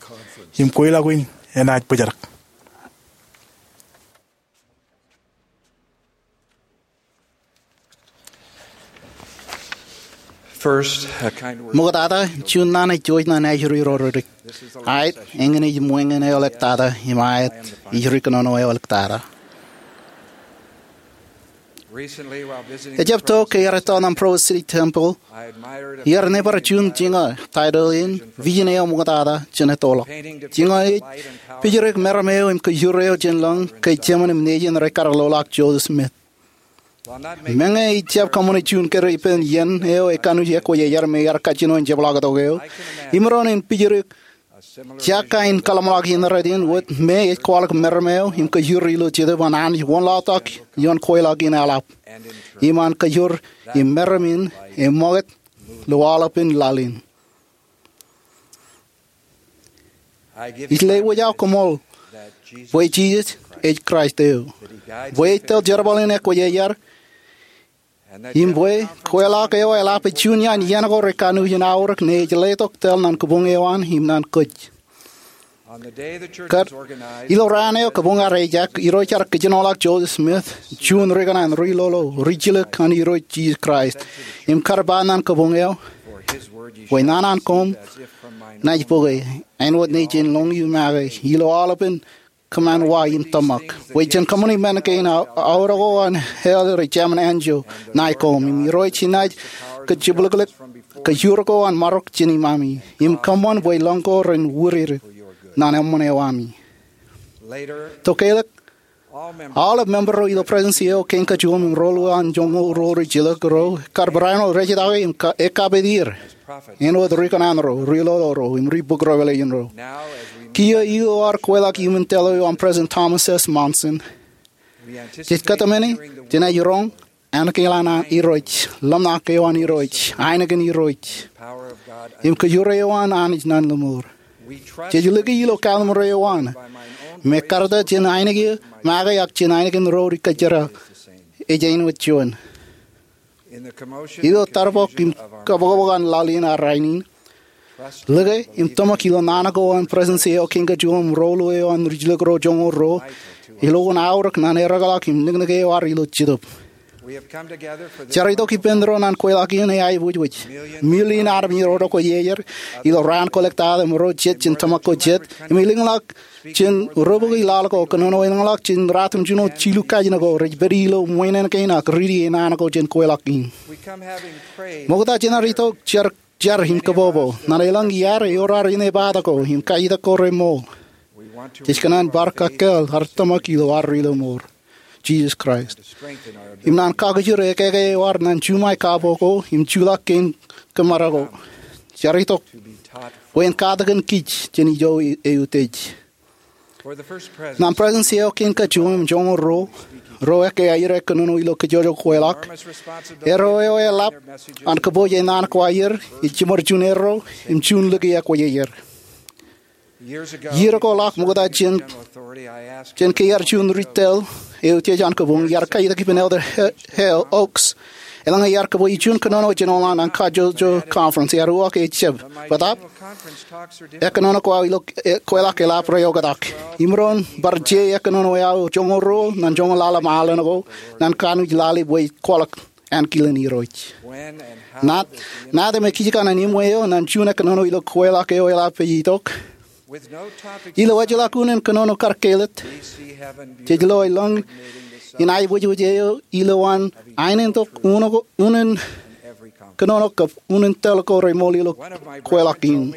Im kweilọk in enaaj bōjrak. Ṃoktata, juon naan ej jouj ñan ajri ro dik. Aet, eñin ej ṃweiñān eoḷọk tata, im aet, ij ri kōnono eoḷọk tata. Ejab tok ke iar etto ṇa Provo City Temple, iar nebar juon jiña, title in Vision eo Ṃoktata jān ettoḷọk. Jiña ej pijriik meram eo im kōjur eo jān lōñ ke jemān im nejin rej kar loḷọk Joseph Smith. Meñe ejab kōṃṃane juon kōrā ippān iien eo ej kanooj ekwōjarjar me iar kajjino in jepḷaaktok eo, imaroñ in pijriik jekkain kōḷmānḷọkjeṇ in wōt me ej kwaḷọk meram eo im kōjur ilo Jetōb an Anij wōnlaḷtak ioon kweilọk in eḷap. Im an kōjur im meram in eṃṃakūt ilo aolepān laḷ in. Ij lewōj aō koṃṃool bwe Jisōs ej Kraist eo, bwe ej tōl jerbal in ekwōjarjar, im bwe kweilọk eo eḷap ej juon iaan iien ko rej kanooj in aorōk ne ej letok tōl ñan kabuñ eo an im ñan kōj. Kōn ilo raan eo kabuñ ear ejak, Irooj ear kōjenoḷọk Joseph Smith, juon ri kōṇaan, ri lolo, ri jilōk an Irooj Jisōs Kraist, im kar ba ñan kabuñ eo, bwe naan an koṃ naaj bōke, āinwōt nejin lōñ im make, ilo aolepān kōṃṃan wa im tōmak. Bwe jen kōṃṃani men kein, aorōk ko an hell rej jāmin anjọ ṇae koṃ, im Irooj enaaj kajjibwilōklōk kajur ko an marok jān iṃaṃi, im kōṃṃan bwe lōñ ko ren wirir ñan eṃṃan eo ami. Tokālik, aolep member ro ilo Presidency eo Kein Kajuon im Roll eo an joñoul ruo rijilōk ro kar barāinwōt rejjitōk im ekkapit er āinwōt ri kōṇaan ro, ri lolo ro, im ri bōk revelation ro. Kiiō ilo ad kweilọk iuṃwin tōl eo an President Thomas S. Monson, jej kōtmāne jenaaj roñ ānkilaan an Irooj, ḷōmṇak eo an Irooj, ainikien Irooj, im kajur eo an Anij ñan lọmọọr. Jej lōke ilo kalimur eo an, im ekkar ta jān ainikien make ak jān ainikien ro ri kōjjera, ej āinwōt juon. Ilo tarbok im kabokbok an laḷ in ak rainin, lōke im tōmak ilo naan ko an Presidency eo Kein Kajuon im Roll eo an rijilōk ro joñoul ruo, ilo an aorōk ñan ereḷọk im niknik eo ad ilo Jetōb. Jar itok ippān ro ñan kweilọk in eaibwijwij. Million armej ro rej kwōjarjar ilo raan kwōlōktata im ro jet jān tōmak ko jet, im elōñḷọk jān ro bōki laḷ ko, kōnono elōñḷọk jān ratimjuon jilu kajin ko, rej pād ilo ṃwiin kein ak riiti naan ko jān kweilọk in. Ṃokta jenaaj itok jar, jar im kōbobo ñan elōñ iaad ewōr ad inepata ko im kajjitōk ko remool. Jej kōṇaan bar kakkāāl ad tōmak ilo ad ri lọmọọr, Jisōs Kraist, im ñan kakijir ekeke eo ad ñan juṃae kabo ko im juḷọk kein kōṃṃara ko. Jar itok bwe en katakin kij jān ijo eutiej. Ñan Presidency eo Kein Kajuon im Joñoul Ruo, ro ekkā aer kōnono ilo kajjojo kweilọk, erro eo eḷap an kōpooj e naan ko aer ej jiṃor juon erro im juon lōke ekwōjarjar. Iiō ko ḷọk ṃokta jān, jān ke iar juon ri tōl eutiej an kabuñ, iar kajjitōk ippān Elder Hale Oaks. Eḷaññe iar kōpooj juon kōnono jān oḷañ an kajjojo conference, iar uwaak e jab. Bōtaab, ekkōnono ko aō ilo kweilọk eḷap rej oktak. Imaroñ bar je ekkōnono eo aō joñoul ruo ñan joñoul ḷalem alen ko ñan kanooj lale bwe ej kwaḷọk ankilen Irooj. Ña, ña ij tōmak kōn iṃwe eo ñan juon ekkōnono ilo kweilọk eo eḷap ej itok. Ilo ejjeḷọk unin kōnono kar kāālōt, jej lo elōñ in aibwijbwij eo ilowaan aenōṃṃan unin kōnono kab unin tōl ko remool ilo kweilọk in.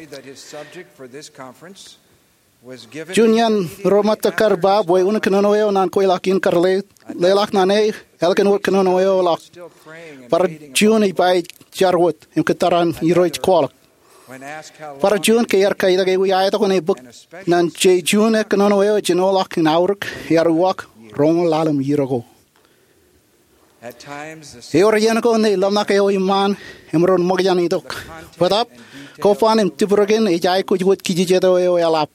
Juon iaan ro ṃōttan kar ba bwe unin kōnono eo naan kweilọk in kar leḷọk naan e ālikin wōt kōnono eo ḷọk. Bar juon ej ba ej jar wōt im kōttar an Irooj kwaḷọk. Bar juon ke ear kaitōk ewi aetok in e bōk naan je juon e kōnono eo ej jino ḷọk in aorōk, ear uwaak roñoul ḷalem iiō ko. Ewōr iien ko ṇe ḷōmṇak eo iṃaan emaroñ ṃōkaj an itok. Bōtaab, kobban im tipirken ej aikuj wōt kijejeto eo eḷap.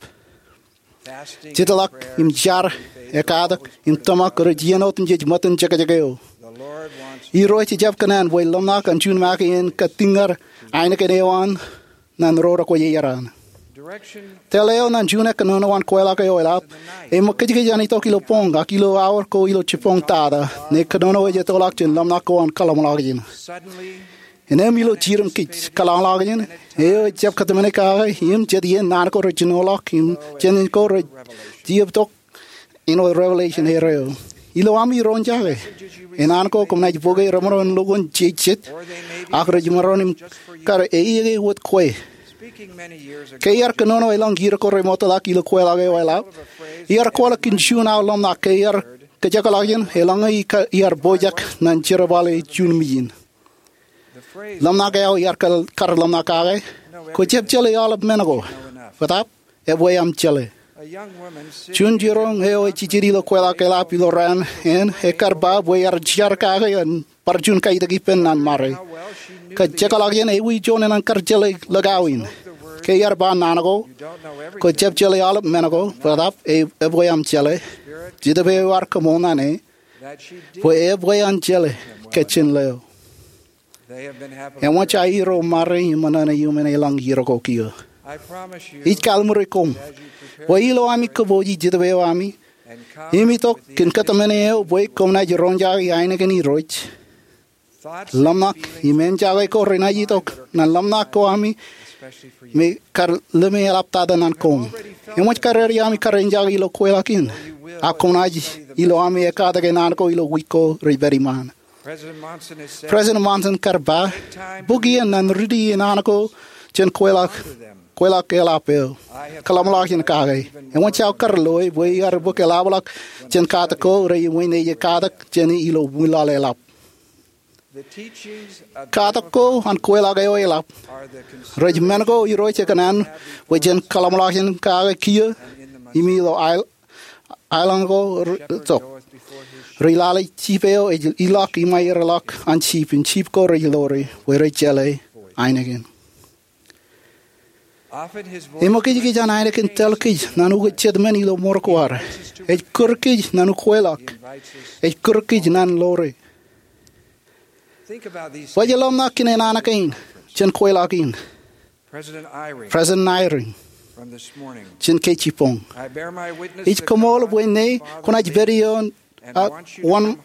Jitḷọk im jar, ekkatak im tōmak rej iien otemjej ṃōttan jekjek eo. Irooj ejjab kōṇaan bwe ḷōmṇak an juon make en kōttiñor ainikien eo an naan ro rekwōj iar an. Tōl eo naan juon e kōnono an kweilọk eo eḷap eṃōk kōjkōj an itok ilo boñ ak ilo aor ko ilo jibboñ tata ṇe kōnono ej ettoḷọk jān ḷōmṇak ko an kōḷmānḷọkjeṇ. Innām ilo jiroñ kij kōḷmānḷọkjeṇ eo ejjab kōtmāne kake im jet iien naan ko rej jino ḷọk im jān ko rej jab itok āinwōt revelation erreo. Ilo ami roñjake, enaan ko kōm naaj bōke remaroñ in lukkuun jeje jet, ak rej maroñ in kar eñin wōt kwe. Ke iar kōnono elōñ iiō ko remootḷọk ilo kweilọk eo eḷap, iar kwaḷọk kōn juon aō ḷōmṇak ke iar kōjekḷọkjeṇ eḷaññe iar pojak naan jerbal eo juon mijin. Ḷōmṇak eo iar kar ḷōmṇak kake, kwō jab jeḷā aolep men ko. Bōtaab, ebwe aṃ jeḷā. Juon jiroñ eo ej jijet ilo kweilọk eḷap ilo raan in ekar ba bwe ear jar kake im bar juon kaitōk ippān naan ṃare. Kōjekḷọkjeṇ ewi juon enañin kar jeḷā lōk aō in. Ke iar ba naan ko, kwō jab jeḷā aolep men ko, bōtaab ebwe aṃ jeḷā. Jetōb eo ear kōṃṃan naan e bwe ebwe an jeḷā kōj jān ḷeo. Eṃōj aerro ṃare im ṃōṇōṇō iuṃwin elōñ iiō ko kiiō. Ij kallimuri koṃ bwe ilo ami kōpooji jetōb eo ami im itok kōn kōtmāne eo bwe koṃ naaj roñjake ainikien Irooj, ḷōmṇak im āinjake ko renaaj itok naan ḷōmṇak ko ami me kar lōme eḷap tata naan koṃ. Eṃōj kar eddie ami kar āinjake ilo kweilọk in, ak koṃ naaj ilo ami ekkatak enaan ko ilo wiik ko rej pād iṃaan. President Monson kar ba, bōk iien naan riiti enaan ko jān kweilọk eḷap eo. Kōḷmānḷọkjeṇ kake. Eṃōj aō kar loe bwe iar bōk eḷapḷọk jān katak ko rej iṃōj naaj katak jāne ilo ṃwilaḷ eḷap. Katak ko an kweilọk eo eḷap rej men ko Irooj ekōṇaan bwe jen kōḷmānḷọkjeṇ kake kiiō im ilo aelōñ ko rej lale jip eo ej ilọk iṃaerḷọk an jip im jip ko rej ḷoore bwe rej jeḷā ainikien. Eṃōkajkōj an ainikien tōl kōj naan ukōt jet men ilo ṃōrok ko ad. Ej kūr kōj naan ukweilọk. Ej kūr kōj naan ḷoore. Baj ḷōmṇak kōn enana kein jān kweilọk in. President Eyring, jān ke jibboñ, ij koṃṃool bwe ṇe kwōnaaj pād ioon ak wōn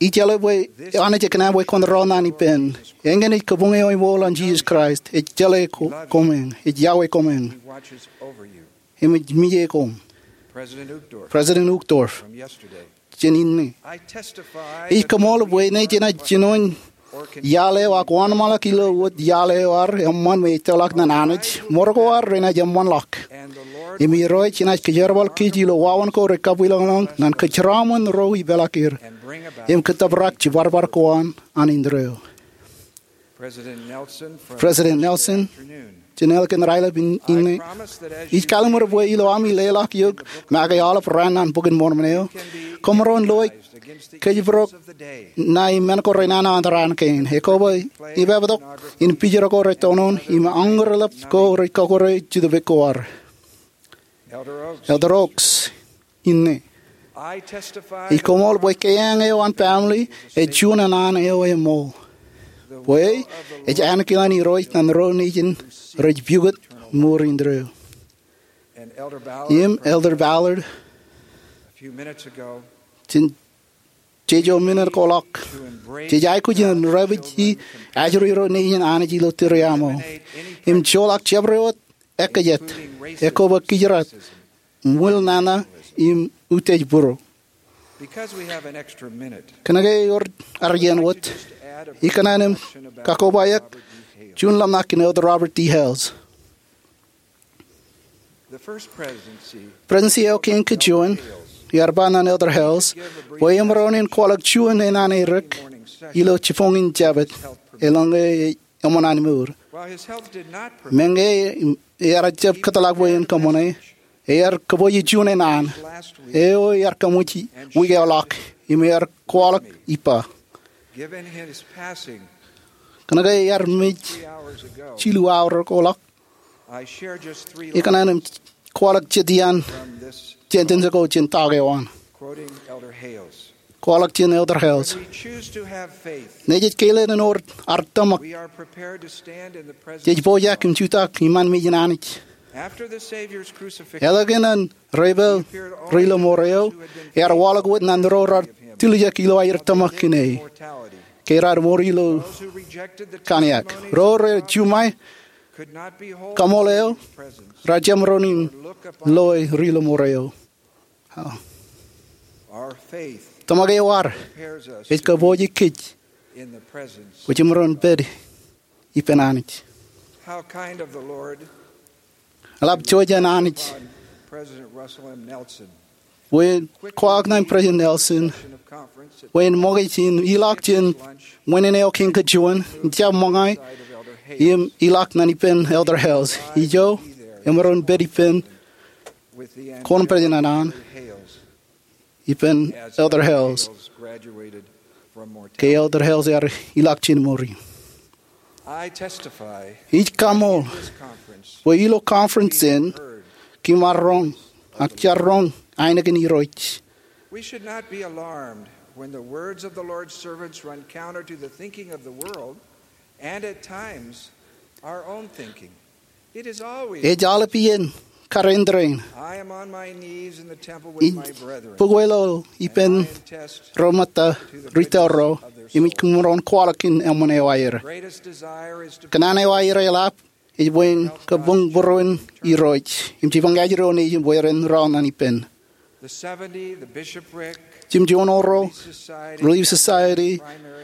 ijeḷā bwe Anij ekōṇaan bwe kwōn ro naan ippān. Eñin ej kabuñ eo eṃool an Jisōs Kraist. Ej jeḷā koṃeeñ, ej yokwe koṃeeñ, im ej mije koṃ. President Uchtdorf, jān inne, ij koṃṃool bwe ṇe jenaaj jinoin iaḷ eo ak wōnṃaanḷọk ilo wōt iaḷ eo ad eṃṃan me ettoḷọk naan Anij, ṃōrok ko ad renaaj eṃṃanḷọk. Im Irooj enaaj kōjerbal kōj ilo wāween ko rej kabwilōñlōñ naan kōjeraṃṃan ro ipeḷaakier im kōttōprak jibadbad ko an indeeo. President Nelson, jān ālikin raelep inne, ij kallimur bwe ilo ami leḷọk eok make aolep raan naan Bok in Mormon eo, koṃ maroñ loe kōjparok ṇae men ko renana an raan kein. Ekwe bwe ippapatok in pijor ko rej tonon im aññūrḷap ko rej kọkkure jutōb ko ad. Elder Oaks inne, ij koṃṃool bwe keeañ eo an family ej juon an eo eṃool, bwe ej ankilaan Irooj naan ro nejin rej pukot mour indeeo. Im Elder Ballard, jān jejo minit ko ḷọk, jej aikuj in repād ijin ajri ro nejin Anij ilo tūriaṃo im joḷọk jabdewōt ekkejjet, ekwe bwe kijrat, ṃwilinana im utiej būro. Kōnke ewōr ad iien wōt, ikōṇaan im kakobayak juon ḷōmṇak in Elder Robert D. Hales. Presidency eo kein kajuon, iar ba ñan Elder Hales bwe emaroñ in kwaḷọk juon enana erik ilo jibboñin Jabōt eḷaññe eṃṃan an mour. Meñe ear jab kōtḷọk bwe en kōṃṃane, ear kōpooje juon enana eo ear kaṃōj wiik eo ḷọk im ear kwaḷọk ippa. Kōnke ear mej jilu awa ko ḷọk, ikōṇaan im kwaḷọk jet iaan sentence ko jān ta ko an. Kwaḷọk jān Elder Hales: Nejej keile in wōr ad tōmak, jej pojak im jutak iṃaan mejān Anij. Eḷaññe an reipaal ri lọmọọr eo, ear waḷọk wōt ñan ro raar tiljek ilo aer tōmak kōn e ke raar mour ilo kōnke ro rej juṃae kaṃool eo, rej jab maroñ in loe ri lọmọọr eo. Tōmak eo ad ej kōpooje kōj bwe jemaroñ pād ippān Anij. Eḷap ijo jān Anij bwe en kwaḷọk ñan President Nelson bwe en ṃōkaj in ilọk jān ṃōṇōṇō eo kein kajuon, jab ṃōñā im ilọk ñan ippān Elder Hales. Ijo emaroñ pād ippān kōn President an ippān Elder Hales ke Elder Hales ear ilọk jān mour. Ij kaṃool bwe ilo conference in kōm ar roñ, ak jar roñ ainikien Irooj. We should not be alarmed when the words of the Lord's servants run counter to the thinking of the world and at times our own thinking. Ej aolep iien kar āindein ij bōk wōt ilo ippān ro ṃōtta ri tōl ro im ij kōṃro in kwaḷọk kōn eṃṃan eo aer. Kōṇaan eo aer eḷap ej bwe en kōbuñbūruon Irooj im jipañ kajjitōk eo nejin bwe ren rọọl ñan ippān. Jimjuonoro, Relief Society,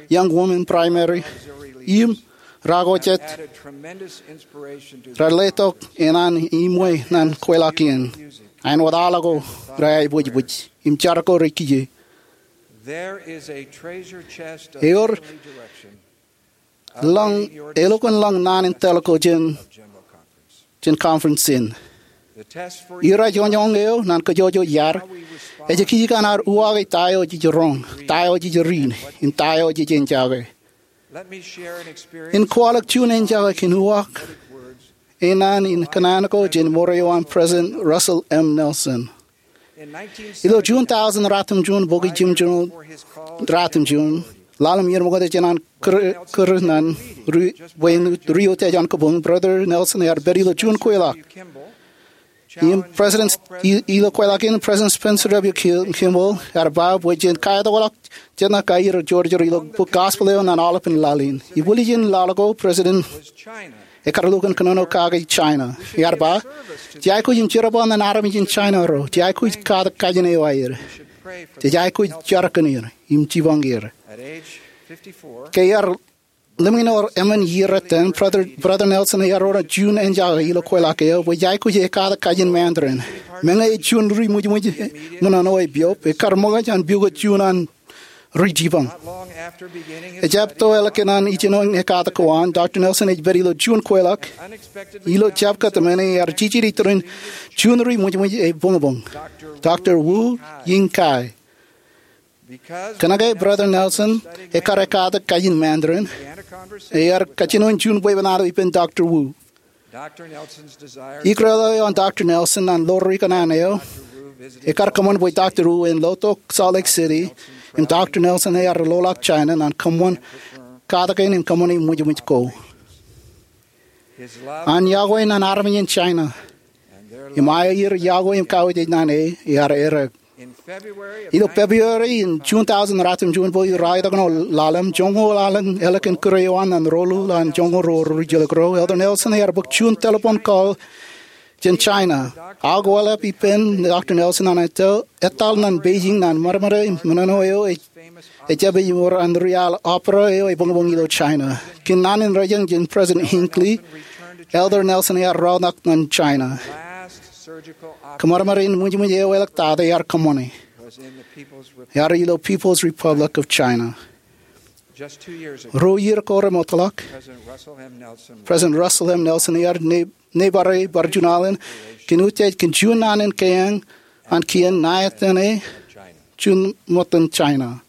Young Women Primary, im ra ko jet raar letok eṇ an iṃwe ñan kweilọk in. Āinwōt aḷ ko rej aebōjbōj im jar ko rej kiiō. Ewōr lōñ, elokwōn lōñ naan in tōl ko jān jān conference in. Irajoñoñ eo ñan kōjwōjwōj iaad ej kij ñan ad uwaake ta eo jej roñ, ta eo jej riin, im ta eo jej enjake. In kwaḷọk juon enjake kōn uwaak e naan in kōṇaan ko jān mour eo an President Russell M. Nelson. Ilo June thousand ratimjuon, bok ijin June ratimjuon, ḷalem iien ṃōkaj jān an kūr, kūr ñan ri, bwe en ri-utiej an kabuñ, Brother Nelson ear pād ilo juon kweilọk. Im President, i, ilo kweilọk in, President Spencer W. Ki-, Kimball ear ba bwe jen kaetokḷọk jet ṇa kaiur eo Jeorge ilo bok Gospel eo ñan aolepān laḷ in. Ibwiljin laḷ ko, President ekkar lukkuun kōnono kake China. Ear ba, jej aikuj im jerbal ñan armej in China ro. Jej aikuj katak kajin eo aer. Jej aikuj jar kōn er im jipañ er. Ke ear ḷimñin eoon emān iiō ettoon, Brother, Brother Nelson ear ro juon enjake ilo kweilọk eo bwe jej aikuj katak kajin Mandarin. Meñe ej juon ri ṃwijṃwij ṃōṇōṇō epiob, ekkar ṃōkaj an pukot juon an ri jipañ. Ejjab to eḷak kōn an ijenoin ekkatak ko an, Doctor Nelson ej pād ilo juon kweilọk. Ilo jab kōtmāne ear jijidi iturin juon ri ṃwijṃwij ej buñbuñ, Doctor Wu Ying Kai. Kōnke Brother Nelson ekkar ekkatak kajin Mandarin, ear kajjinoin juon bwebwenato ippān Doctor Wu. Ikōrā eo an Doctor Nelson ñan ḷoor ikōṇaan eo, ekkar kōṃṃan bwe Doctor Wu en lotok Salt Lake City, im Doctor Nelson ear loḷọk China ñan kōṃṃan katakin im kōṃṃani ṃwijṃwij ko. An yokwe ñan armej in China im aer yokwe im kautiej ñan e, ear errā. Ilo February in June thousand ratimjuon, bok eo raar itok ṇe ḷalem, joñoul ḷalem ālikin kūr eo an ñan rolu ḷọk joñoul ruo rijjelōk ro, Elder Nelson ear bōk juon telephone call jān China. Akwālep ippān Doctor Nelson an ettā, etal ñan Beijing ñan ṃadṃōde men eo ej, ejjab ej wōr an ri al opera eo ebuñbuñ ilo China. Kōn naan in rejañ jān President Hinckley, Elder Nelson ear roñtak ñan China. Kōṃadṃōd in ṃwijṃwij eo eḷḷọk tata ear kōṃṃane. Ear ilo People's Republic of China. Ruo iiō ko remootḷọk, President Russell M. Nelson ear ne, neighbor eo bar juon alen kōn utiej kōn juon naan in keañ an kien ṇa etan e juon ṃōttan China.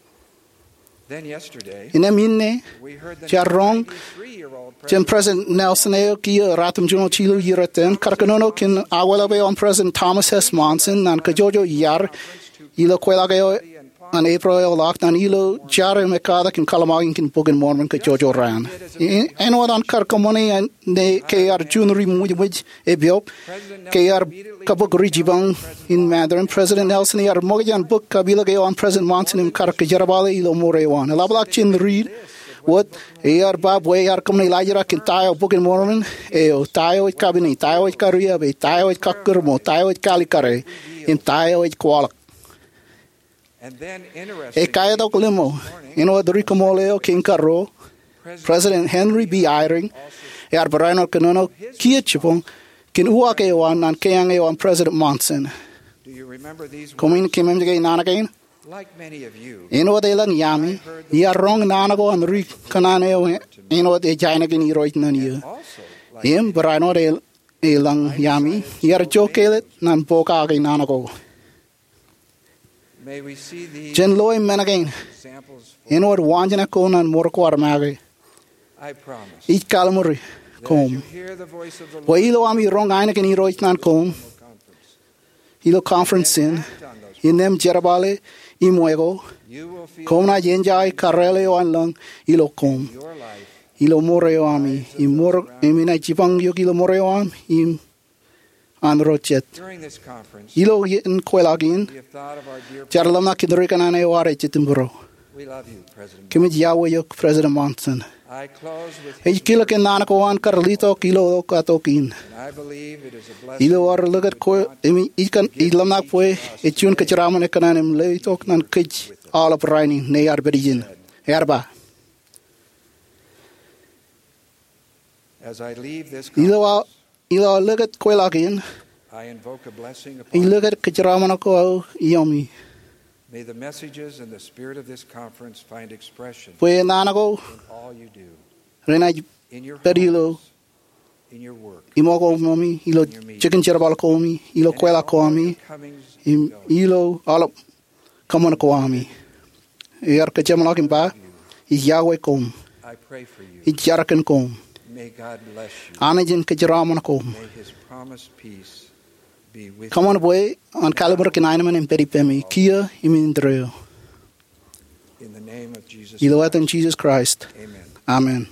Innām inne, jaar roñ jān President Nelson eo kiiō ratimjuonñoul jilu iiō etan kar kōnono kōn akwālep eo an President Thomas S. Monson ñan kōjwōjwōj iar ilo kweilọk eo an April eo ḷọk ñan ilo jar eo me katak in kallim̧akin kōn Bok in Mormon kōjwōjwōj raan. Āinwōt an kar kōṃṃane ñan e ke ear juon ri ṃwijṃwij epiop, ke ear kabok ri jipañ in Mandarin, President Nelson ear ṃōkaj an bōk kapilōk eo an President Monson im kar kōjerbale ilo mour eo an. Eḷapḷọk jān riit wōt, ear ba bwe ear kōṃṃane laajrak kōn ta eo Bok in Mormon eo, ta eo ej kapine, ta eo ej kariab e, ta eo ej kakkūrṃo, ta eo ej kaalikkare, im ta eo ej kwaḷọk. Ekaitok limro, āinwōt ri kōṃṃool eo kein karuo, President Henry B. Eyring ear barāinwōt kōnono kiiō jipañ kōn uwaak eo an ñan keañ eo an President Monson. Koṃwin keememej ke naan kein? Āinwōt elōñ iaami, iar roñ naan ko an ri kōṇaan eo āinwōt ej aenōk in Irooj ṇe iiō. Im barāinwōt elōñ iaami, iar jokāāl ñan pokake naan ko. Jen loe men kein āinwōt waajnak ko ñan mour ko armake. Ij kallim̧ur koṃ bwe ilo ami roñ aenōk in Irooj ñan koṃ ilo conference in, innām jerbale im weko, koṃ naaj enjoy karreel eo an lōñ ilo koṃ, ilo mour eo ami, im mour, im inaaj jipañ eok ilo mour eo aṃ im an ro jet. Ilo iien kweilọk in, jaar ḷōmṇak kōn ri kōṇaan eo ad ej itok ippān ro. Kōmij iọkwe eok President Monson. Ij kilōk kōn naan ko an kar letok ilo katok in. Ilo aō likūt kwe, im ij kōn, ij ḷōmṇak bwe ej juon kōjeraṃṃan ekōṇaan im letok ñan kōj aolep rainin, ñe ear pād ijin. Ear ba, ilo aō Ilo aō likūt kweilọk in, ij likūt kōjeraṃṃan ko aō iiomi. Bwe naan ko renaaj pād ilo iṃōkooṃomi, ilo jikin jerbal koṃi, ilo kweilọk koṃi, im ilo aolep kōṃṃan ko ami. Ear kōjeṃḷọk im ba, ij iọkwe koṃ. Ij jar kōn koṃ. Anij en kōjeraṃṃan koṃ. Kōṃṃan bwe an kallim̧ur kōn aenōṃṃan en pād ippemi kiiō im indeeo. Ilo etan Jisōs Kraist. Amen.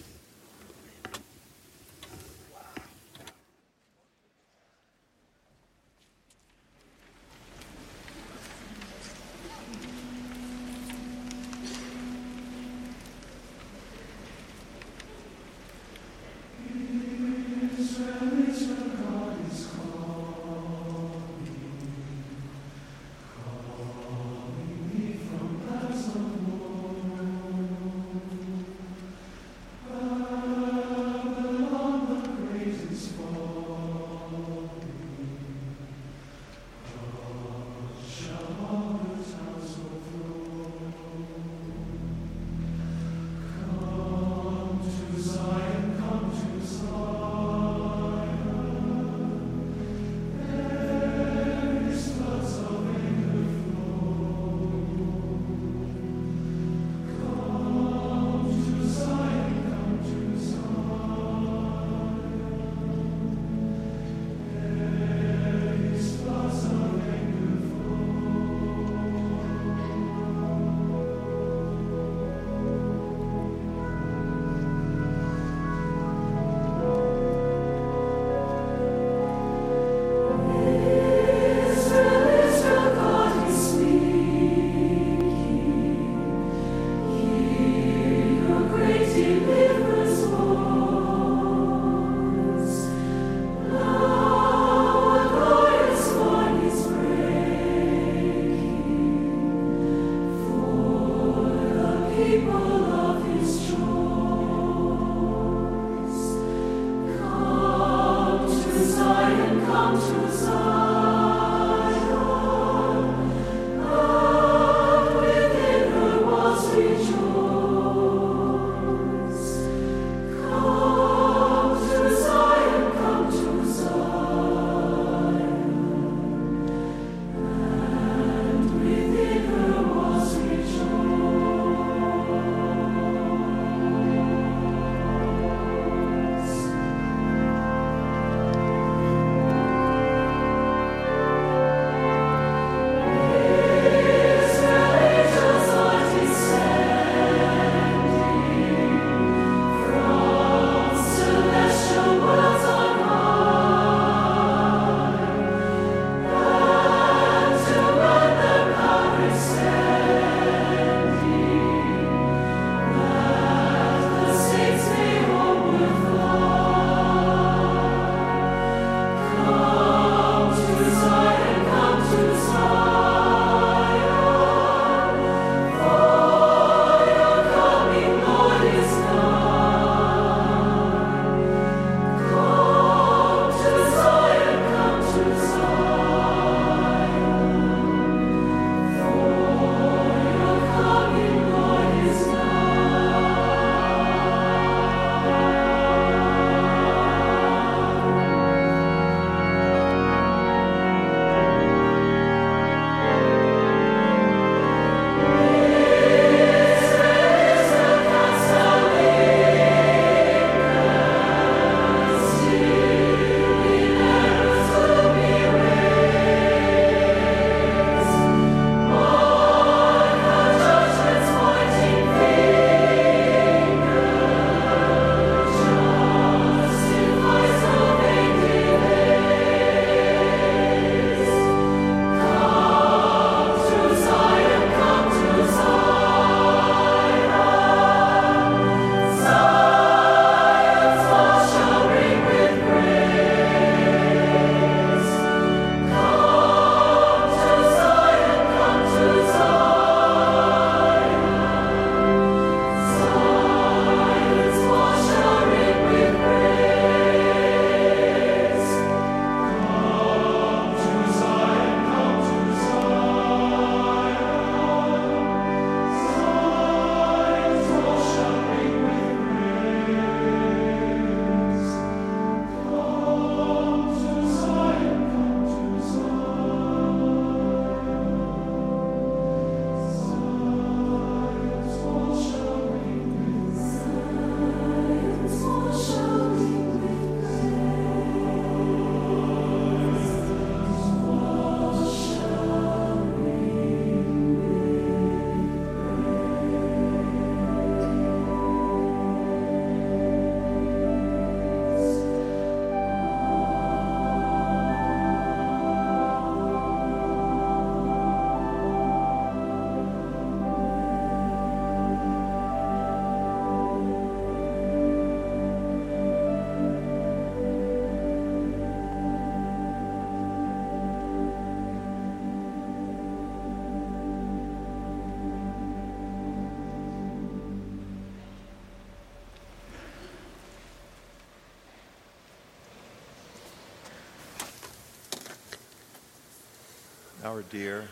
Our dear,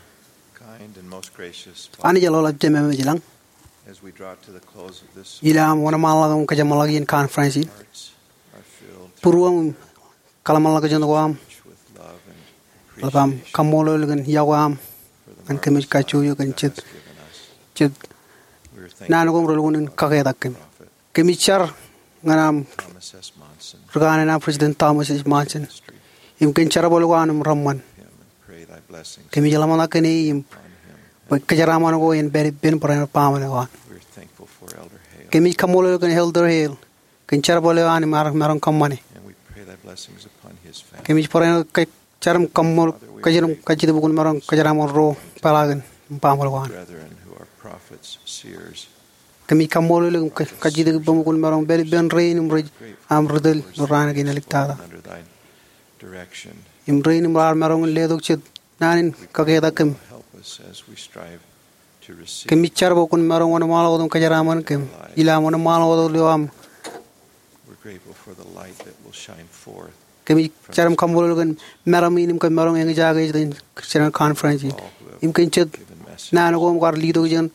kind, and most gracious Father, Anij eḷap Jemem ej ilañ, as we draw to the close of this ilo aṃ wōnṃaanḷọk im kōjeṃḷọk iien conference in, hearts are filled būruōm im kōḷmānḷọkjeṇ ko aṃ, with love and eḷap aṃ appreciation kaṃṃoolol kōn iọkwe aṃ for the ñan kōmij marvelous kajjojo life kōn that jet, has given us. Jet We are thankful naan ko im relukkuun in for our kaketak kōm. Prophet Kōmij jar ñan aṃ Thomas S. Monson, ri kanaan aṃ President Thomas S. Monson, ministry, im kōn jerbal ko an im reṃṃan. Him and pray thy blessings Kōmij ḷōmṇak kōn e im upon him bwe and kōjeraaṃṃan ko en pād ippān barāinwōt baaṃle ko an. We are thankful for Elder Hale. Kōmij kaṃṃoolol kōn Elder Hale kōn jerbal eo an im ear maroñ kōṃṃane. And we pray thy blessings upon his family. Kōmij barāinwōt ke jar im kaṃṃoolol, Father, we kōj im pray kajjitōk bwe kwōn maroñ kōjeraaṃṃan ro peḷaakin im baaṃle ko an. Brethren who are prophets, seers, Kōmij kaṃṃoolol im ka-, kajjitōk ippaṃ bwe kwōn maroñ pād ippān rein im rej aṃ ri tōl ilo raan kein āliktata. Under thy direction. Im rein im raar maroñ in letok jet naan in kaketak kōm. Help us as we strive to receive. Kōmij jar bwe kwōn maroñ wōnṃaanḷọk wōt im kōjeraaṃṃan kōm ilo aṃ wōnṃaanḷọk wōt ilo aṃ We're grateful for the light that will shine forth. Kōmij jar im kaṃṃoolol kōn meram in im kōm maroñ eñjake jān conference in. Im kōn jet naan ko im kwaar letok jān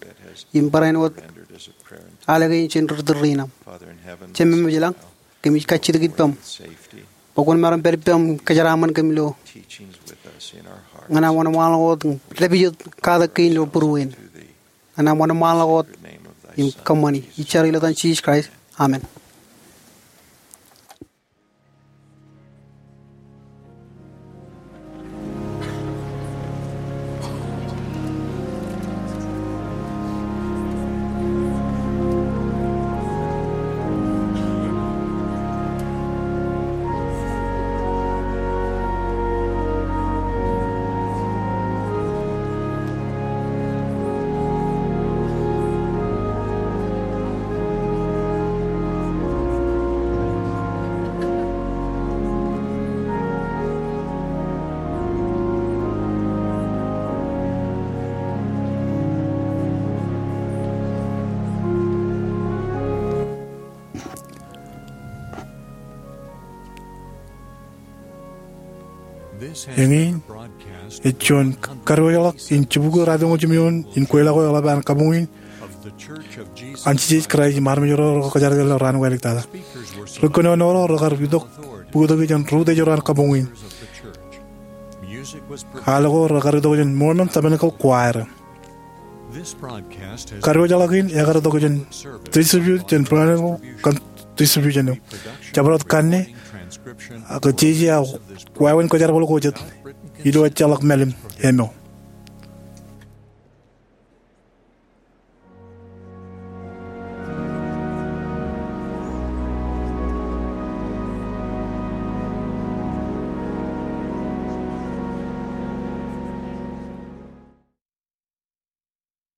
im barāinwōt ālikin jān ri tōl rein aṃ. Jemem ej ilañ, kōmij kajjitōk ippaṃ bwe kwōn maroñ pād ippām kōjeraaṃṃan kōm ilo ñan aṃ wōnṃaanḷọk wōt im dāpij katak kein ilo būruein. Ñan aṃ wōnṃaanḷọk wōt im kōṃṃani. Ij jar ilo etan Jisōs Kraist. Amen. Eñin ej juon kadiwōjḷọk in jibukwi ratimjuon in kweilọk eo eḷap an kabuñ in an Jisōs Kraist im armej ro rekar kōjadik ilo raan ko āliktata. Ri kōnono ro rekar itok bōktok jān ri utiej ro an kabuñ in. Al ko rekar itok jān Mormon Tabernacle Choir. Kadiwōjḷọk in ekar itok jān distribute jān Brown kōn distribution eo. Jabdewōt kanne ak jeje aō wāween kōjerbal ko jet ilo ejjeḷọk mālim eo.